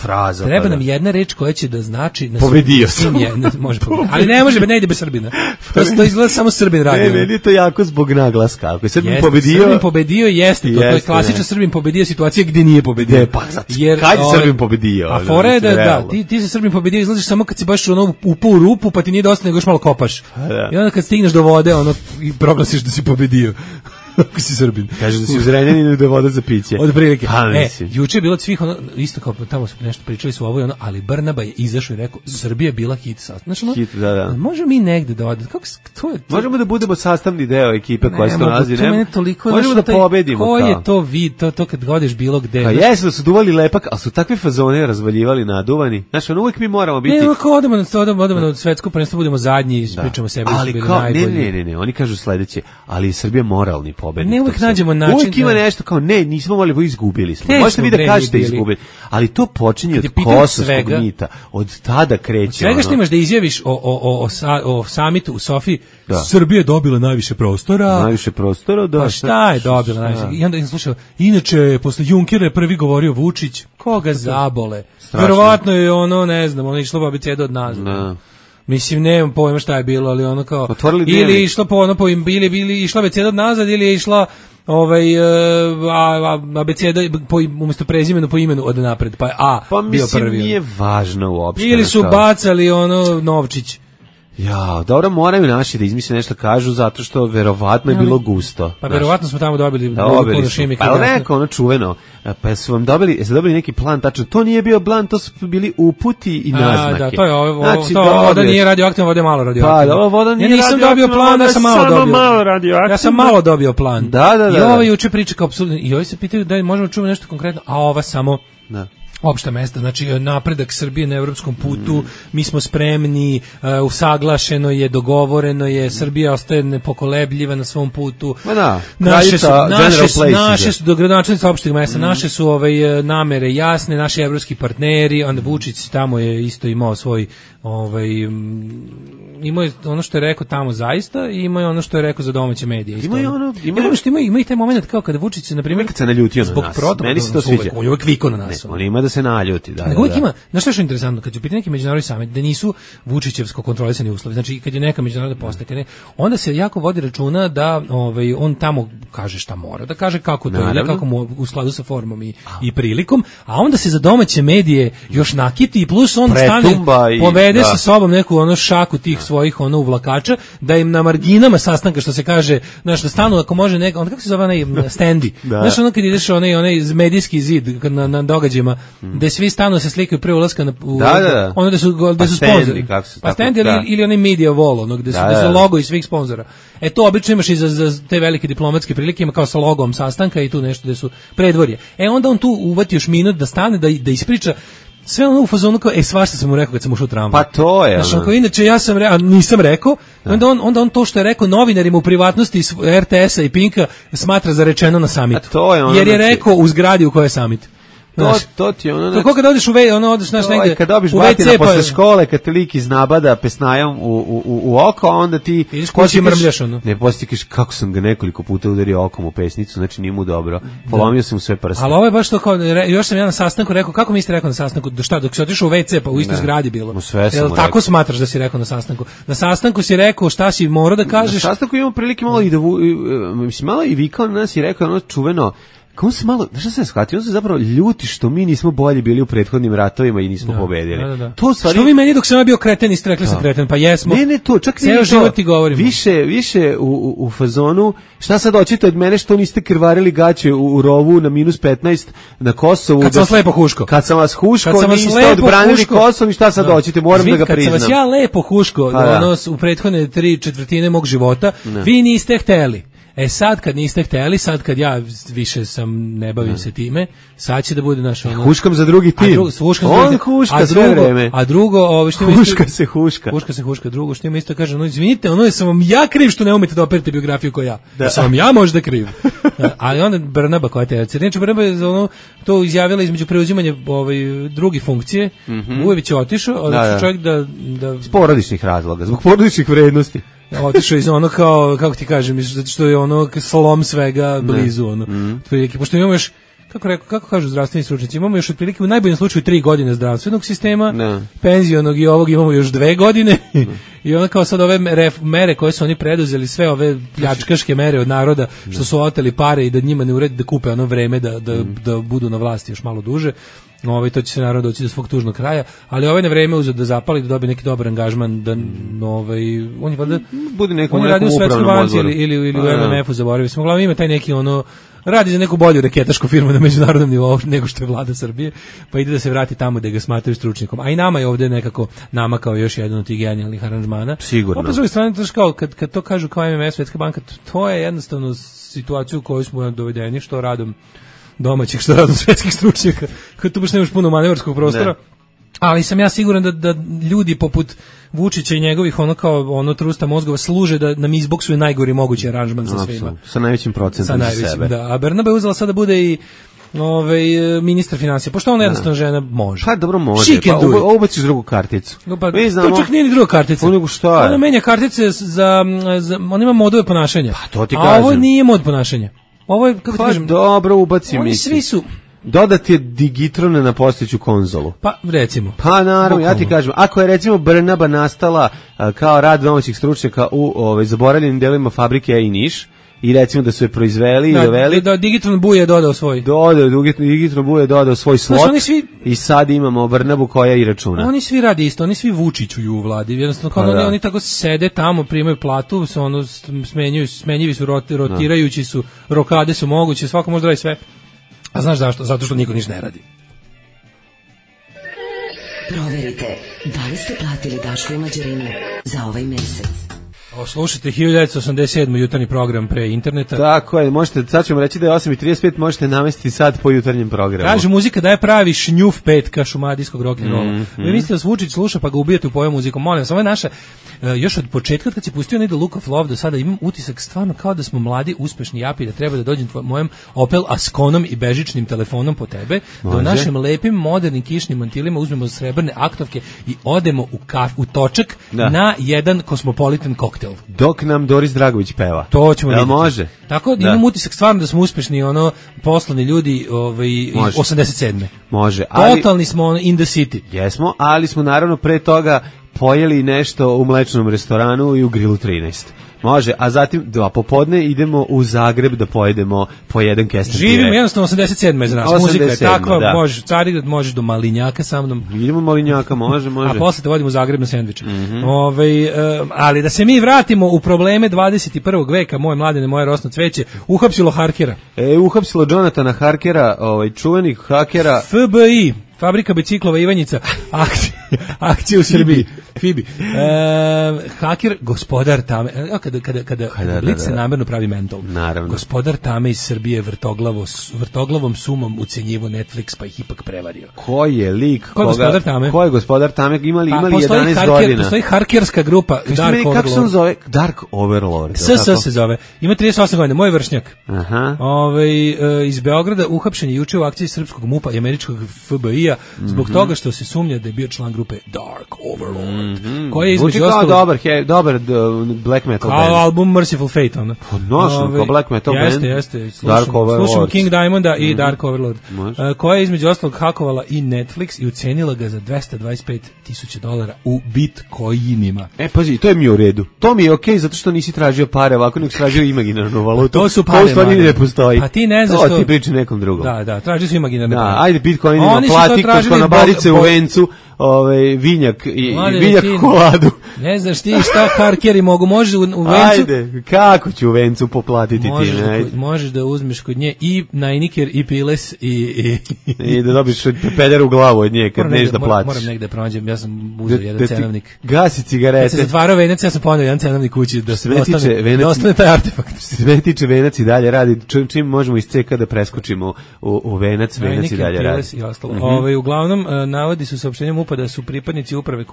fraza. Treba nam jedna reč koja će da znači na pobedio sam. Može pobediti. Ali ne može, ne ide bez Srbina. To izgleda samo Srbin radi. Ne, meni je to jako zbog naglaska. Ako je Srbin pobedio. Srbin pobedio jeste, to je klasična Srbin pobedio situacija gdje nije pobedio. Jer kad je Srbin pobedio? A fora je da ti se Srbin pobedio izlaziš samo kad si baš upao u rupu, pa ti nije dosta nego još malo kopaš. I onda kad stigneš do vode, i proglasiš da si pobedio. ako si Srbin. Kaže da si u Zrenjaninu da je voda za piće. Od prilike. Mislim. Juče je bilo od svih ono, isto kao tamo su nešto pričali su ovo i ono, ali Brnaba je izašao i rekao Srbija je bila hit sastav. Znači, ono, hit, da. Možemo mi negde da odemo. Kako to je? Možemo da budemo sastavni deo ekipe koja se nalazi. Možemo da pobedimo. Ko je to vid, to kad godiš bilo gde. Pa jesu da su duvali lepak, ali su takve fazone razvaljivali naduvani. Znači, uvek mi moramo biti. Ne, ako odemo na svetsko prvenstvo, budemo zadnji i pričamo sebi da su bili najbolji. Ne, oni kažu sledeće, ali je Srbija moralni pobednik. Ne, uvek nađemo način. Uvek ima nešto kao, ne, nismo volili, izgubili smo. Možete vi da kažete izgubili. Ali to počinje od kosovskog mita. Od tada kreće. Svega što imaš da izjaviš o samitu u Sofiji, Srbija je dobila najviše prostora. Najviše prostora, da. Pa šta je dobila najviše? I onda sam slušao, inače, posle Junkera je prvi govorio Vučić, koga zabole. Verovatno je ono, ne znam, ono išlo abecedu od nazad. Mislim, nemam pojma šta je bilo, ali ono kao ili išla po ono ili išla abeceda nazad ili je išla abeceda umjesto prezimena po imenu od napred, pa je A bio prvi. Pa mislim nije važno uopšte. Ili su bacali ono novčić. Ja, dobro, moraju naši da izmisle nešto kažu, zato što verovatno je bilo gusto. Pa verovatno smo tamo dobili Šimika. Pa neko ono čuveno, pa su vam dobili neki plan tačno, to nije bio plan, to su bili uputi i naznake. Da, to je ovo, znači, voda nije radioaktivna, voda je malo radioaktivna. Pa, ovo voda nije radioaktivna. Ja nisam dobio plan, ja sam malo dobio. Ja sam malo dobio plan. Da. I ovo juče priča kao apsolutno, i ovi se pitaju da možemo čuvati nešto konkretno, a ova samo... Da. Opšta mesta, znači napredak Srbije na evropskom putu, mi smo spremni, usaglašeno je, dogovoreno je, Srbija ostaje nepokolebljiva na svom putu. Naše su dogradonačelnici opštih mesta, naše su namere jasne, naši evropski partneri, onda Vučić tamo je isto imao svoj imao je ono što je rekao tamo zaista i imao je ono što je rekao za domaće medije. Ima i taj moment kao kada Vučić se, na primjer, kad se naljutio na nas, meni se to sviđa. On je uvek vikao na nas. On ima da se naljuti. Uvijek ima, znaš što je interesantno, kad će biti neki međunarodni samit, da nisu Vučićevsko kontrolisani uslovi, znači kad je neka međunarodna postaka, onda se jako vodi računa da on tamo kaže šta mora, da kaže kako to ide, kako mu u skladu sa formom i prilikom, a onda se za domaće medije još nakiti i plus on stane, povede sa sobom neku ono šaku tih svojih uvlakača, da im na marginama sastanka, što se kaže, znaš, da stanu ako može neka, onda kako se zove onaj stendi, znaš, ono kad ideš onaj medijski zid na događajima, gde svi stanu se slikaju pre ulaska ono gde su sponzori. Pa stendi ili onaj media wall, ono gde su logo i svih sponzora. To obično imaš i za te velike diplomatske prilike, ima kao sa logom sastanka i tu nešto gde su predvorje. Onda on tu uvati još minut da stane, da ispriča sve ono u fazonu kao, svašta sam mu rekao kad sam ušao u tramvaj. Pa to je. Znaš, inače ja sam nisam rekao, onda on to što je rekao novinarima u privatnosti iz RTS-a i Pinka smatra za rečeno na samitu. Jer je rekao u zgradi u kojoj je samit. To ti je ono... Kako kad odeš odeš naš negde... Kad dobiš batina posle škole, kad te lik iznabada pesnajom u oko, onda ti... Ideš kući mrmljaš ono. Ne, poslije ti kažeš kako sam ga nekoliko puta udario okom u pesnicu, znači nije mu dobro. Polomio sam mu sve prste. Ali ovo je baš to kao, još sam ja na sastanku rekao, kako mi ste rekao na sastanku, dok si otišao u WC, pa u istoj zgradi bilo. Jel tako smatraš da si rekao na sastanku? Na sastanku si rekao šta si morao da kažeš? Na sastanku imamo prilike malo i da... Mislim, malo i vikao na nas i rekao ono čuveno... Kako se malo, znaš šta sam shvatio, on se zapravo ljuti što mi nismo bolji bili u prethodnim ratovima i nismo pobedili. Da. To stvari... Što vi meni dok sam ja bio kreten i rekli sam kreten, pa jesmo. Ne, to, čak nije to. Više u fazonu, šta sad hoćete od mene što niste krvarili gaće u rovu na -15 na Kosovu. Kad sam vas lepo huško. Kad sam vas huško, niste odbranili Kosovo i šta sad hoćete, moram da ga priznam. Kad sam vas ja lepo huško u prethodne 3/4 mog života, vi niste hteli. Sad kad niste hteli, sad kad ja više ne bavim se time, sad će da bude naš ono... Huškam za drugi tim. On huška sve vreme. A drugo... Huška se huška. Huška se huška. Drugo što ima isto kaže, izvinite, sam vam ja kriv što ne umete da operite biografiju kao ja. Da sam vam ja možda kriv. Ali onda Brnaba koja te... Znači Brnaba je to izjavila između preuzimanja druge funkcije. Ujević je otišao, odlično čovjek da... Iz porodičnih razloga, zbog porodičnih vrednosti. Otišao iz ono kao, kako ti kažem, zato što je ono slom svega blizu, ono. Pošto imamo još, kako kažu zdravstveni stručnjaci, imamo još otprilike u najboljem slučaju 3 godine zdravstvenog sistema, penzionog i ovog imamo još 2 godine, i onda kao sad ove mere koje su oni preduzeli, sve ove pljačkaške mere od naroda, što su oteli pare i da njima ne uredi da kupe ono vreme da budu na vlasti još malo duže, To će se naravno doći do svog tužnog kraja, ali na vreme uzeo da zapali, da dobije neki dobar angažman, da on je valjda bude nekom radio u Svetskoj banci ili u MMF-u, zaboravio sam. Uglavnom ima taj neki radi za neku bolju reketašku firmu na međunarodnom nivou nego što je vlada Srbije, pa ide da se vrati tamo da ga smatraju stručnjakom. A i nama je ovde nekako namakao još jedan od tih genijalnih aranžmana. Sigurno. Opet s druge strane, kao kad to kažu kao MMF, Svetska banka, to je jednostavno situaciju u kojoj smo dovedeni, što radom domaćih, što radom svetskih stručnjaka, kad tu baš nemaš puno manevarskog prostora. Ali sam ja siguran da ljudi poput Vučića i njegovih trusta mozgova služe da nam izboksuje najgori mogući aranžman sa svima. Sa najvećim procentom za sebe. Da. A Bernabe je uzela sada da bude i ministar financija, pošto ona jednostavno žena može. Pa dobro može, ubaciš drugu karticu. To čak nije ni druga kartica. Ona menja kartice ona ima modove ponašanja. Pa to ti kažem. A ovo nije mod ponašanja. Ovo je, kako ti kažem... dobro, ubaci oni svi su... Dodati je digitrone na postojeću konzolu. Pa, recimo. Pa, naravno, ja ti kažem, ako je recimo Brnaba nastala kao rad domaćih stručnjaka u zaboravljenim delima fabrike i Niš, i recimo da su je proizveli i doveli... Da, Digitron Buje je dodao svoj. Digitron Buje je dodao svoj slot i sad imamo Brnabu koja i računa. Oni svi radi isto, oni svi Vučićuju u vladi, jednostavno kao oni tako sede tamo, primaju platu, smenjivi su, rotirajući su, rokade su moguće, svako može da radi sve. A znaš zašto? Zato što niko ništa ne radi. Proverite, da li ste platili Daško i Mlađarinu za ovaj mesec? Slušajte 1987. jutarnji program pre interneta. Tako je, možete, sad ćemo reći da je 8:35, možete namestiti sad po jutarnjem programu. Kaže, muzika daje pravi šnjuf petka šumadijskog rock'n'rolla. Vi mislite da Vučić sluša pa ga ubijate u pojem muzikom. Molim vas, ovo je naša, još od početka kad si pustio onaj The Look of Love do sada imam utisak stvarno kao da smo mladi, uspešni japi, da treba da dođem mojem Opel Asconom i bežičnim telefonom po tebe, da u našim lepim, modernim kišnim mantilima uzmemo srebrne aktovke i odemo u točak na jedan kosmopolitan koktel. Dok nam Doris Dragović peva. To ćemo vidjeti. Može? Tako da imam utisak stvarno da smo uspešni poslovni ljudi 87. Može. Totalni smo in the city. Jesmo, ali smo naravno pre toga pojeli nešto u mlečnom restoranu i u Grilu 13. Može, a zatim popodne idemo u Zagreb da pojedemo po jedan kesten pire. Živimo jednostavno 87. za nas. Muzika je takva, možeš Carigrad, možeš do Malinjaka sa mnom. Idemo Malinjaka, može. A posle te vodimo u Zagreb na sendviče. Ali da se mi vratimo u probleme 21. veka, moje mladene, moje rosno cveće, uhapsilo Harkera. Uhapsilo Jonathana Harkera, čuvenih hakera. FBI. Fabrika biciklova Ivanjica, akcija u Srbiji, Fibi. Haker, gospodar Tame, kada Blic se namerno pravi mentol, gospodar Tame iz Srbije vrtoglavom sumom ucenjivo Netflix, pa ih ipak prevario. Ko je lik? Ko je gospodar Tame? Ko je gospodar Tame? Imali 11 godina. Postoji harkerska grupa Dark Overlord. Kako se on zove? Dark Overlord. SS se zove. Ima 38 godina, moj vršnjak. Iz Beograda uhapšen je juče u akciji srpskog MUP-a i američkog FBI-a zbog toga što se sumnja da je bio član grupe Dark Overlord, koji je između ostalog dobar black metal band. Kao album Merciful Fate, ono. Kao black metal band. Jeste. Slušamo King Diamonda i Dark Overlord, koja je između ostalog hakovala i Netflix i ucenila ga za $225,000 u bitcoinima. Pazi, to je mi u redu. To mi je okej, zato što nisi tražio pare, ovako nek tražio imaginarnu valutu. To su pare, to u stvari ne postoji. Pa ti ne znaš što... ti priča nekom drugom. Da, traži su imaginarne pare. Ajde, bitcoinima plati kod konobarice u Vencu, vinjak i vinjak koladu. Ne znaš ti šta harkeri mogu, možeš u Vencu... Ajde, kako ću u Vencu poplatiti ti? Možeš da uzmeš kod nje i najniker i piles i da dobiš peder u glavu od nje kad neš da platiš. Moram negde pronađem, ja sam uzeo jedan cenovnik. Gasi cigarete. Kad se zatvarao Venac, ja sam ponio jedan cenovnik kući da ostane taj artefakt. Sve tiče Venac i dalje radi, čim možemo iz CK da preskočimo u Venac, Venac i dalje radi. Uglavnom, navodi su saopštenjem MUP-a da su pripadnici uprave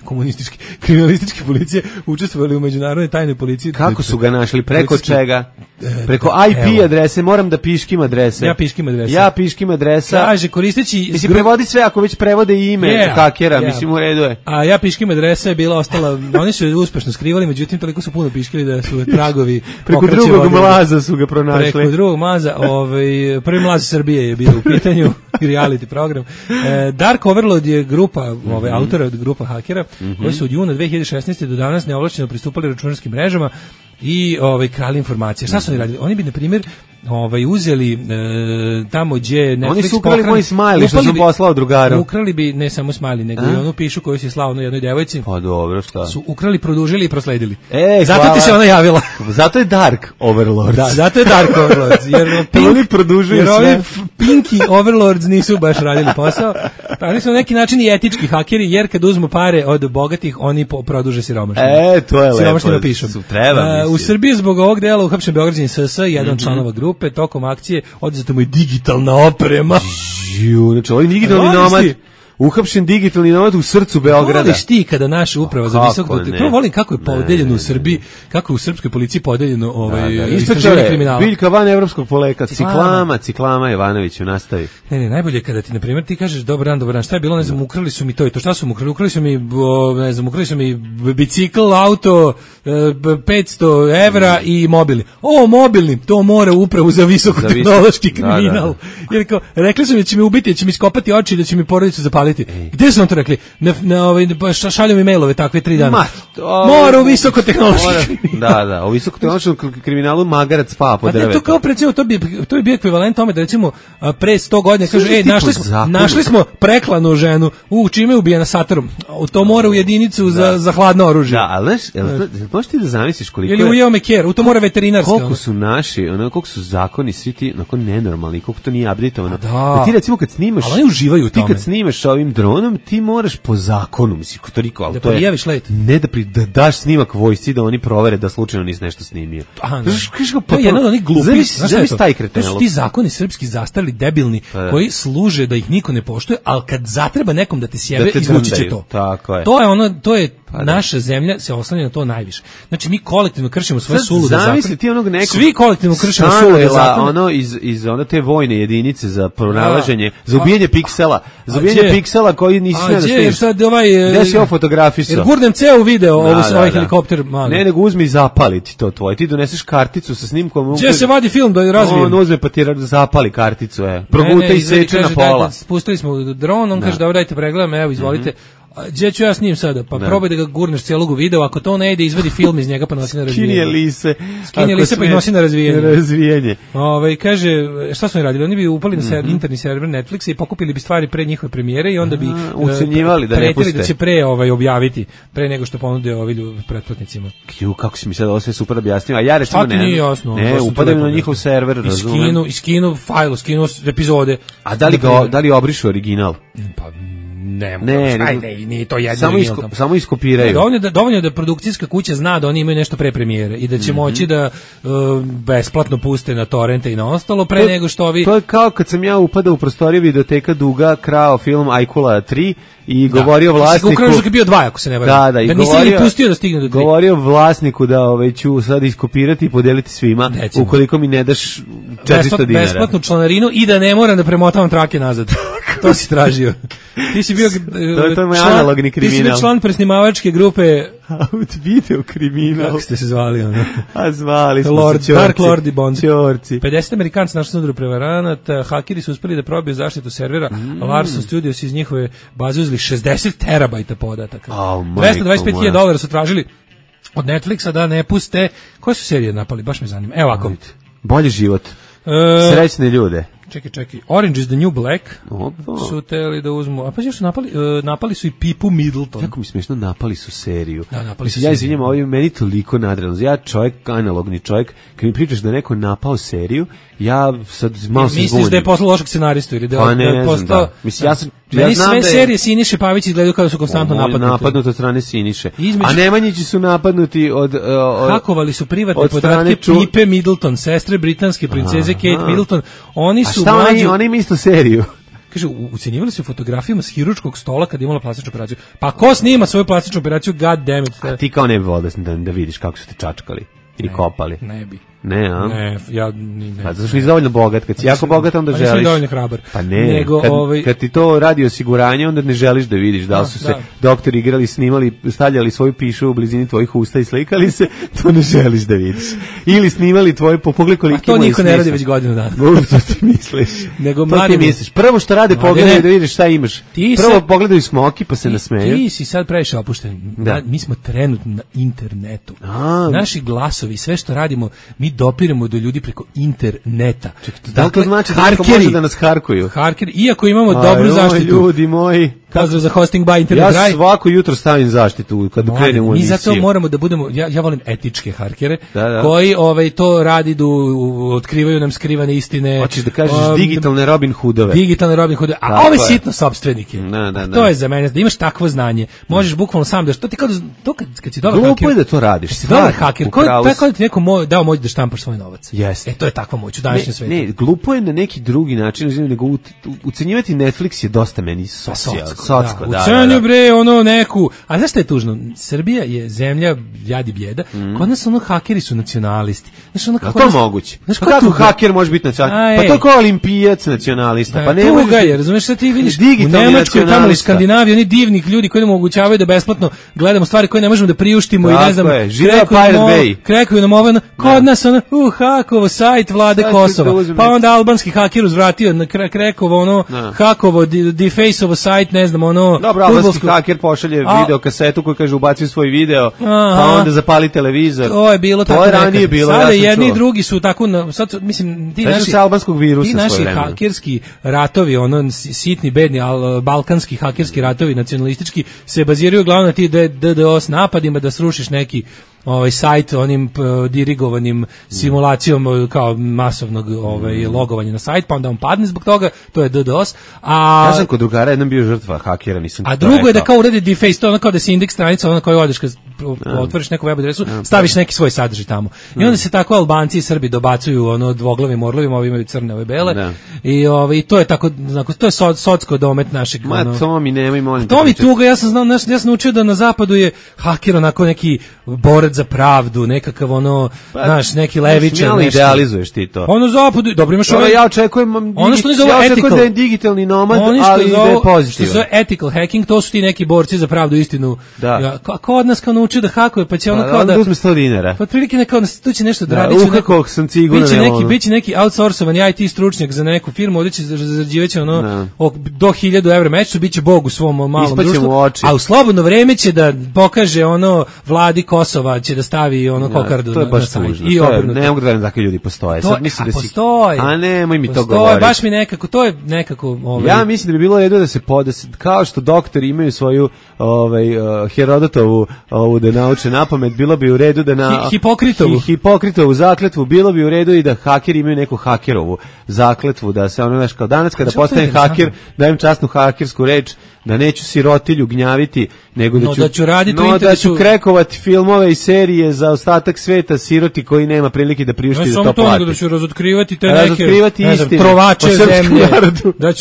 komunističke kriminalističke policije učestvovali u međunarodnoj tajnoj policiji. Kako su ga našli? Preko čega? Preko IP adrese, moram da piškim adrese. Ja piškim adresa. Kaže, koristeći... Mislim, prevodi sve, ako već prevode i ime hakera, mislim, u redu je. A ja piškim adresa je bila ostala, oni su je uspešno skrivali, međutim, toliko su puno piškili da su tragovi... Preko drugog mlaza su ga pronašli. Preko drugog mlaza, prvi mlaz Srbije je bio u pitanju, reality program. Dark Overlord je grupa, autora od grupa hakera, koji su od juna 2016. do danas neovlašćeno pristupali računarskim mrežama i krali informacije. Šta su oni radili? Oni bi, na primjer, uzeli tamo gdje Netflix oni su ukrali moj smajli što sam poslao drugaru. Ukrali bi ne samo smajli, nego i onu pišu koju si slao jednoj devojci. Pa dobro, šta? Su ukrali, produžili i prosledili. Zato ti se ona javila. Zato je Dark Overlords. Da, zato je Dark Overlords. Jer oni produžuju sve. Jer ovi Pinky Overlords nisu baš radili posao. Pa oni su na neki način i etički hakeri, jer kad uzmu pare od bogatih, oni produže siromašno. To je siromašno napišu. U Srbiji zbog ovog dela uhapšen beograđanin SS, jedan članova grupe, tokom akcije oduzeta mu je digitalna oprema. Znači, ovo je digitalni nomad. Uhapšen digitalni nomad u srcu Beograda. Voliš ti kada naša uprava za visoko... Prvo volim kako je podeljeno u Srbiji, kako je u srpskoj policiji podeljeno istraživanje kriminala. Biljka van evropskog poleka. Ciklama Jovanoviću, nastavi. Ne, najbolje je kada ti, na primjer, ti kažeš dobar dan, šta je bilo, ne znam, ukrali su mi to i to, šta su mu ukrali? Ukrali su mi bicikl, auto, 500 evra i mobilni. Mobilni, to mora upravu za visokotehnološki kriminal. Jer kao, rekli su mi da će mi ubiti, da će mi skopati oči, da će mi porodicu zapaliti. Gde su nam to rekli? Šalju mi mailove takve 3 dana. Mora u visokotehnološki kriminal. Da, u visokotehnološkom kriminalu magarac pa po drvetu. To kao recimo, to bi bio ekvivalent tome da recimo pre 100 godina kažu, našli smo preklanu ženu, čime je ubijena satarom. To mora u jedinicu za hladno oružje. Da, ali možeš ti da zamisliš koliko ili ujeo meker, to mora veterinarska. Koliko su naši, koliko su zakoni svi ti nenormalni, koliko to nije updateovano. Da ti recimo kad snimaš, ali oni uživaju u tome. Ti kad snimaš ovim dronom, ti moraš po zakonu, mislim, to riko, ali to je ne da daš snimak vojsci da oni provere da slučajno nisi nešto snimio. To je jedan od onih glupih. To su ti zakoni srpski zastarili, debilni, koji služe da ih niko ne poštuje, ali kad zatreba nekom da te sjebe, izvući će to. To je naša zemlja se oslanja na to najviše. Znači mi kolektivno kršimo svoje sulude zakone. Svi kolektivno kršimo sulude zakone. Iz te vojne jedinice za pronalaženje, za ubijanje piksela, piksela koji nisi smeo da snimiš. Gde si ovo fotografisao? Jer gurnem ceo video ovaj helikopter. Ne, nego uzmi i zapali ti to tvoje. Ti doneseš karticu sa snimkom. Gdje se vadi film da je razvijen? On uzme pa ti zapali karticu. Proguta i seče na pola. Spustili smo dron, on kaže da dajte pregledam, evo izvolite. Gdje ću ja s njim sada? Pa probaj da ga gurneš cijelog u video, ako to ne ide, izvedi film iz njega pa nosi na razvijenje. Skinje lise pa ih nosi na razvijenje. Kaže, šta smo radili? Oni bi upali na interni server Netflixa i pokupili bi stvari pre njihove premijere i onda bi ucenjivali da ne puste. Da će pre objaviti, pre nego što ponude pretplatnicima. Kako si mi sad ovo sve super objasnio, a ja recimo ne upadam na njihov server, razumem. I skinu fajl, skinu epizode. A da li obrišu original? Pa nije to jedno. Samo iskopiraju. Dovoljno da produkcijska kuća zna da oni imaju nešto pre premijere i da će moći da besplatno puste na torrente i na ostalo pre nego što ovi... To je kao kad sam ja upadao u prostoriju videoteka Duga, krao film Ajkula 3 i govorio vlasniku... Ukrao je bio 2, ako se ne varam. Da, i nisi ni pustio da stigne do 3. Govorio vlasniku da ću sad iskopirati i podeliti svima, ukoliko mi ne daš 400 dinara. Besplatnu članarinu i da ne moram da premotavam trake nazad. To si tražio. Ti si bio to je moj analogni kriminal. Ti si bio član presnimavačke grupe video kriminal. Kako ste se zvali? A zvali smo se Dark Lord i Bond. Čorci. 50 Amerikanci našli sudru prevaranata, hakeri su uspeli da probiju zaštitu servera, Larson Studios iz njihove baze uzeli 60 terabajta podataka. $225,000 su tražili od Netflixa da ne puste. Koje su serije napali? Baš me zanima. Evo ovako. Bolji život. Srećne ljude. Čekaj. Orange is the New Black su teli da uzmu. A pa što su napali su i Pipu Middleton. Kako mi smiješno, napali su seriju. Da, napali su ja izvinjam, ovo je meni toliko nadrealno. Ja analogni čovjek, kad mi pričaš da je neko napao seriju, ja sad malo se zbunim. Misliš da je poslao lošeg scenaristu ili da je postao... Mislim, meni sve serije Siniše Pavić izgledaju kao da su konstantno napadnuti od strane Siniše. A Nemanjići su napadnuti od hakovali su privatne podatke Pipe Middleton, sestre britanske princeze Kate Middleton. Oni su oni imaju isto seriju. Kaže, ucenjivali su fotografijama s hirurškog stola kad je imala plastičnu operaciju. Pa ko snima svoju plastičnu operaciju? God damn it. A ti kao ne bi volio da vidiš kako su te čačkali ili kopali? Ne bi. Ne, a? Ne, ja ne. Pa zato što nisi dovoljno bogat, kad si jako bogat onda želiš. Nisi dovoljno hrabar. Pa ne, kad ti to radi osiguranje onda ne želiš da vidiš da li su se doktori igrali, snimali, stavljali svoju pišu u blizini tvojih usta i slikali se, to ne želiš da vidiš. Ili snimali tvoje popogle koliki to niko ne radi već godinu dana. To ti misliš. Nego to ti misliš. Prvo što rade pogledaj da vidiš šta imaš. Prvo pogledaju Smoki pa se nasmeju. Ti si sad previše opušten. Mi smo trenutno na internetu. Naši glasovi, sve što radimo, mi mi dopiremo do ljudi preko interneta. Da li to znači da neko može da nas harkuju? Harkeri, iako imamo dobru zaštitu. Ljudi moji. Pozdrav za hosting by Internet Ja Drive. svako jutro stavim zaštitu kad krenem u emisiju. Mi zato moramo da budemo, ja volim etičke harkere, Da. koji to radi, otkrivaju nam skrivane istine. Hoćeš da kažeš digitalne Robin Hoodove. Digitalne Robin Hoodove, a ove sitno sopstvenike. Da. To je za mene, da imaš takvo znanje. Možeš bukvalno sam da, što ti kad si dobar haker. Glupo je da to radiš. Si dobar haker, kao ti neko dao moć da štampaš svoj novac. Jeste. To je takva moć u današnjem svetu. Ne, glupo je na neki drugi način, nego ucenjivati Netflix je dosta meni socko. Ucenju bre, neku, a znaš šta je tužno? Srbija je zemlja jadi bijeda, kod nas hakeri su nacionalisti. Znaš, kako to moguće? Pa kako haker može biti nacionalista? Pa to kao olimpijac nacionalista. Pa ne tuga je, razumeš šta ti vidiš? U Nemačkoj, tamo u Skandinaviji, oni divnih ljudi koji nam omogućavaju da besplatno gledamo stvari koje ne možemo da priuštimo i ne znam, krekuju nam ovo, kod nas hakovo sajt vlade Kosova, pa onda albanski haker uzvratio na krekovo hakovo defaceovo sajt, ne znam, dobro, albanski haker pošalje video kasetu koji kaže ubaci svoj video, pa onda zapali televizor. To je bilo tako nekad. Ranije bilo, sada jedni i drugi su tako, sad mislim, ti naši hakerski ratovi, sitni, bedni, balkanski hakerski ratovi, nacionalistički, se baziraju uglavnom na ti DDoS napadima da srušiš neki sajt onim dirigovanim simulacijom kao masovnog logovanja na sajt, pa onda on padne zbog toga, to je DDoS. Ja sam kod drugara jedan bio žrtva hakera, nisam. A drugo je da kao uredi deface, to kao da se indeks stranica, koju odeš kad otvoriš neku web adresu, staviš neki svoj sadržaj tamo. I onda se tako Albanci i Srbi dobacuju dvoglavim orlovima, ovi imaju crne, ove bele. I to je tako, to je socsko domet našeg. To mi nemoj, molim. To mi tuga, ja sam naučio da na zapadu je haker onako neki borac za pravdu, nekakav znaš, neki levičar, nešto. Idealizuješ ti to. Zapadu, dobro imaš ja očekujem da je digitalni nomad, ali da je pozitivan. Što zove ethical hacking, to su ti neki borci za pravdu i istinu. Ko od nas kao naučio da hakuje, pa će kao da uzme 100 dinara. Pa otprilike nekao tu će nešto da radi, biće neki outsourcovani IT stručnjak za neku firmu, ovdje će zarađivaće do 1000 evra mesečno, biće bog u svom malom društvu, a u slobodno vreme će da pokaže vladi Kosova, će da stavi kokardu na sajt. I obrnuto. Ne mogu da verujem da takvi ljudi postoje. Sad mislim da postoje. A nemoj mi to govoriti. Baš mi nekako, to je nekako... Ja mislim da bi bilo redu da se kao što doktori imaju svoju Herodotovu da nauče napamet, bilo bi u redu da Hipokritovu zakletvu, bilo bi u redu i da hakeri imaju neku hakerovu zakletvu, da se kao danas kada postanem haker, dajem časnu hakersku reč, da neću sirotilju gnjaviti, nego da ću krekovati filmove i serije za ostatak sveta siroti koji nema prilike da priušti da to plati. Da ću razotkrivati te neke trovače zemlje. Da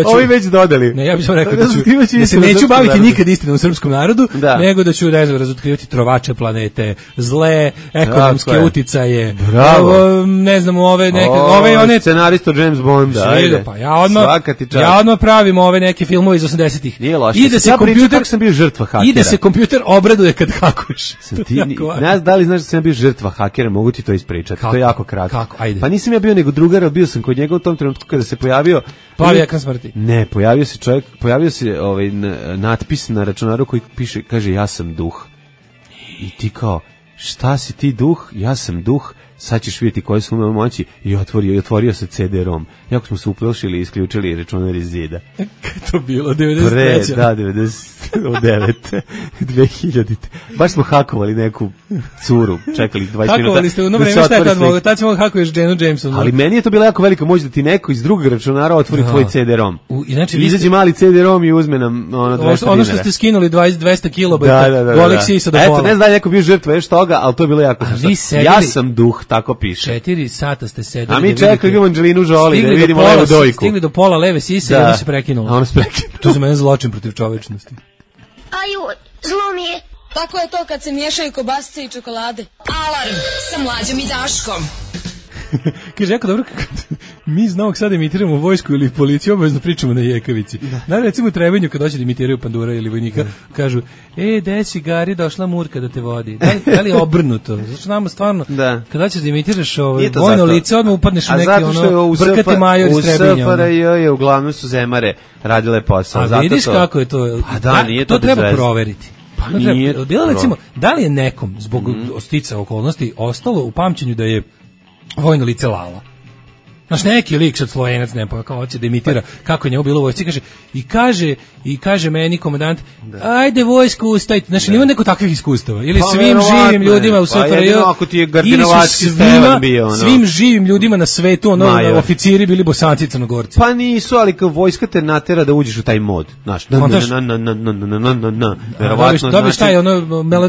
ću ovi već dodali. Ne, ja bih samo rekao da se neću baviti nikad istinom u srpskom narodu, nego da ću razotkrivati trovače planete, zle ekonomske uticaje. Ne znam, ove scenaristo James Bond. Pa ja odmah pravim ove neke filmove iz 80-ih. Nije loše. Kako sam bio žrtva hakera. I da se kompjuter obraduje kad hakuješ. Da li znaš da sam bio žrtva hakera, mogu ti to ispričati. To je jako kratko. Kako? Ajde. Pa nisam ja bio nego drugar, ali bio sam kod njega u tom trenutku kada se pojavio plavi ekran smrti. Ne, pojavio se natpis na računaru koji piše, kaže ja sam duh. I ti kao, šta si ti duh? Ja sam duh. Sad ćeš vidjeti koje su moje moći, i otvorio se CD-ROM. Jako smo se uplašili i isključili računar iz zida. Kada to bilo? 93. Da, 99. 2000. Baš smo hakovali neku curu, čekali 20 minuta. Hakovali ste, vreme šta je tad mogo? Tad si mogo hakuješ Janu Jameson. Ali meni je to bila jako velika moć da ti neko iz drugog računara otvori tvoj CD-ROM. Izađe mali CD-ROM i uzme nam 200 dinara. Ono što ste skinuli 200 kilobajta, golih sisa do pola. Eto, ne znam neko bio žrtva još toga, ali to je bilo jako što. Ja sam duh, tako piše. 4 sata ste sedeli. A mi čekali Angelinu Jolie da vidimo levu dojku. Stigli do pola leve sise i onda se prekinulo. A ono se prekinulo. To je za mene zločin protiv čovečnosti. Aju, zlo mi je. Tako je to kad se miješaju kobasice i čokolade. Alarm sa Mlađom i Daškom. Kaže, jako dobro, mi iz Novog Sada imitiramo vojsku ili policiju, obavezno pričamo na jekavici. Da, recimo u Trebenju kad dođe da imitiraju pandura ili vojnika, kažu, desi, Gari, došla Murka da te vodi. Da li je obrnuto? Znači nama stvarno, kada ćeš da imitiraš vojno lice, odmah upadneš u neki brkati major iz Trebinja. U SFRJ je uglavnom su zemare radile posao. A vidiš kako je to? To treba proveriti. Pa nije recimo, da li je nekom zbog stica okolnosti ostalo u pamćenju da je vojno lice Lala. Znaš, neki lik sad Slovenac, ne pa kao hoće da imitira kako je njemu bilo u vojsci, kaže meni komandant, ajde vojsku ustajte. Znači, nima neko takvih iskustava. Ili svim živim ljudima u SFRJ, ili su svim živim ljudima na svetu, oficiri bili Bosanci i Crnogorci. Pa nisu, ali kao vojska te natera da uđeš u taj mod. Znaš, dobiš taj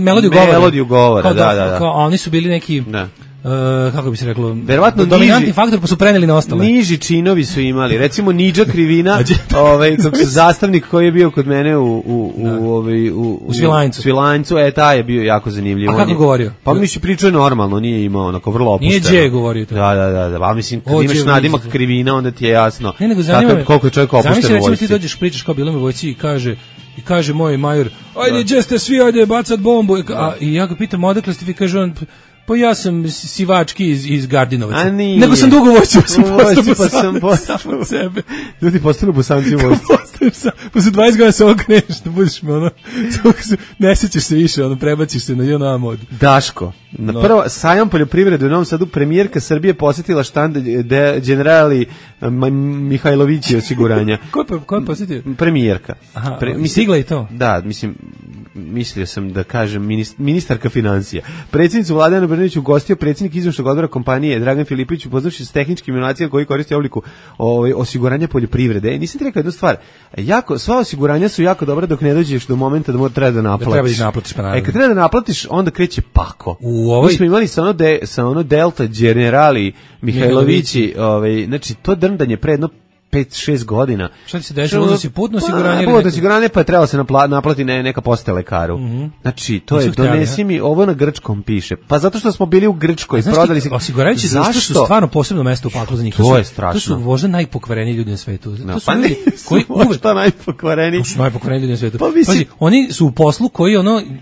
melodiju govora. Da. Oni su bili neki... kako bi se reklo, verovatno dominantni faktor, pa su preneli na ostale. Niži činovi su imali, recimo Nidža Krivina, zastavnik koji je bio kod mene u Svilajncu, taj je bio jako zanimljiv. A kako govorio? Pa mi se pričao normalno, nije imao onako vrlo opusteno. Nije govorio to. Da, pa mislim, kad imaš nadimak Krivina, onda ti je jasno koliko je čovjek opušten u vojsci. Zamisli, recimo ti dođeš, pričaš kao bilo mi u vojsci i kaže moj major, ajde, gdje ste svi, ajde, bacat bombu. I ja ga pitam, odakle ste vi, kaže on, pa ja sam sivački iz Gardinovaca. Nego sam dugo vojcu, pa sam postao sebe. Ljudi postanu Bosanci u vojsci. Posle 20 godina se okreneš, da budeš me ne sećaš se više, prebaciš se na JNA mod. Daško, na prvo sajam poljoprivrede u Novom Sadu premijerka Srbije posjetila štand generali Mihajlovići osiguranja. Ko je posjetio? Premijerka. Stigla i to? Da, mislio sam da kažem ministarka financija. Predsjednicu Vlade Ana Brnabić ugostio predsjednik izvršnog odbora kompanije Dragan Filipović, upoznavši s tehničkim inovacijama koji koriste obliku osiguranja poljoprivrede. Nisam ti rekao jednu stvar. Sva osiguranja su jako dobra dok ne dođeš do momenta da treba da naplatiš. Kad treba da naplatiš, onda kreće pako. Mi smo imali sa ono Delta generali Mihajlovići, znači to drndanje predno 5-6 godina. Šta ti se dešava? Uzeo si putno osiguranje? Putno osiguranje, pa je trebalo se naplati neka poste lekaru. Znači, to je, donesi mi, ovo na grčkom piše. Pa zato što smo bili u Grčkoj, prodali se... Osiguravajući društvo su stvarno posebno mesto u paklu za njih. To je strašno. To su možda najpokvareniji ljudi na svetu. To su ljudi koji možda najpokvareniji. To su najpokvareniji ljudi na svetu. Pazi, oni su u poslu koji,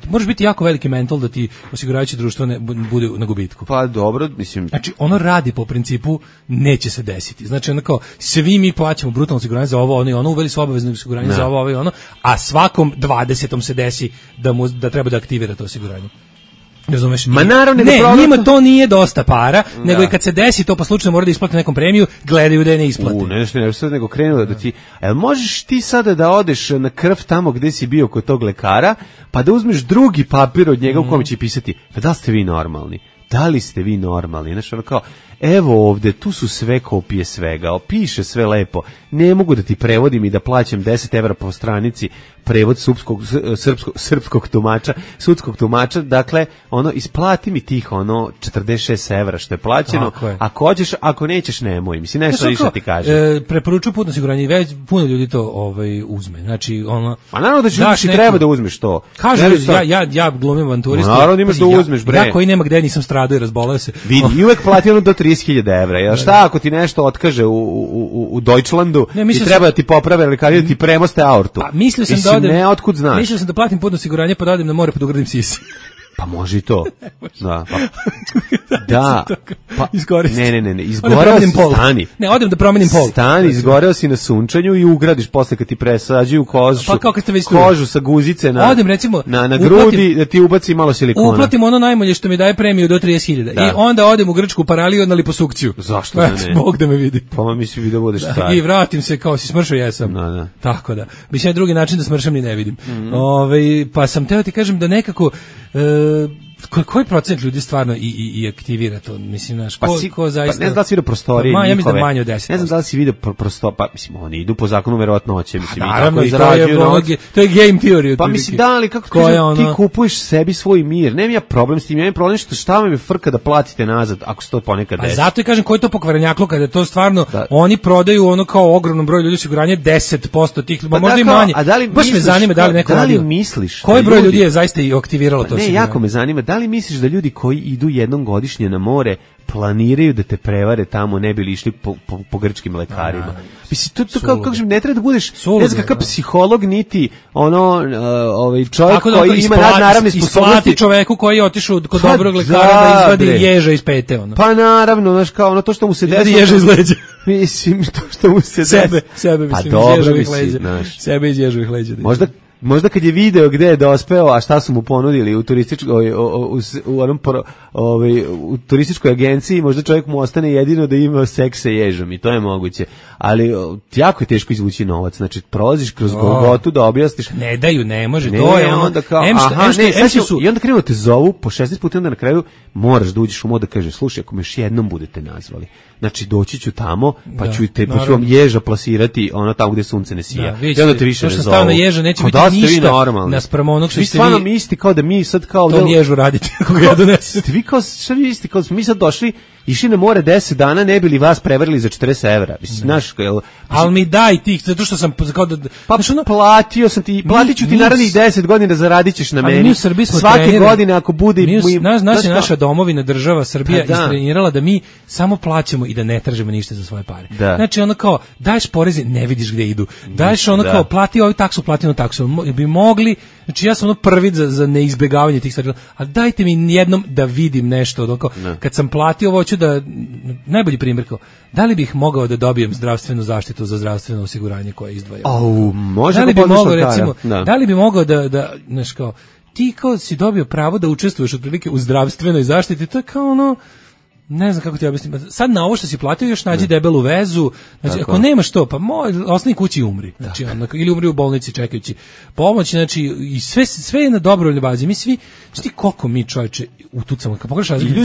možeš biti jako veliki mental da ti osiguravajuće društvo bude na gubitku. Pa dobro, mislim... Znači, ono radi po principu neće se desiti. Znači, onako, svi mi plaćamo brutalno osiguranje za ovo, uveli su obavezno osiguranje za ovo, a svakom 20. se desi da treba da aktivira to osiguranje. Razumeš? Ma naravno, njima to nije dosta para, nego i kad se desi to pa slučajno mora da isplati nekom premiju, gledaju da je ne isplati. Nego krenuo da ti, možeš ti sada da odeš na krv tamo gde si bio kod tog lekara, pa da uzmeš drugi papir od njega u kome će pisati, pa da li ste vi normalni? Da li ste vi normalni? Znaš, kao, evo ovde, tu su sve kopije svega, piše sve lepo, ne mogu da ti prevodim i da plaćam 10 evra po stranici prevod srpskog tumača, sudskog tumača, dakle, isplati mi tih 46 evra što je plaćeno, ako hoćeš, ako nećeš, nemoj, mislim, nešto više ti kaže. Preporučuju putno osiguranje i već puno ljudi to uzme, znači, a naravno da ćeš treba da uzmeš to. Kažu, ja glumim avanturistu, naravno imaš da uzmeš, bre. Ja koji nema gde nisam stradao i razboleo se. Vidi, i uvek plati do 30.000 evra, jel šta ako ti nešto otkaže u Deutschlandu i treba da ti poprave lekari da ti premoste aortu? Mislio sam da platim putno osiguranje pa da odem na more pa da ugradim sisi. Pa može i to. Da, pa izgoreo si. Ne, izgoreo si, stani. Ne, odem da promenim pol. Stani, izgoreo si na sunčanju i ugradiš posle kad ti presađuju kožu sa guzice na grudi, da ti ubaci malo silikona. Uplatim ono najmanje što mi daje premiju do 30.000 i onda odem u Grčku paraliju na liposukciju. Zašto da ne? Bog da me vidi. Pa misli da budeš star. I vratim se kao si smršao, jesam. Tako da. Mislim, drugi način da smršam ni ne vidim. Pa sam teo ti kažem da nekako koji procent ljudi stvarno i aktivira to, mislim, znaš, ko zaista... Pa ne znam da li si vidio prostorije njihove. Ja mislim da manje od 10%. Ne znam da li si vidio prostorije, pa mislim, oni idu po zakonu verovatnoće, mislim, naravno, i to je game theory. Pa mislim, da, ali kako ti kupuješ sebi svoj mir, nemam ja problem s tim, ja imam problem što šta vam je frka da platite nazad, ako se to ponekad desi. Pa zato i kažem, koji je to pokvarenjaklo, kada je to stvarno, oni prodaju kao ogromnom broju ljudi osiguranje, 10% tih, možda i manje. Baš me zanima da li neko radio. Da li misliš? Koji broj ljudi je zaista i aktiviralo to osiguranje? Ne, jako me zanima. Da li misliš da ljudi koji idu jednom godišnje na more planiraju da te prevare tamo, ne bi li išli po grčkim lekarima? Mislim, to kako ne treba da budeš, ne znam kakav psiholog, niti čovjek koji ima naravne sposobnosti. Isplati čoveku koji je otišao kod dobrog lekara da izvadi ježa iz pete. Pa naravno, znaš, kao to što mu se desi. Ježa iz leđa. Mislim, to što mu se desi. Sebe, mislim, iz ježovih leđa. Sebe iz ježovih leđa. možda kad je video gde je dospeo, a šta su mu ponudili u turističkoj u turističkoj agenciji, možda čovjek mu ostane jedino da ima seks sa ježom i to je moguće. Ali jako je teško izvući novac. Znači prolaziš kroz Golgotu da objasniš. Ne daju, ne može. To je onda kao i onda krenu te zovu po 16 puta, onda na kraju moraš da uđeš u mod da kažeš slušaj, ako me još jednom budete nazvali, znači doći ću tamo, pa ću vam ježa plasirati ono tamo gde sunce ne sija. I onda te više ne zovu. Na ježa neće biti ništa naspram onog što ste vi. Stvarno mi isti kao da mi sad kao to ježu radite kako ja donesem. Vi kao šta vi isti kao mi sad došli išli na more 10 dana, ne bili vas prevarili za 40 evra. Mislim, znaš, ali mi daj tih, zato što sam kao da... Pa platio sam ti, platit ću ti narednih 10 godina, zaradit ćeš na meni. Svake godine ako bude... Naša domovina, država, Srbija istrenirala da mi samo plaćamo i da ne tražimo ništa za svoje pare. Znači ono kao, daješ poreze, ne vidiš gde idu. Daješ ono kao, plati ovu taksu, plati onu taksu. Bi mogli, znači ja sam ono prvi za neizbjegavanje tih stvari, ali dajte mi jednom da vidim nešto. Kad sam platio, hoću da, najbolji primjer kao, da li bih mogao da dobijem zdravstvenu zaštitu za zdravstveno osiguranje koje izdvaja? Može da li bi mogao, recimo, da li bi mogao da znaš kao, ti kao si dobio pravo da učestvuješ otprilike u zdravstvenoj zaštiti, to je kao ono, ne znam kako ti objasnim. Sad na ovo što si platio još nađi debelu vezu. Znači ako nemaš to, pa ostani kući i umri. Znači ili umri u bolnici čekajući pomoć, znači i sve je na dobrovoljnoj bazi. Mi svi, znači koliko mi čoveče utucamo. Kad pogledaš razliku,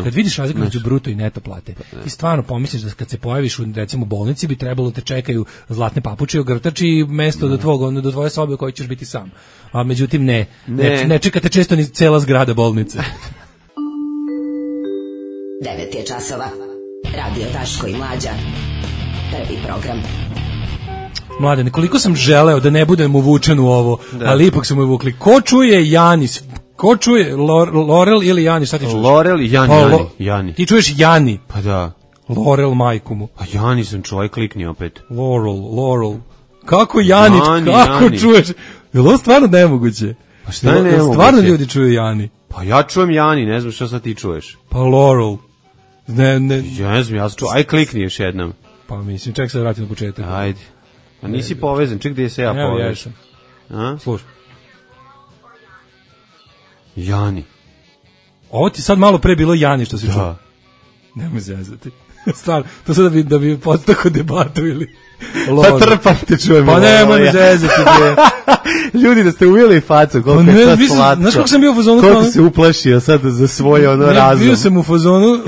kad vidiš razliku između bruto i neto plate, ti stvarno pomisliš da kad se pojaviš u recimo bolnici bi trebalo te čekaju zlatne papuče, ogrtači i mesto do tvoje sobe u kojoj ćeš biti sam. A međutim ne čekate često ni cela zgrada bolnice. 9 je časova. Radio Daško i Mlađa. Prvi program. Mladene, koliko sam želeo da ne budem uvučen u ovo, ali ipak su me uvukli. Ko čuje Janis? Ko čuje Lorel ili Jani? Šta ti čuješ? Lorel i Jani. Ti čuješ Jani? Pa da. Lorel majku mu. A Jani sam čovjek, klikni opet. Laurel. Kako Jani? Kako čuješ? Je li ovo stvarno nemoguće? Pa šta je nemoguće? Stvarno ljudi čuju Jani? Pa ja čujem Jani, ne znam što sad ti čuješ. Pa Laurel. Ja ne znam, ja sam čuo. Aj klikni još jednom. Pa mislim, ček se vrati na početak. Ajde. A nisi povezan, ček gdje se ja povežem. Slušaj. Jani. Ovo ti sad malo pre bilo Jani što si čuo. Nemoj zezati. Stvarno, to sad da bi podstako debatu ili... Pa trpam te čujem. Pa nemoj me zezati. Ljudi da ste uvijeli facu, koliko je sad slatko. Znaš kako sam bio u fazonu? Koliko se uplašio sad za svoje razum. Bio sam u fazonu,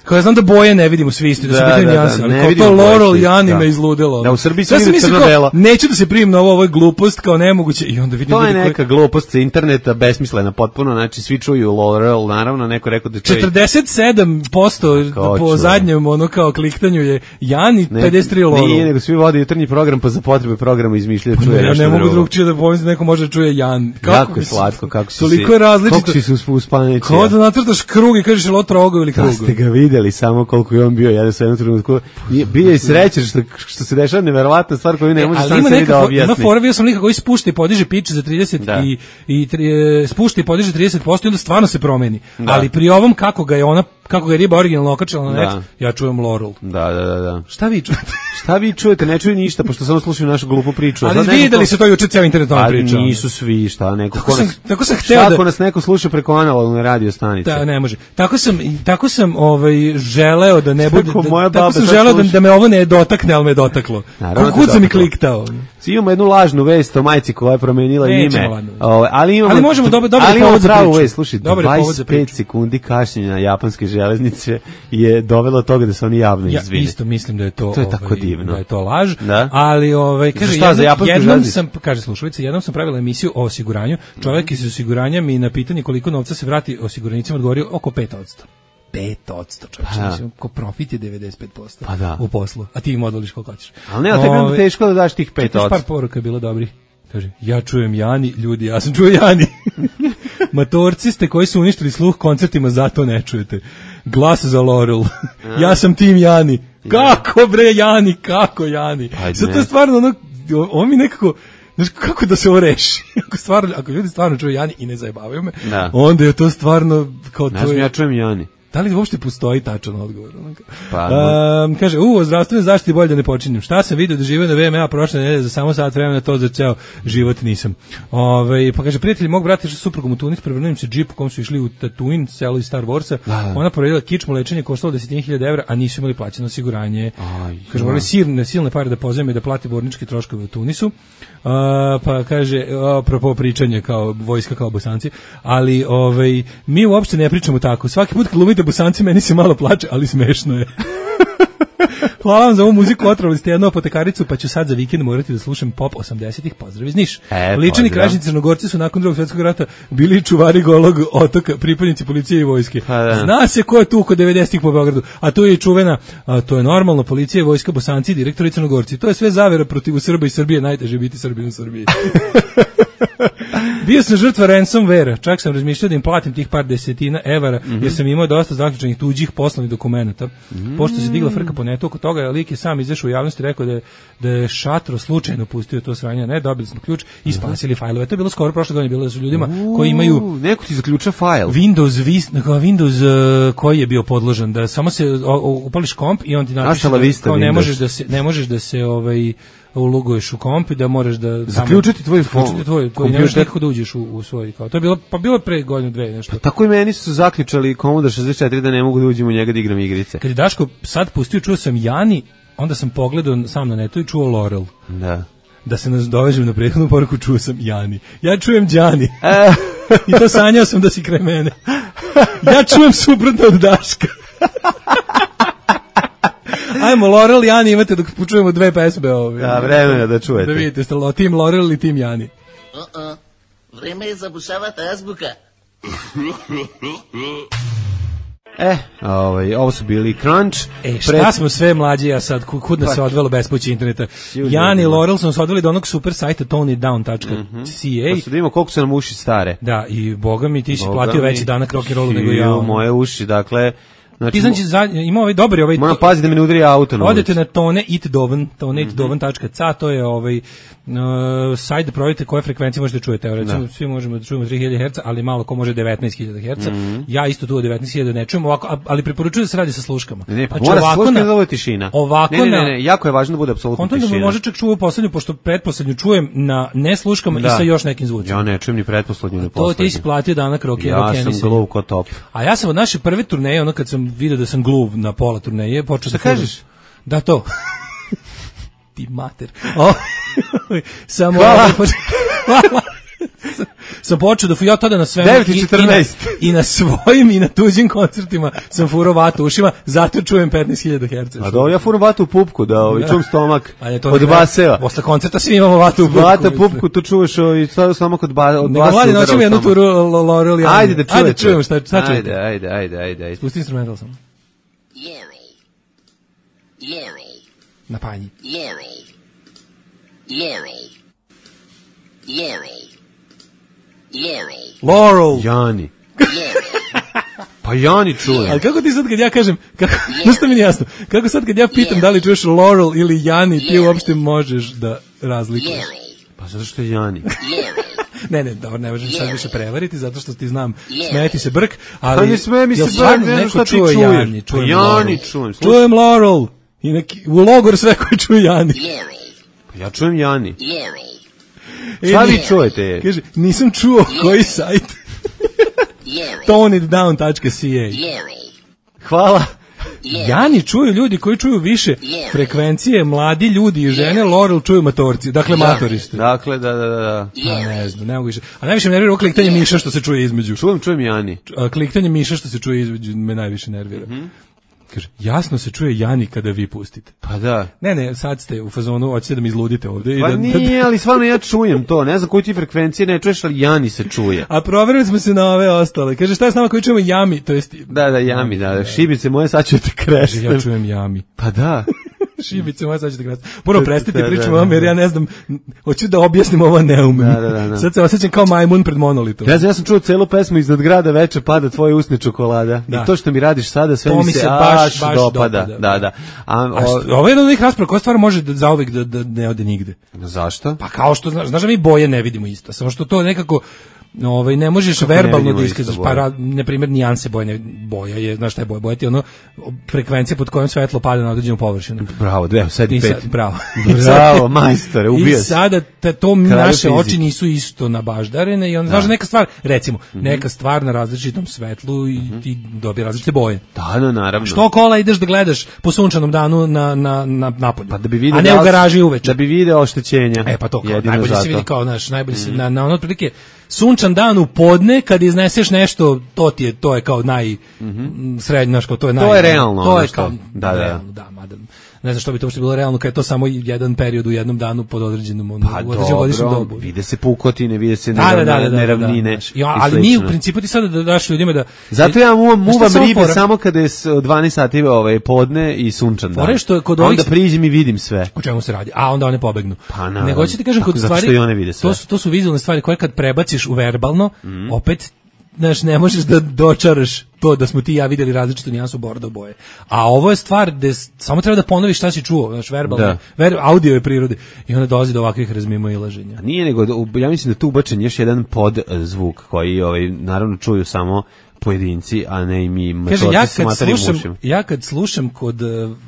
kao ja znam da boje ne vidimo svi isti, da su bitni nijanse, ali kao to Laurel Jani me izludilo. Da, u Srbiji se vidi crno-belo. Neću da se primim na ovo je glupost, kao nemoguće, i onda vidim... To je neka glupost sa interneta, besmislena potpuno, znači svi čuju Laurel, naravno, neko rekao da čuje... 47% po zadnjem, ono kao kliktanju je Jani, 53% Laurel. Nije, nego svi vode jutarnji program, pa za potrebe programa izmišljaju čuje nešto drugo. Ja ne mogu drugčije da pomislim da neko može da čuje Jan. Jako je slatko, kako si toliko je različito. Kako si se uspanečio. Kao da nacrtaš krug i kažeš lo trogo ili krugo. Da ste ga videli samo koliko je on bio jedan sa jednom trenutku. Bio je srećan što se dešava neverovatna stvar koju ne može sam sebi da objasni. Ima fora, bio sam lika koji spušta i podiže pitch za 30 i spušta i podiže 30% i onda stvarno se promeni. Ali pri ovom kako ga je riba originalno okačila na net, ja čujem Laurel. Da. Šta vi čujete? Šta vi čujete? Ne čuju ništa, pošto samo slušaju našu glupu priču. Ali videli se to juče cijel internet on priča. Ali nisu svi, šta neko. Tako sam hteo ako nas neko sluša preko analogne radio stanice. Da, ne može. Tako sam želeo da ne bude. Tako sam želeo da me ovo ne dotakne, al me dotaklo. Kako sam mi kliktao. Imamo jednu lažnu vest o majci koja je promenila ime. Ali možemo dobro pravu vest, slušaj, 25 sekundi kašnjenja na japanske železnice je dovelo do toga da se oni javno izvine. Ja isto mislim da je to tako divno. Da je to laž, ali kaže kaže slušalica, jednom sam pravila emisiju o osiguranju, čovjek iz osiguranja mi na pitanje koliko novca se vrati osiguranicima odgovorio oko 5%. 5%, čovječe, ko profit je 95% u poslu, a ti im odvoliš koliko hoćeš. Ali ne, tebi je teško da daš tih 5%. Par poruka je bilo dobrih. Kaže, ja čujem Jani, ljudi, ja sam čuo Jani. Matorci ste koji su uništili sluh koncertima, zato ne čujete. Glas za Laurel. Ja sam tim Jani. Kako bre Jani, kako Jani? Sad to je stvarno ovo mi nekako, znaš, kako da se ovo reši? Ako ljudi stvarno čuju Jani i ne zajebavaju me, onda je to stvarno kao to je... Ja čujem Jani. Da li uopšte postoji tačan odgovor? Pa, kaže, o zdravstvenoj zaštiti bolje da ne počinjem. Šta sam vidio da živio na VMA prošle nedelje za samo sat vremena, to za ceo život nisam. Pa kaže, prijatelji mog brata išli suprugom u Tunis, prevrnuo im se džip u kom su išli u Tatooine, selo iz Star Warsa. Ona poredila kičmu, lečenje koštalo 10.000 evra, a nisu imali plaćeno osiguranje. Kaže, morali silne pare da pozajme da plati borničke troškove u Tunisu. Pa kaže, apropo pričanje kao vojska kao Bosanci, ali mi uopšte ne pričamo tako. Svaki put kad glumite Bosanci, meni se malo plače, ali smešno je. Hvala vam za ovu muziku, otrovali ste jednu apotekaricu, pa ću sad za vikend morati da slušam pop 80-ih, pozdrav iz Niš. Ličani kražni Crnogorci su nakon Drugog svjetskog rata bili čuvari Golog otoka, pripadnici policije i vojske. Zna se ko je tu kod 90-ih po Beogradu, a tu je i čuvena, to je normalno, policija, vojska, Bosanci, direktori Crnogorci. To je sve zavera protiv Srba i Srbije, najteže biti Srbin u Srbiji. Bio sam žrtva ransomware, čak sam razmišljao da im platim tih par desetina evara, jer sam imao dosta zaključenih tuđih poslovnih dokumenata. Pošto se digla frka po netu oko toga, lik je sam izašao u javnosti i rekao da je Šatro slučajno pustio to sranje. Ne, dobili smo ključ i spasili fajlove. To je bilo skoro prošle godine, bilo da su ljudima koji imaju... Neko ti zaključa fajl. Windows koji je bio podložen, da samo se upališ komp i on ti napiše kao ne možeš da se uloguješ u komp i da moraš da zaključiti tvoj kompjuter, ne možeš nekako da uđeš u svoj kao. To je bilo pre godinu dve nešto. Pa tako i meni su zaključali Commodore 64 da ne mogu da uđem u njega da igram igrice. Kad je Daško sad pustio, čuo sam Jani, onda sam pogledao sam na netu i čuo Laurel. Da se nas dovežem na prethodnu poruku, čuo sam Jani. Ja čujem Đani. I to sanjao sam da si kraj mene. Ja čujem suprotno od Daška. Ajmo, Laurel i Jani imate dok počujemo dve pesme. Vreme je da čujete. Da vidite, ste tim Laurel ili tim Jani. Vreme je zabušavati azbuka. Ovo su bili Crunch. Šta smo sve mlađi, a sad kud nas se odvelo bespući interneta. Jan i Laurel su nas odveli do onog super sajta tonitdown.ca. Pa su da imamo koliko su nam uši stare. Da, i boga mi ti si platio veći danak rock'n'rollu nego ja. Moje uši, dakle... Ti znači ima dobri moram paziti da mi ne udari auto na odete na toneitdoven.ca, to je sajt da provjerite koje frekvencije možete da čujete. Recimo, svi možemo da čujemo 3000 Hz, ali malo ko može 19.000 Hz. Ja isto tu 19.000 ne čujem, ali preporučujem da se radi sa sluškama. Mora se slušati da ovo je tišina. Ne, jako je važno da bude apsolutno tišina. Onda može čak čuo poslednju, pošto pretposlednju čujem na ne sluškama i sa još nekim zvucima. Ja ne čujem ni pretposlednju ni poslednju. To ti si platio danak rock'n'roll. Ja sam gluv ko top. A ja sam od naše prve turneje, ono kad sam vidio da sam gluv na pola turneje, počeo da kažeš? Da, to. Ti mater. Samo sam počeo da ja tada na svemu i na svojim i na tuđim koncertima sam furao vatu ušima, zato čujem 15.000 Hz. A da, ja furam vatu u pupku, da čujem stomak od baseva. Posle koncerta svi imamo vatu u pupku. Vata pupku, tu čuješ stomak od baseva. Nego mladi, noćemo jednu turu Laurel. Ajde da čujete. Ajde čujemo šta čujete. Ajde. Spusti instrumental sam. Yummy. Na panji. Yummy. Laurel. Jani. Pa Jani čuje. Ali kako ti sad kad ja kažem, nešto mi nije jasno, kako sad kad ja pitam da li čuješ Laurel ili Jani, ti uopšte možeš da razlikuješ? Pa zato što je Jani. Ne, dobro, ne možeš sad više prevariti, zato što ti znam, smeti se brk, ali... Pa ne sme mi se brk, ne znam šta ti čuješ. Jani čujem. Čujem Laurel. U logor sve koji čuje Jani. Pa ja čujem Jani. Šta vi čujete? Kaže, nisam čuo koji sajt. Tonitdown.ca. Hvala. Jani čuju ljudi koji čuju više frekvencije, mladi ljudi i žene, Laurel čuju matorci, dakle matorište. Dakle, da. Ne znam, ne mogu više. A najviše me nervira ovo kliktanje miša što se čuje između. Čujem Jani. Kliktanje miša što se čuje između me najviše nervira. Kaže, jasno se čuje Jani kada vi pustite. Pa da. Ne, sad ste u fazonu, hoćete da mi izludite ovde. Pa nije, ali stvarno ja čujem to. Ne znam koju ti frekvencije ne čuješ, ali Jani se čuje. A proverili smo se na ove ostale. Kaže, šta je s nama koji čujemo Jami? To jest... Da, Jami, da. Šibice moje, sad ću te krešiti. Ja čujem Jami. Pa da. Šibice moje, sad ćete krasiti. Puno prestite pričamo vam, jer ja ne znam, hoću da objasnim ovo ne umem. Da. Sad se osjećam kao majmun pred monolitom. Ja sam čuo celu pesmu Iznad grada veče pada tvoje usne čokolada. I to što mi radiš sada, sve mi se baš dopada. Da. Ovo je jedna od onih rasprava koja stvar može zauvek da ne ode nigde. Zašto? Pa kao što, znaš da mi boje ne vidimo isto, samo što to nekako ne možeš Kako verbalno ne da vidimo iskažeš, isto boje? na primjer nijanse boje, boja je, znaš šta je boja ti ono frekvencija pod kojom svetlo pada na određenu površinu. Bravo, sad i 5. Bravo. Bravo, majstore, ubio I se. sada to Kralju naše fizike. oči nisu isto nabaždarene i onda znaš neka stvar, recimo, neka stvar na različitom svetlu i ti dobije različite boje. Da, naravno. Što kola ideš da gledaš po sunčanom danu na napolju, Pa da bi video a ne u garaži uveče. Da bi video oštećenja. Pa to kao, Jedino najbolje zato. se vidi kao, znaš, najbolje se, na ono otprilike, sunčan dan u podne, kad izneseš nešto, to je kao srednje, znaš, kao to je To je realno, to ono je što- kao, da. realno, da, mada, ne znam što bi to uopšte bilo realno, kad je to samo jedan period u jednom danu pod određenom, Pa u određenom godišnjem dobro, dobu. vide se pukotine, vide se Da, neravnine. znaš. i Ali mi u slično. principu ti sada da daš ljudima da... Zato ja muvam Znaš šta je ribe fora? samo kada je 12 sati podne i sunčan dan. Fora je što je kod A ovih- onda priđem i vidim sve. O čemu se radi? A onda one pobegnu. Pa naravno. Nego hoću ti kažem, Tako, kod zato stvari, što i one vide sve. to su vizualne stvari koje kad prebaciš u verbalno, opet, znaš, ne možeš da dočaraš to da smo ti i ja videli različitu nijansu bordo boje. A ovo je stvar gde samo treba da ponoviš šta si čuo, znaš, verbalno, audio je prirode i onda dolazi do ovakvih razmimoilaženja. Nije nego, ja mislim da tu ubačen još jedan podzvuk koji naravno čuju samo pojedinci, a ne i mi Kaže, matorci s materim ušima. ja kad slušam kod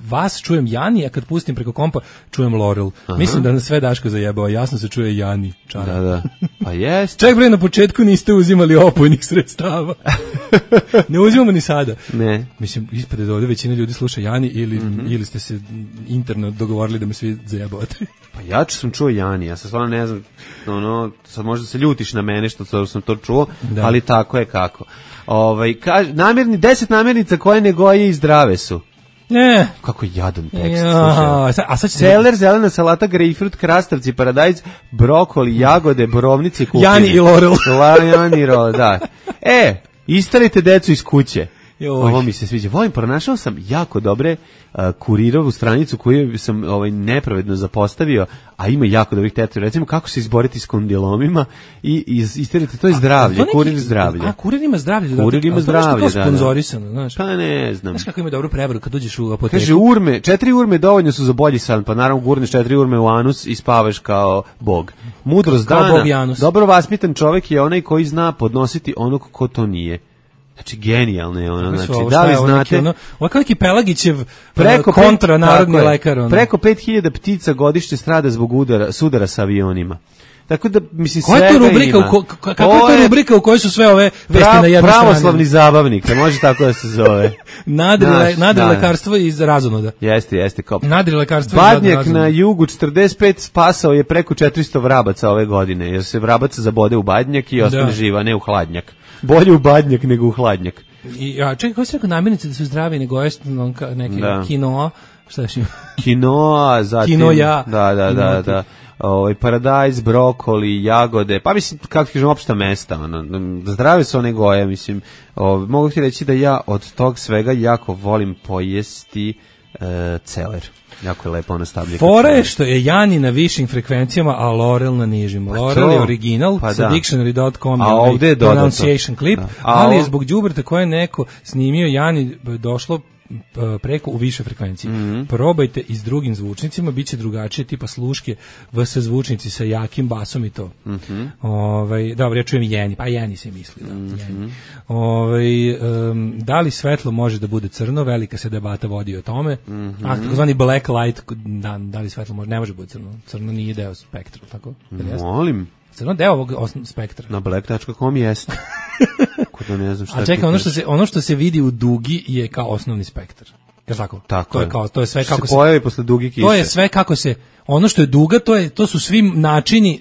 vas čujem Jani, a kad pustim preko kompa čujem Laurel. Mislim da nas sve Daško zajebao, jasno se čuje Jani. Čara. Da. Pa jest. Ček bre, na početku niste uzimali opojnih sredstava. Ne uzimamo ni sada. Ne. Mislim, ispade da ovdje većina ljudi sluša Jani ili ste se interno dogovorili da me svi zajebavate. Pa ja sam čuo Jani, ja sam stvarno ne znam, sad možda se ljutiš na mene što sam to čuo, ali tako je kako. 10 namirnica koje ne goje i zdrave su. Ne. Kako jadan tekst. Ja, a sad će celer, zelena salata, grejpfrut, krastavci, paradajz, brokoli, jagode, borovnice i kupine. Jani i Laurel. Jani i Laurel, da. Istarite decu iz kuće. Joj. Ovo mi se sviđa. Pronašao sam jako dobre kurirovu stranicu koju sam nepravedno zapostavio, a ima jako dobrih teta. Recimo kako se izboriti s kondilomima i istarite, to je zdravlje, kurir zdravlje. A kurir ima zdravlje. Kurir ima zdravlje, da. Sponzorisano, znaš. Pa ne znam. Znaš kako ima dobru prevaru kad uđeš u apoteku? Kaže 4 urme dovoljno su za bolji san, pa naravno gurneš 4 urme u anus i spavaš kao bog. Mudrost kao dana, bog Janus. dobro vaspitan čovjek je onaj koji zna podnositi onog ko to nije. Znači, genijalno je ono. Znači, da li znate... Ovo je kao neki Pelagićev kontra narodni lekar. Preko 5000 ptica godišnje strada zbog sudara sa avionima. Tako da, mislim, koja je to rubrika, kakva je to rubrika u kojoj su sve ove vesti na jednoj strani? Pravoslavni zabavnik, može tako da se zove. Nadri lekarstvo iz razonoda. Jeste. Kao nadri lekarstvo iz Badnjak razonoda. na jugu 45 spasao je preko 400 vrabaca ove godine, jer se vrabac zabode u badnjak i ostane živa, ne u hladnjak. Bolje u badnjak nego u hladnjak. Čekaj, koji se rekao namirnice da su zdravi nego neke kinoa? Šta još ima? Kinoa, zatim... Kinoja. Da. Paradajz, brokoli, jagode, pa mislim, kako kažem, opšta mesta, zdrave su one goje, mislim, mogu ti reći da ja od tog svega jako volim pojesti celer. Jako je lepo ono stabljika. Fora je što je Jani na višim frekvencijama, a Laurel na nižim. Laurel je original sa dictionary.com, a ovdje je pronunciation clip, ali je zbog đubreta koje je neko snimio Jani došlo preko u više frekvencije. Probajte i s drugim zvučnicima, bit će drugačije, tipa sluške, vs zvučnici sa jakim basom i to. Dobro, ja čujem Jeni, pa Jeni se misli. Da li svetlo može da bude crno, velika se debata vodi o tome. Takozvani black light, da li svetlo može, ne može biti crno. Crno nije deo spektra, tako? Molim. Crno deo ovog spektra. Na black.com jeste. Ne znam šta. A čekaj, ono što se vidi u dugi je kao osnovni spektar. Je tako? Tako je. To je sve kako se pojavi posle duge kiše. To je sve kako se, ono što je duga, to su svi načini,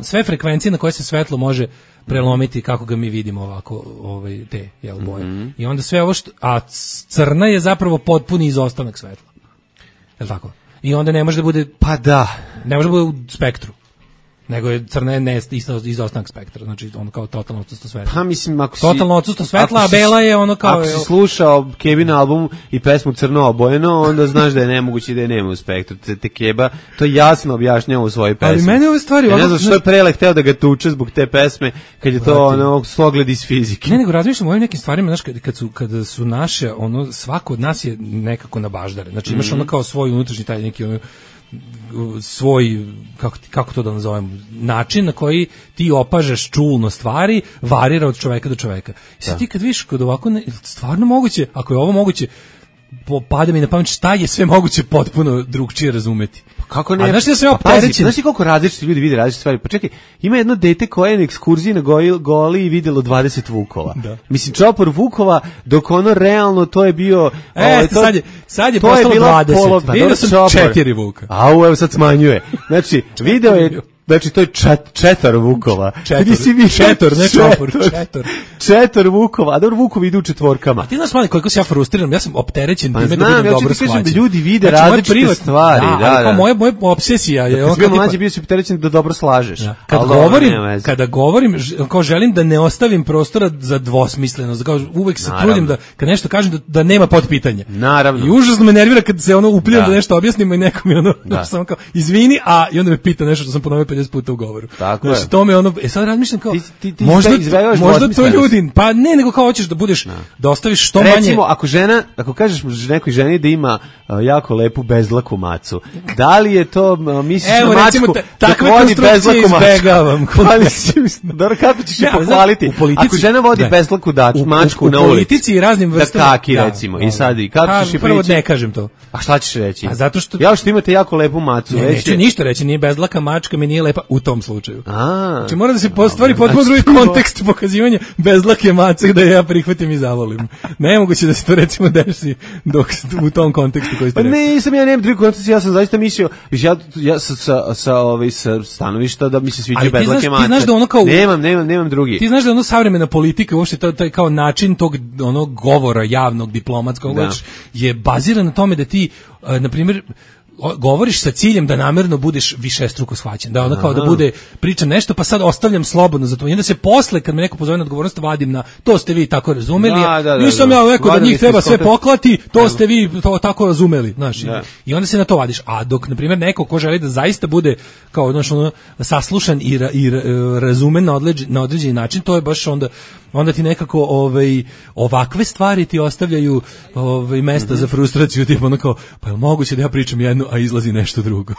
sve frekvencije na koje se svetlo može prelomiti kako ga mi vidimo ovako, te boje. I onda sve ovo a crna je zapravo potpuni izostanak svetla. Je tako? I onda ne može da bude, pa da, ne može da bude u spektru. Nego je crna je izostanak spektra, znači ono kao totalno odsustvo svetla. Pa mislim, ako si... Totalno odsustvo svetla, a bela je ono kao... Ako si slušao Kebin album i pesmu Crno obojeno, onda znaš da je nemoguće da je nema u spektru. Te Keba to jasno objašnjava u svojoj pesmi. Ali meni ove stvari... Ja ne znam što je Prele hteo da ga tuče zbog te pesme, kad je to ono slogled iz fizike. Ne, nego razmišljam o ovim nekim stvarima, znaš, kada su naše, svako od nas je nekako na baždare. Znači imaš ono kao svoj unutrašnji taj neki svoj, kako to da nazovem, način na koji ti opažaš čulno stvari varira od čoveka do čoveka. I sad ti kad vidiš kod ovako, stvarno moguće, ako je ovo moguće, pada mi na pamet šta je sve moguće potpuno drugčije razumeti. Kako ne? A znaš da sam ja opterećen? Znaš koliko različiti ljudi vide različite stvari? Pa čekaj, ima jedno dete koje je na ekskurziji na Goli i videlo 20 vukova. Da. Mislim, čopor vukova, dok ono realno to je bio... sad je postalo 20. Vidio sam 4 vuka. Au, evo sad smanjuje. Znači, video je... Znači, to je četvor vukova. Četvor vukova, a dobro, vukovi idu u četvorkama. A ti znaš, mali, koliko se ja frustriram, ja sam opterećen time da budem dobro shvaćen. Da ljudi vide različite stvari. Moja obsesija je... Kad si bio mlađi, bio si opterećen da dobro slažeš. Kada govorim, kao želim da ne ostavim prostora za dvosmislenost. Uvek se trudim da, kad nešto kažem, da nema podpitanja. Naravno. I užasno me nervira kad se uplivam da nešto objasnimo i neko mi samo kao, izvini, i onda me pita nešto što sam ponovio 50 puta u govoru. Tako je. To me sad razmišljam kao, možda to ljudi, pa ne, nego kao hoćeš da budeš, da ostaviš što manje. Recimo, ako kažeš nekoj ženi da ima jako lepu bezlaku macu, da li je to, misliš na mačku, takve konstrukcije izbegavam. Dobro, kako ćeš je pohvaliti? Ako žena vodi bezlaku mačku na ulici, u politici i raznim vrstama. Da kaki, recimo, i sad, i kako ćeš je prvo ne kažem to. A šta ćeš reći? A zato što... Ja što imate jako lepu macu. Neću ništa reći, nije bezlaka mačka, mi nije lepa u tom slučaju. Znači mora da se stvari potpuno drugi kontekst pokazivanja bezlake mace da ja prihvatim i zavolim. Nemoguće da se to recimo desi dok u tom kontekstu koji ste rekli. Pa nisam, ja nemam drugi kontekst, ja sam zaista mislio, ja sa stanovišta da mi se sviđaju bezlake mace. Ti znaš da ono kao... Nemam drugi. Ti znaš da ono savremena politika, uopšte taj kao način tog govora javnog, diplomatskog, je baziran na tome da ti, na primjer, govoriš sa ciljem da namerno budeš višestruko shvaćen, da ono kao da bude priča nešto, pa sad ostavljam slobodno za to. I onda se posle, kad me neko pozove na odgovornost, vadim na to ste vi tako razumeli, nisam ja rekao da njih treba sve poklati, to ste vi to tako razumeli, znaš. I onda se na to vadiš. A dok, na primjer, neko ko želi da zaista bude kao ono saslušan i razumen na određeni način, to je baš onda ti nekako ovakve stvari ti ostavljaju mesta za frustraciju, tipa ono kao, pa je moguće da ja pričam jedno, a izlazi nešto drugo.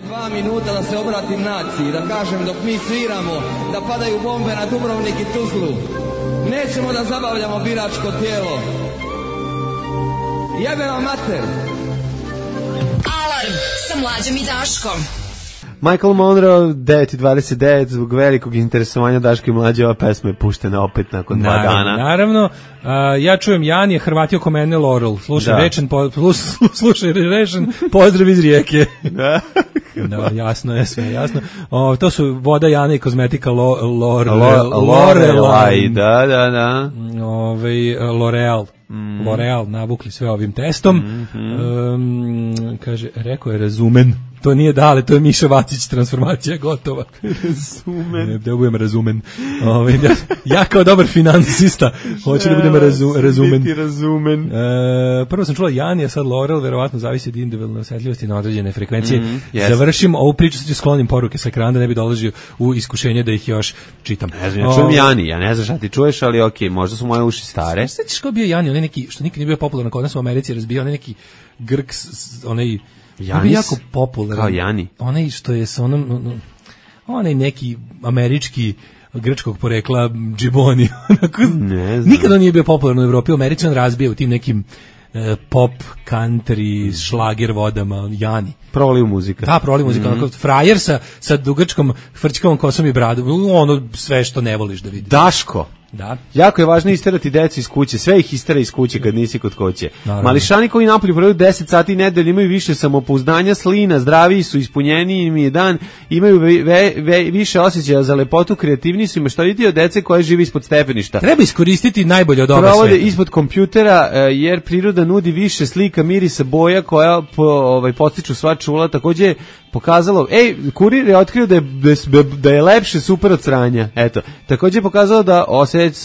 2 minuta da se obratim naciji, da kažem dok mi sviramo, da padaju bombe na Dubrovnik i Tuzlu. Nećemo da zabavljamo biračko tijelo. Jebe vam mater! Alarm sa Mlađom i Daškom. Michael Monroe, 9:29, zbog velikog interesovanja Daška i Mlađe, ova pesma je puštena opet nakon 2 dana. Naravno, ja čujem Jan je Hrvatio ko mene Laurel, slušaj rečen, pozdrav iz Rijeke. Da, jasno je, sve jasno. To su voda Jana i kozmetika Lorelai, da. L'Oreal navukli sve ovim testom. Kaže, rekao je razumen. To nije Dale, to je Miša Vacić, transformacija gotova. Razumen. Da budem razumen. Ja kao dobar finansista hoću da budem razumen. Biti razumen. Prvo sam čula Janija, sad Laurel, verovatno zavisi od individualne osjetljivosti na određene frekvencije. Završim ovu priču, sad ću sklonim poruke sa ekrana da ne bi dolazio u iskušenje da ih još čitam. Ne znam, ja čujem Jani, ja ne znam šta ti čuješ, ali okej, možda su moje uši stare. Šta ćeš kao bio Jani, onaj neki, što nikad nije bio popularan kod nas u Americi, razbio, onaj neki Grk, onaj... Janis, jako popularan. Kao Jani. Onaj što je sa onaj neki američki grčkog porekla džiboni. Ne znam. Nikada nije bio popularan u Evropi, u Americi on razbija u tim nekim pop, country, šlager vodama, Jani. Proliv muzika. Da, proliv muzika. Frajer sa dugačkom frčkavom kosom i bradom. Ono sve što ne voliš da vidiš. Daško. Da. Jako je važno isterati decu iz kuće, sve ih istera iz kuće kad nisi kod kuće. Mališani koji napolju provaju 10 sati nedelje imaju više samopouzdanja, slina, zdraviji su, ispunjeniji im je dan, imaju više osjećaja za lepotu, kreativniji su i maštovitiji od dece koje žive ispod stepeništa. Treba iskoristiti najbolje od oba sveta. Provode ispod kompjutera jer priroda nudi više slika, mirisa, boja koja podstiču sva čula. Takođe je pokazalo, Kurir je otkrio da je lepše super od sranja. Eto, takođe je pokazalo da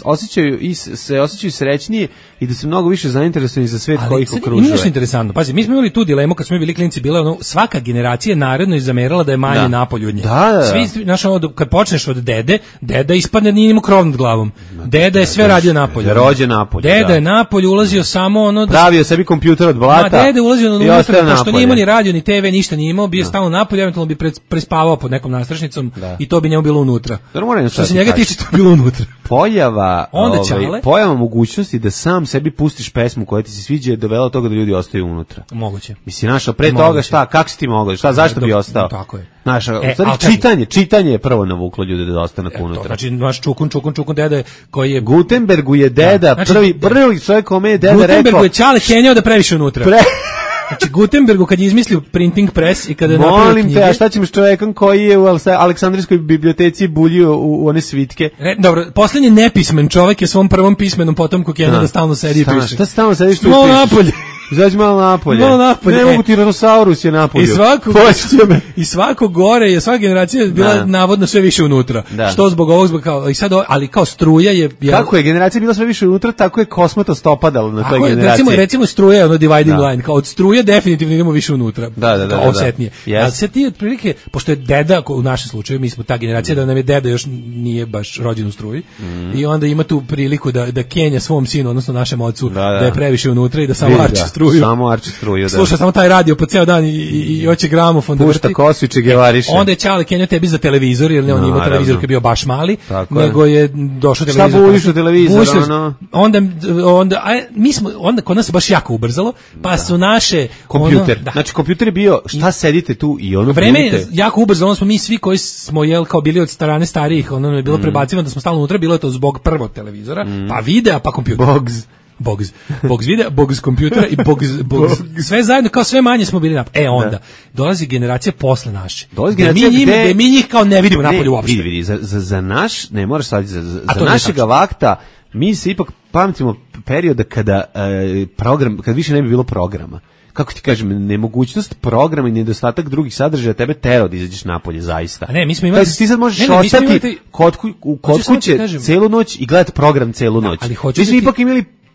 osjećaju srećnije i da se mnogo više zainteresuju za svet koji ih okružuje. Ima nešto interesantno. Pazi, mi smo imali tu dilemu kad smo bili klinci, bila ono, svaka generacija naredno zamerala da je manje napolju od nje. Svi, znaš, kad počneš od deda ispadne nije imao krov nad glavom. Deda je sve radio napolju. Rođe napolju. Deda je napolju ulazio samo ono pravio sebi kompjuter od blata. Deda ulazio unutra, pošto nije imao ni radio ni TV, ništa nije imao, bio stalno napolju, eventualno bi prespavao pod nekom nastrašnicom i to bi njemu bilo unutra. Što se njega tiče, to je bilo unutra. Pojava mogućnosti da sam sebi pustiš pesmu koja ti se sviđa je dovela do toga da ljudi ostaju unutra. Moguće. Mislim, našao pre toga šta, kako si ti mogao, zašto bi ostao? Tako je. Čitanje je prvo navuklo ljude da ostane unutra. Znači, naš čukun deda koji je... Gutenbergu je deda, prvi čovjek kome je deda rekao... Gutenbergu je Ćale kenjao da previše unutra. Znači, Gutenbergu kad je izmislio printing press i kada je napravio knjige... Molim te, a šta ćemo s čovjekom koji je u Aleksandrijskoj biblioteci buljio u one svitke? Dobro, posljednji nepismen čovjek je svom prvom pismenom potomku kenjao da stalno sedi i piše. Šta stalno sediš tu i pišeš? Napolje. Izađi malo napolje. Ne mogu Tiranosaurus je napolju. I svako gore je, svaka generacija je bila navodno sve više unutra. Što zbog ovog, ali kao struja je... Kako je generacija bila sve više unutra, tako je kosmatost opadalo na toj generaciji. Recimo struja je ono dividing line, kao od struje definitivno idemo više unutra. Da. Osetnije. Ali se ti otprilike, pošto je deda, u našem slučaju, mi smo ta generacija da nam je deda još nije baš rođen u struji, i onda ima tu priliku da kenja svom sinu, odnosno našem ocu, da je previše unutra i da samo arči struju. Samo arči struju, da. Sluša samo taj radio po ceo dan i hoće gramofon da vrti. Pušta kosu i čegevariše. Onda je Ćale kenjao tebi za televizor, jer on ima televizor koji je bio baš mali, nego je došao televizor. Šta buliš u televizor? Onda kod nas se baš jako ubrzalo, pa su naše... Kompjuter. Znači, kompjuter je bio, šta sedite tu i ono... Vreme je jako ubrzalo, smo mi svi koji smo kao bili od strane starijih, ono je bilo prebacivano da smo stalno unutra, bilo je to zbog prvog televizora, pa videa, pa kompjuter. Bogs videa, Bogs kompjutera i Bogs sve zajedno, kao sve manje smo bili napolju. Onda dolazi generacija posle naše. Gde mi njih kao ne vidimo napolju uopšte. Vidi, za naš, ne moraš sad, za našega vakta, mi se ipak pamtimo perioda kada kad više ne bi bilo programa. Kako ti kažem, nemogućnost programa i nedostatak drugih sadržaja tebe terao da izađeš napolje, zaista. A ne, mi smo imali... Ti sad možeš ostati kod kuće celu noć i gledati program celu noć.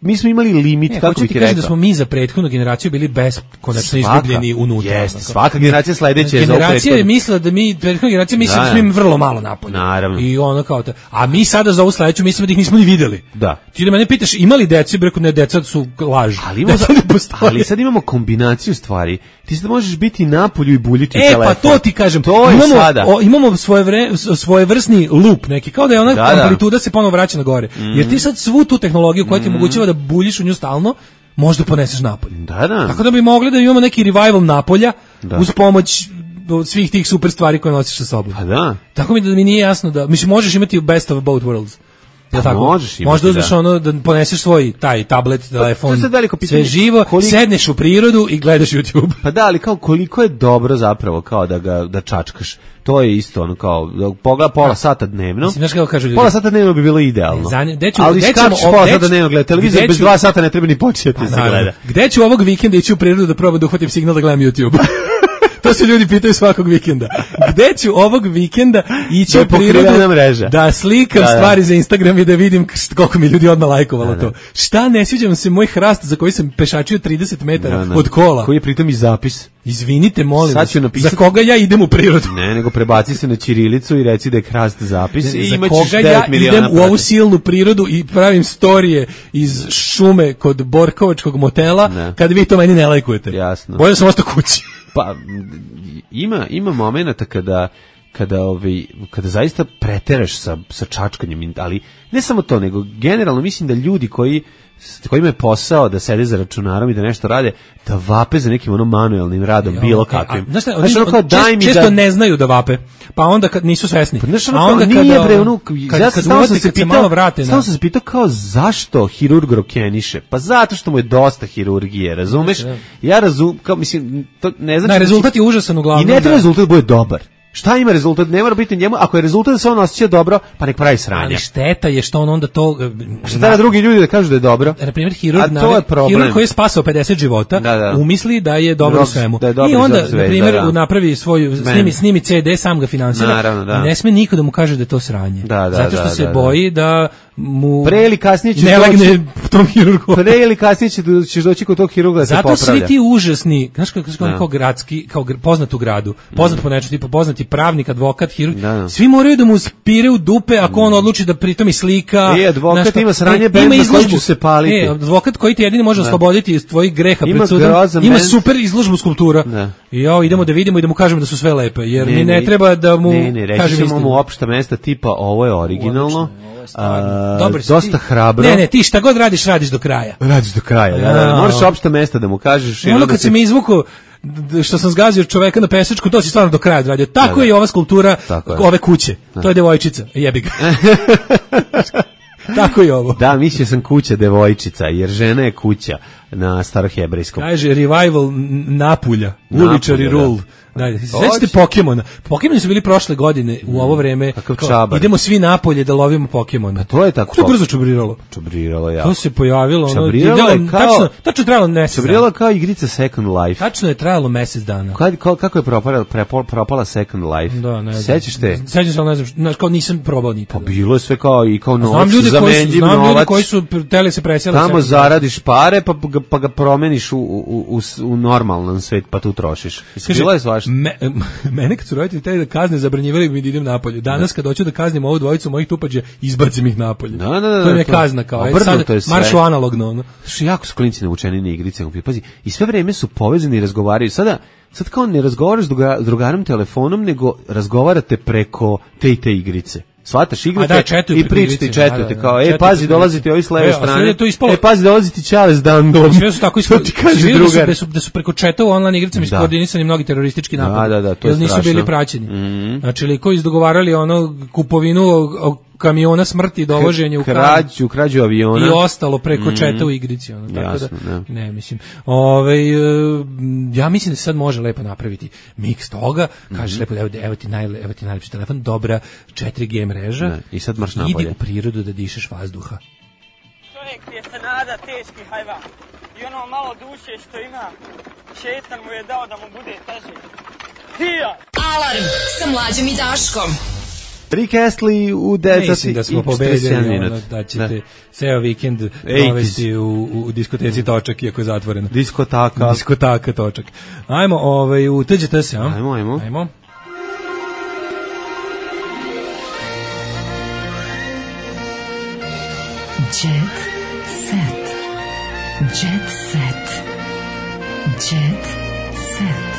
Mi smo imali limit, kako bih ti rekao. Da smo mi za prethodnu generaciju bili beskonačno izgubljeni unutra. Jeste, svaka generacija sledeća je za generacija je mislila da mi, prethodna generacija misli da smo im vrlo malo napolje. Naravno. I ono kao to. A mi sada za ovu sledeću mislimo da ih nismo ni videli. Da. Ti da mene pitaš, imali decu, reko ne, deca su laž. Ali sad imamo kombinaciju stvari. Ti sad možeš biti napolju i buljiti telefon. Pa to ti kažem. To je sada. Imamo svojevrsni loop neki, kao da je ona amplituda se ponovo vraća na gore. Jer ti sad svu tu tehnologiju koja ti omogućava da buljiš u nju stalno, možda poneseš napolje. Da. Tako da bi mogli da imamo neki revival napolja uz pomoć svih tih super stvari koje nosiš sa sobom. Pa da. Tako mi da mi nije jasno da, mislim, možeš imati best of both worlds. Pa možeš imati, možda uzmeš ono da poneseš svoj taj tablet, telefon, sve živo, sedneš u prirodu i gledaš YouTube. Pa da, ali kao koliko je dobro zapravo kao da čačkaš. To je isto ono kao pogleda pola sata dnevno. Mislim, znaš kako kažu ljudi? Pola sata dnevno bi bilo idealno. Ali skačeš pola sata dnevno gleda televizor, bez 2 sata ne treba ni početi se gleda. Gde ću ovog vikenda ići u prirodu da probam da uhvatim signal da gledam YouTube? To se ljudi pitaju svakog vikenda. Gde ću ovog vikenda ići u prirodu da slikam stvari za Instagram i da vidim koliko mi ljudi odmah lajkovalo to. Šta ne sviđa se moj hrast za koji sam pešačio 30 metara od kola. Koji je pritom i zapis. Izvinite, molim vas, za koga ja idem u prirodu? Ne, nego prebaci se na ćirilicu i reci da je hrast zapis. I za koga ja idem u ovu silnu prirodu i pravim storije iz šume kod Borkovačkog motela, kad vi to meni ne lajkujete. Jasno. Bolje sam ostao kući. Pa ima momenata kada zaista preteraš sa čačkanjem, ali ne samo to, nego generalno mislim da ljudi kojima je posao da sede za računarom i da nešto rade, da vape za nekim manuelnim radom, bilo kakvim. Često ne znaju da vape, pa onda kad nisu svesni. A onda kad se malo vrate. Samo sam se pitao kao zašto hirurg rokeniše? Pa zato što mu je dosta hirurgije, razumeš? Ja razumem, kao mislim, to ne znači... Rezultat je užasan uglavnom. I ne treba rezultat bude dobar. Šta ima rezultat? Ne mora biti njemu. Ako je rezultat da se on osjeća dobro, pa nek pravi sranje. Ali šteta je što on onda to... Šta drugi ljudi da kažu da je dobro? Na primjer, hirurg koji je spasao 50 života, umisli da je dobro u svemu. I onda, na primjer, napravi svoju, snimi CD, sam ga finansira. I ne sme niko da mu kaže da je to sranje. Zato što se boji da mu pre ili kasnije ćeš ne legne tom hirurgu. Pre ili kasnije ćeš doći kod tog hirurga da se popravlja. Zato svi ti užasni, znaš kao gradski, kao poznat u gradu, poznat po nečemu, tipa poznati pravnik, advokat, hirurg, svi moraju da mu spire u dupe ako on odluči da pritom i slika. Advokat ima sranje bend na koji ću se paliti. Advokat koji ti jedini može osloboditi iz tvojih greha pred sudom, ima super izložbu skulptura. I idemo da vidimo i da mu kažemo da su sve lepe, jer mi ne treba da mu kažem istinu. Mu opšta mesta tipa ovo je originalno. Dosta hrabro. Ne, ti šta god radiš do kraja. Radiš do kraja, da. Moraš opšta mesta da mu kažeš. Ono kad se mi izvuku što sam zgazio čoveka na pesečku, to si stvarno do kraja odradio. Tako je i ova skulptura ove kuće. To je devojčica, jebi ga. Tako i ovo. Da, mislio sam kuća devojčica, jer žena je kuća na starohebrejskom. Kaže revival Napulja, uličari rule. Da, sećate Pokemona. Pokemoni su bili prošle godine u ovo vreme. Idemo svi napolje da lovimo Pokemona. To je tako. To je brzo čubriralo. Čubriralo, ja. To se pojavilo. Tačno trajalo mesec dana. Čubriralo kao igrica Second Life. Tačno je trajalo mesec dana. Kako je propala Second Life? Da, ne znam. Sećaš te? Sećam se, ali ne znam. Kao nisam probao nikada. Pa bilo je sve kao i kao novac. Znam ljudi koji su teli se preseli. Tamo zaradiš pare pa ga promeniš u normalan svet pa tu trošiš. Bilo je svašta. Mene kad su roditelji teli da kazne, zabranjivali mi da idem napolje. Danas kad hoću da kaznim ovu dvojicu mojih tupađa, izbacim ih napolje. To je kazna kao. Sad maršu analogno. Jako su klinci navučeni na igrice. Pazi, i sve vreme su povezani i razgovaraju. Sad kao ne razgovaraš s drugarom telefonom, nego razgovarate preko te i te igrice. Svataš igrate i pričate i četujete kao, pazi, dolazi ti ovi s leve strane, pazi, dolazi ti Čale s dandom. Sve su tako da su preko četa u online igricama iskoordinisani mnogi teroristički napadi. Da, to je strašno. Nisu bili praćeni. Znači, liko izdogovarali kupovinu kamiona smrti, dovoženje u krađu aviona i ostalo preko četa u igrici. Tako da, ne, mislim. Ja mislim da se sad može lepo napraviti miks toga, kažeš lepo, evo ti najlepši telefon, dobra 4G mreža i sad marš napolje. Idi u prirodu da dišeš vazduha. Čovjek je se nada teški hajvan i ono malo duše što ima, šetan mu je dao da mu bude teže. Alarm sa Mlađom i Daškom. Rick Astley u 9 Mislim da smo pobedili, da ćete ceo vikend provesti u diskoteci Točak, iako je zatvoreno. Diskotaka Točak. Ajmo u TGT se, a? Ajmo. Jet set. Jet set. Jet set.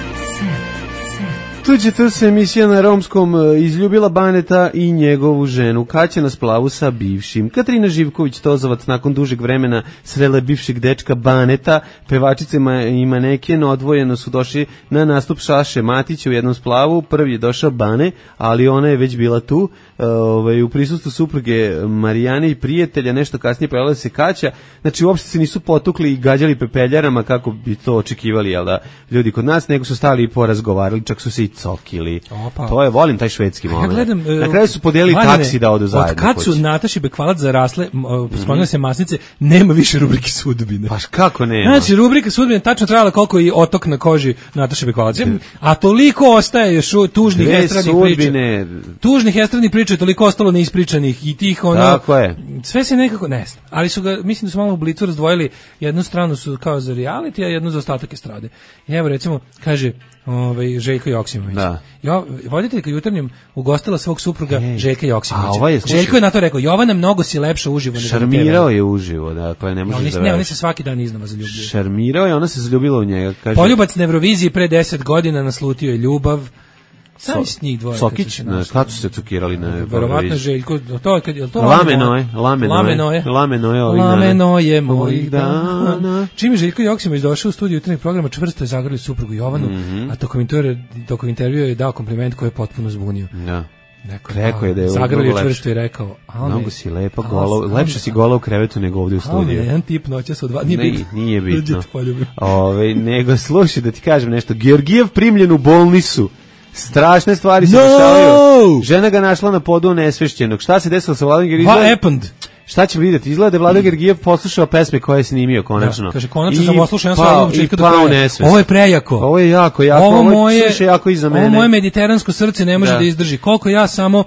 Tuđe se emisija na romskom izljubila Baneta i njegovu ženu. Kaća na splavu sa bivšim. Katarina Živković-Tozovac nakon dužeg vremena srela bivšeg dečka Baneta. Pevačice i maneken odvojeno su došli na nastup Šaše Matića u jednom splavu. Prvi je došao Bane, ali ona je već bila tu. U prisustvu supruge Marijane i prijatelja, nešto kasnije pojavila se Kaća. Znači uopšte se nisu potukli i gađali pepeljarama kako bi to očekivali, jel da, ljudi kod nas, nego su stali i porazgovarali, čak su se i cokili. To je, volim taj švedski moment. Na kraju su podijelili taksi da odu zajedno. Od kad su Nataši Bekvalac zarasle, spomenuli se masnice, nema više rubrike sudbine. Pa kako nema? Znači, rubrika sudbine tačno trajala koliko i otok na koži Nataše Bekvalac. A toliko ostaje još tužnih estradnih priča. Tužnih estradnih priča je toliko ostalo neispričanih i tih Tako je. Sve se nekako ne znam. Ali su ga, mislim da su malo u Blicu razdvojili, jednu stranu su kao za reality, a jednu za ostatak estrade. I evo recimo, kaže Željko Joksimović. Voditeljka Jutarnjem ugostila svog supruga Željka Joksimovića. Željko je na to rekao, Jovana, mnogo si lepša uživo. Šarmirao je uživo, dakle ne može da oni se svaki dan iznova zaljubljuju. Šarmirao je, ona se zaljubila u njega. Kaže, poljubac na Euroviziji pre 10 godina naslutio je ljubav. Sami s njih dvoje. Sokić, kad su se cukirali na Euroviziji? Verovatno Željko, Lameno je mojih dana. Čim je Željko Joksimović došao u studiju jutarnjeg programa, čvrsto je zagrlio suprugu Jovanu, a tokom intervjua je dao kompliment koji je potpuno zbunio. Rekao je da je zagrlio čvrsto i rekao, mnogo si lepa, lepše si gola u krevetu nego ovdje u studiju. Jedan tip noćas od 2, nije bitno. Nego slušaj da ti kažem nešto, Georgijev primljen u bolnicu. Strašne stvari se dešavaju. Žena ga našla na podu nesvešćenog. Šta se desilo sa Vladom Georgijevom? What happened? Šta ćemo vidjeti? Izgleda da je Vlado Gergijev poslušao pesme koje je snimio konačno. Da, kaže, konačno sam poslušao sve album početka do kraja. Nesvest. Ovo je prejako. Ovo je jako, ovo je jako iza mene. Ovo moje mediteransko srce ne može da izdrži. Koliko ja samo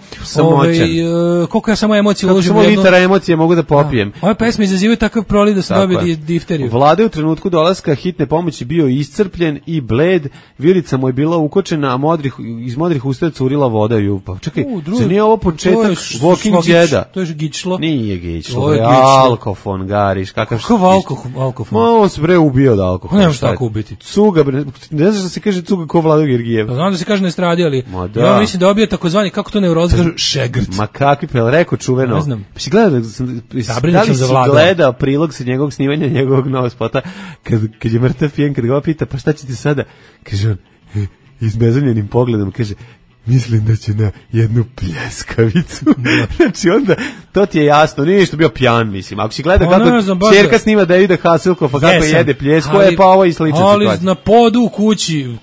emocije uložim u jedno. Samo litara emocije mogu da popijem. Ove pesme izazivaju takav proliv da sam dobio difteriju. Vlada je u trenutku dolaska hitne pomoći bio iscrpljen i bled, vilica mu je bila ukočena, a iz modrih usta je curila voda. Pa čekaj, nije ovo početak Walking Deada? To je gičlo. Nije gičlo, alkofon, gariš, kakav alkofon? On se bre ubio od alkofola. Ne možeš tako ubiti. Cuga, ne znaš da se kaže cuga ko Vlado Gergijev. Znam da se kaže na estradi, ali ja mislim da obio takozvani, kako to neurozi kažu, šegrt. Ma kakvi pel, rekao čuveno. Ne znam. Si gledao prilog sa njegovog snimanja, njegovog novog spota, kad je mrtav pijen, kad ga pita, pa šta će ti sada? Kaže on, izbezumljenim pogledom, kaže, mislim da će na jednu pljeskavicu. Znači onda, to ti je jasno, nije što bio pjan, mislim. Ako si gleda kako ćerka snima Davida Hasselhoffa, kako jede pljesku, pa ovo i slična situacija. Ali na podu u kući...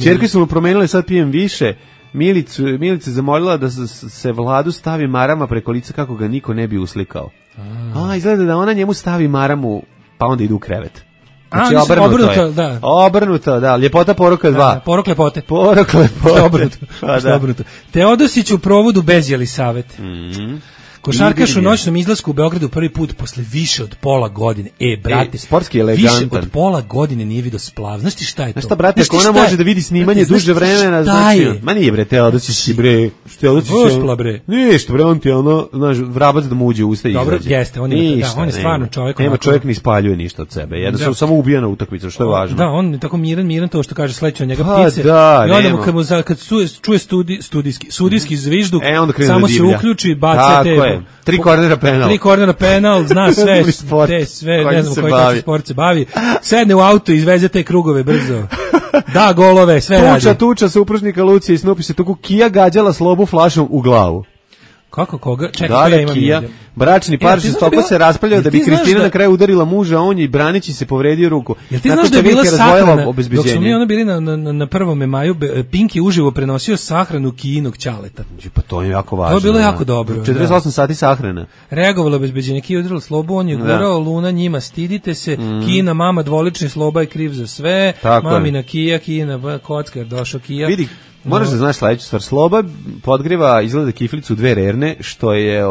Ćerke su mu promenile, sad pijem više. Milica zamolila da se Vladu stavi marama preko lica kako ga niko ne bi uslikao. Izgleda da ona njemu stavi maramu, pa onda idu u krevet. Znači obrnuto, da. Ljepota poroka 2. Porok lepote. Obrnuto. Teodosić u provodu bez Jelisavet. Košarkaš u noćnom izlasku u Beogradu prvi put posle više od pola godine. Brate, sportski elegantan. Više od pola godine nije vidio splav. Znaš ti šta je to? Znaš šta, brate, ako ona može da vidi snimanje duže vremena, znači... Ma nije, bre, Teodosić, bre. Uspla, bre. Ništa, bre, on ti znaš, vrabac da mu uđe u usta i izađe. Dobro, jeste, on je stvarno čovjek. Nema, čovjek ne ispaljuje ništa od sebe. Jednostavno samo ubija na utakmicu, što je važno. Da, on je tako miran, to što kaže, sleće od njega ptice. I onda kad čuje sudijski zvižduk, samo se uključi i baca te... 3 kornera penal, zna sve, ne znam koji tačno sport se bavi. Sedne u auto, izveze te krugove brzo. Da, golove, sve radi. Tuča supružnika Lucije i Snupi se tuku, Kija gađala Slobu flašom u glavu. Kako koga? Čekaj, ja imam Kija. Bračni par žestoko se raspravljao da bi Kristina na kraju udarila muža, on je i Branić se povredio ruku. Jel ti znaš da je bila sahrana, dok su mi bili na 1. maju, Pink je uživo prenosio sahranu Kijinog ćaleta. Pa to je jako važno. To je bilo jako dobro. 48 sati sahrana. Reagovalo obezbeđenje, Kija udarila Slobu, on je gurao, Luna njima, stidite se, Kijina mama, dvolični Sloba je kriv za sve, mamina Kija, Kijina kockar, došao Kija. Vidi, moraš da znaš sledeću stvar. Sloba podgriva izgleda kiflicu 2 rerne, što je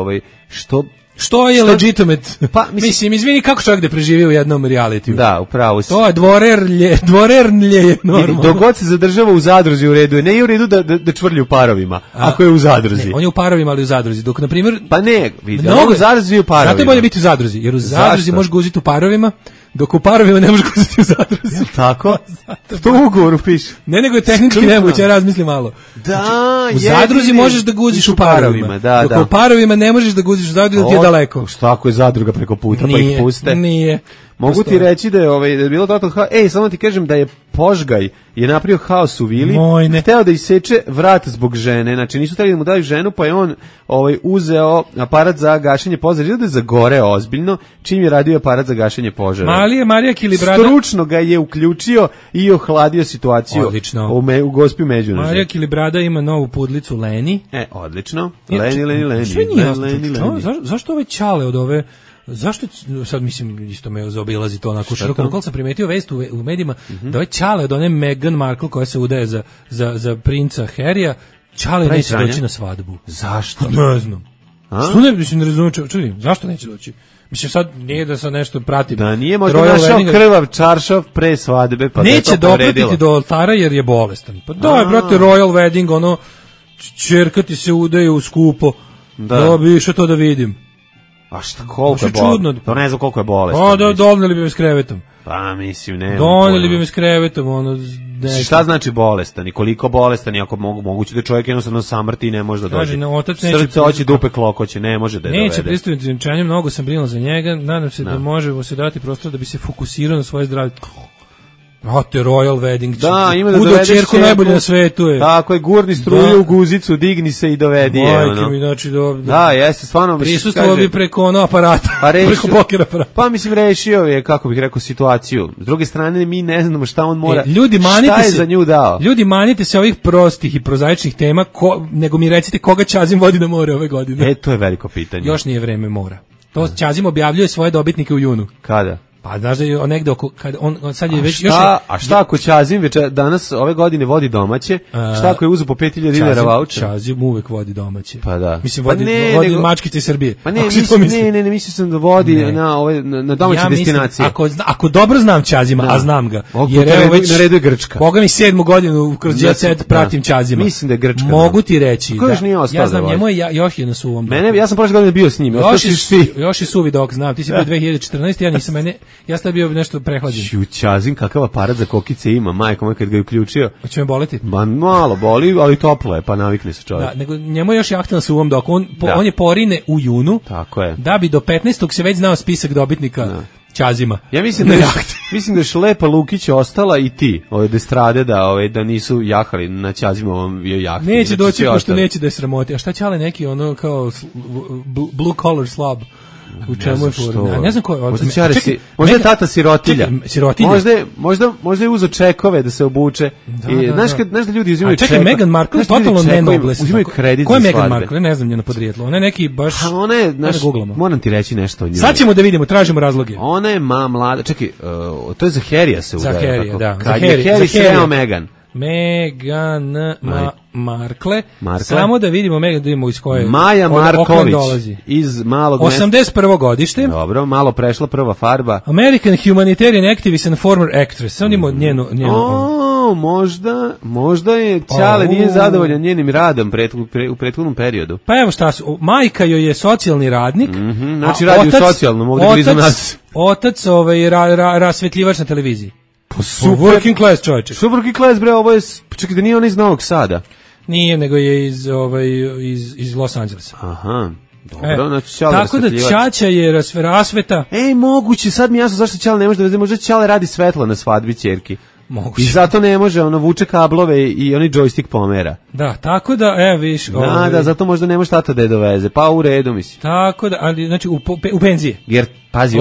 Što je legitimate? Pa, mislim, izvini, kako čovjek da preživi u jednom realitiju? Da, upravo si. To je dvorernlje je normalno. Dok god se zadržava u zadruzi u redu, ne je u redu da čvrlji u parovima, ako je u zadruzi. Ne, on je u parovima, ali u zadruzi. Dok, na primjer... Pa ne, vidi, u zadruzi i u parovima. Zato je bolje biti u zadruzi, jer u zadruzi možeš guziti u parovima, dok u parovima ne možeš guziti u zadruzi. Tako? To u ugovoru piše. Ne, nego je tehnički nemoguće, ja razmislim malo. Da, u zadruzi možeš da guziš u parovima, dok u parovima ne možeš da guziš u zadruzi, jer ti je daleko. Šta ako je zadruga preko puta, pa ih puste? Nije. Mogu ti reći da je bilo totalno haos. Samo ti kažem da je Požgaj je napravio haos u vili. Hteo da iseče vrat zbog žene. Znači nisu trebali da mu daju ženu, pa je on uzeo aparat za gašenje požara. Izgleda da je zagoreo ozbiljno čim je radio aparat za gašenje požara. Marija Kilibrada stručno ga je uključio i ohladio situaciju. Odlično. U Gospi Međunožje. Marija Kilibrada ima novu pudlicu Leni. Odlično. Leni. Zašto ovaj ćale od ove... Zašto, sad mislim, isto me zaobilazi to onako široko, koliko sam primetio vest u medijima, da ovaj ćale od one Meghan Markle koja se udaje za princa Harrya, ćale neće doći na svadbu. Zašto? Ne znam. Što ne razumijem, čudim, zašto neće doći? Mislim, sad nije da sad nešto pratim. Da nije možda našao krvav čaršav pre svadbe, pa neće dopratiti do oltara jer je bolestan. Pa da je, brate, Royal Wedding, ono, ćerka ti se udaje u skupo. Da bi išao to da vidim. A šta, koliko je bolestan? To ne znam koliko je bolestan. Doneli bi me s krevetom. Pa mislim, ne. Doneli bi me s krevetom, ono... Šta znači bolestan i koliko bolestan i ako moguće da čovjek jednostavno samrti i ne može da dođe. Srce, oči, dupe, klokoće, ne može da je dovede. Neće pristaviti zimčanje, mnogo sam brinuo za njega, nadam se da možemo se dati prostor da bi se fokusirao na svoje zdravlje. Brate, Royal Wedding. Da, ima da dovedeš čerku najbolje na svetu je. Tako je, gurni struju u guzicu, digni se i dovedi je. Majke mi, znači da, jeste, stvarno. Prisustvo bi preko ono aparata, preko poker aparata. Pa mislim, rešio je, kako bih rekao, situaciju. S druge strane, mi ne znamo šta on mora, šta je za nju dao. Ljudi, manite se ovih prostih i prozaičnih tema, nego mi recite koga Čazim vodi na more ove godine. To je veliko pitanje. Još nije vreme mora. To Ćazim objavljuje svoje dobitnike u junu. Kada? Pa znaš da je negde oko, kad on sad je već... A šta ako Ćazim već danas ove godine vodi domaće, šta ako je uzu po 5.000 dinara vaučer? Ćazim uvek vodi domaće. Pa da. Mislim, vodi mačkice Srbije. Pa ne, mislim sam da vodi na domaće destinacije. Ako dobro znam Ćazima, a znam ga, jer evo već... Na redu je Grčka. Boga mi 7. godinu kroz Jet Set pratim Ćazima. Mislim da je Grčka. Mogu ti reći. Ja znam, njemu je još jedna su u ovom. Ja sam prošle godine bio s njim. Još i suvi dok znam. Ti si bio 2014, ja nisam ja sam bio nešto prehlađen. Ćazim, kakav aparat za kokice ima, majko moj kad ga je uključio. Hoće me boleti? Malo boli, ali toplo je, pa navikne se čovjek. Da, nego njemu je još jahtan sa uvom dok on je porine u junu. Tako je. Da bi do 15. se već znao spisak dobitnika Ćazima. Ja mislim da je Šlepa Lukić ostala i ti, ove destrade da nisu jahali na Ćazimovom jahti. Neće doći pošto neće da je sramoti. A šta Ćale neki ono kao blue collar slob? U čemu je fora? Ne znam ko je. Možda je tata sirotilja. Možda je uzo čekove da se obuče. Znaš da ljudi uzimaju čekove. Čekaj, Meghan Markle je totalno nenobles. Uzimaju kredit za svadbe. Ko je Meghan Markle? Ne znam njeno podrijetlo. Ona je neki baš... Ona je, moram ti reći nešto o njoj. Sad ćemo da vidimo, tražimo razloge. Ona je mlada. Čekaj, to je za Harrya se udaje. Za Harrya, da. Kad je Harry sreo Meghan. Meghan Markle. Samo da vidimo Meghan, da vidimo iz koje Maja Marković iz malog mesta. 81. godište. Dobro, malo prešla prva farba. American humanitarian activist and former actress. Samo vidimo njenu. Možda je Ćale nije zadovoljan njenim radom u prethodnom periodu. Pa evo šta su, majka joj je socijalni radnik. Znači radi u socijalnom, ovdje blizu nas. Otac rasvetljivač na televiziji. Super. Working class čovječe. Super working class, bre, ovo je, čekaj da nije on iz Novog Sada. Nije, nego je iz Los Angelesa. Aha, dobro, znači Ćale tako da Ćaća je rasveta. Moguće, sad mi jasno zašto Ćale ne može da veze, možda Ćale radi svetlo na svadbi ćerki. Moguće. I zato ne može, vuče kablove i oni joystick pomera. Da, tako da, viš. Da, zato možda ne može tata da je doveze, pa u redu mislim. Tako da, ali znači u penzije. Jer, pazi,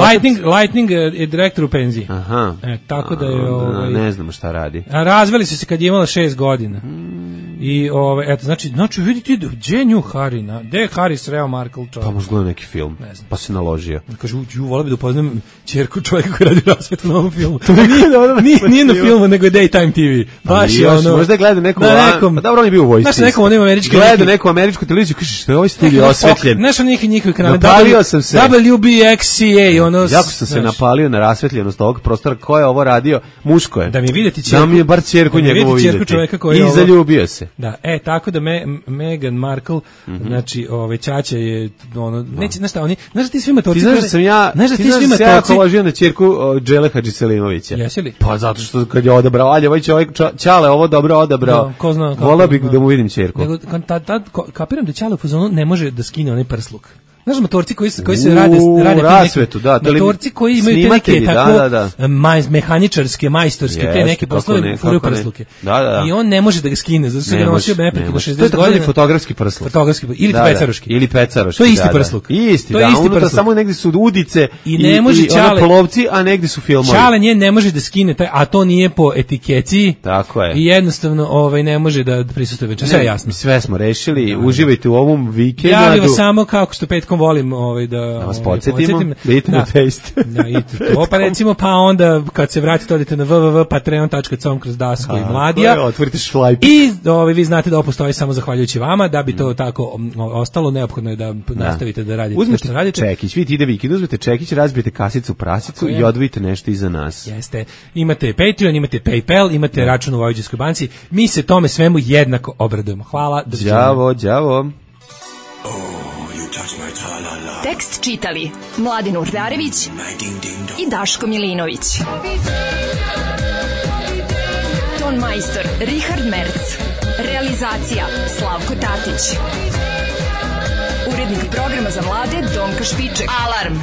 Lightning je direktor u penziji. Aha. Tako da je... ne znamo šta radi. A razveli su se kad je imala 6 godina. I, eto, znači, vidite, gdje je nju Harry, gdje je Harry sreo Markle čovjek? Pa možda gleda neki film, pa se naložio. Kaže, volio bi da upoznam ćerku čovjeka koji radi rasvetu na ovom filmu. Nije na filmu, nego je Daytime TV. Baš je ono... Možda je gleda neku... Pa dobro, on je bio u vojsci. Znaš, nekom onim američkim... Gleda neku američku televiziju, kaže, što je ovaj studio osvetljen? Znaš, njihovi kanale... Napalio sam se. WBXCA, ono... Jako sam se napalio na rasvetljenost ovog prostora. Ko je ovo radio? Muško je. Da mi vidite ćerku... Da mi je bar ćerku njegovu vidjeti. I zaljubio se. Da, tako da Meghan Markle, znači, Ćaća je, neće, znaš šta, oni, znaš da ti svi matorci... Ti znaš da sam ja ložio na ćerku Džele Hadžiselimovića. Jesi li? Pa zato što kad je odabrao, ovaj čovjek, Ćale ovo dobro odabrao, volao bih da mu vidim ćerku. Kapiram da Ćale u fazonu ne može da skine onaj prsluk. Znaš, motorci koji se rade rasvetu, da, motorci koji imaju te neke tako mehaničarske, majstorske, te neke poslove furaju prsluke. I on ne može da ga skine, zato što ga nosio neprekidno 60 godina. To je fotografski prsluk. Ili pecaroški. Ili pecaroški, to je isti prsluk. Isti, da, unutra samo negdje su udice i polovci, a negdje su filmovi. Ćale nje ne može da skine, a to nije po etikeciji. Tako je. I jednostavno ne može da prisustuje večer. Sve je jasno. Sve smo rešili, uživajte u ovom vikendu. Javim vas samo kako što petkom volim da vas podsjetimo, da idete na taste. Da, i to pa recimo, pa onda kad se vratite odite na www.patreon.com kroz Daško i Mladija. Otvorite šlajp. I vi znate da ovo postoji samo zahvaljujući vama, da bi to tako ostalo, neophodno je da nastavite da radite. Uzmite čekić, vidite ide vikend, uzmete čekić, razbijete kasicu prasicu i odvojite nešto iza nas. Jeste. Imate Patreon, imate PayPal, imate račun u Vojvođanskoj banci. Mi se tome svemu jednako obradujemo. Hvala. Đavo. Tekst čitali Mladin Urdarević i Daško Milinović. Ton majstor Richard Merc. Realizacija Slavko Tatić. Urednik programa za mlade Donka Špiček. Alarm!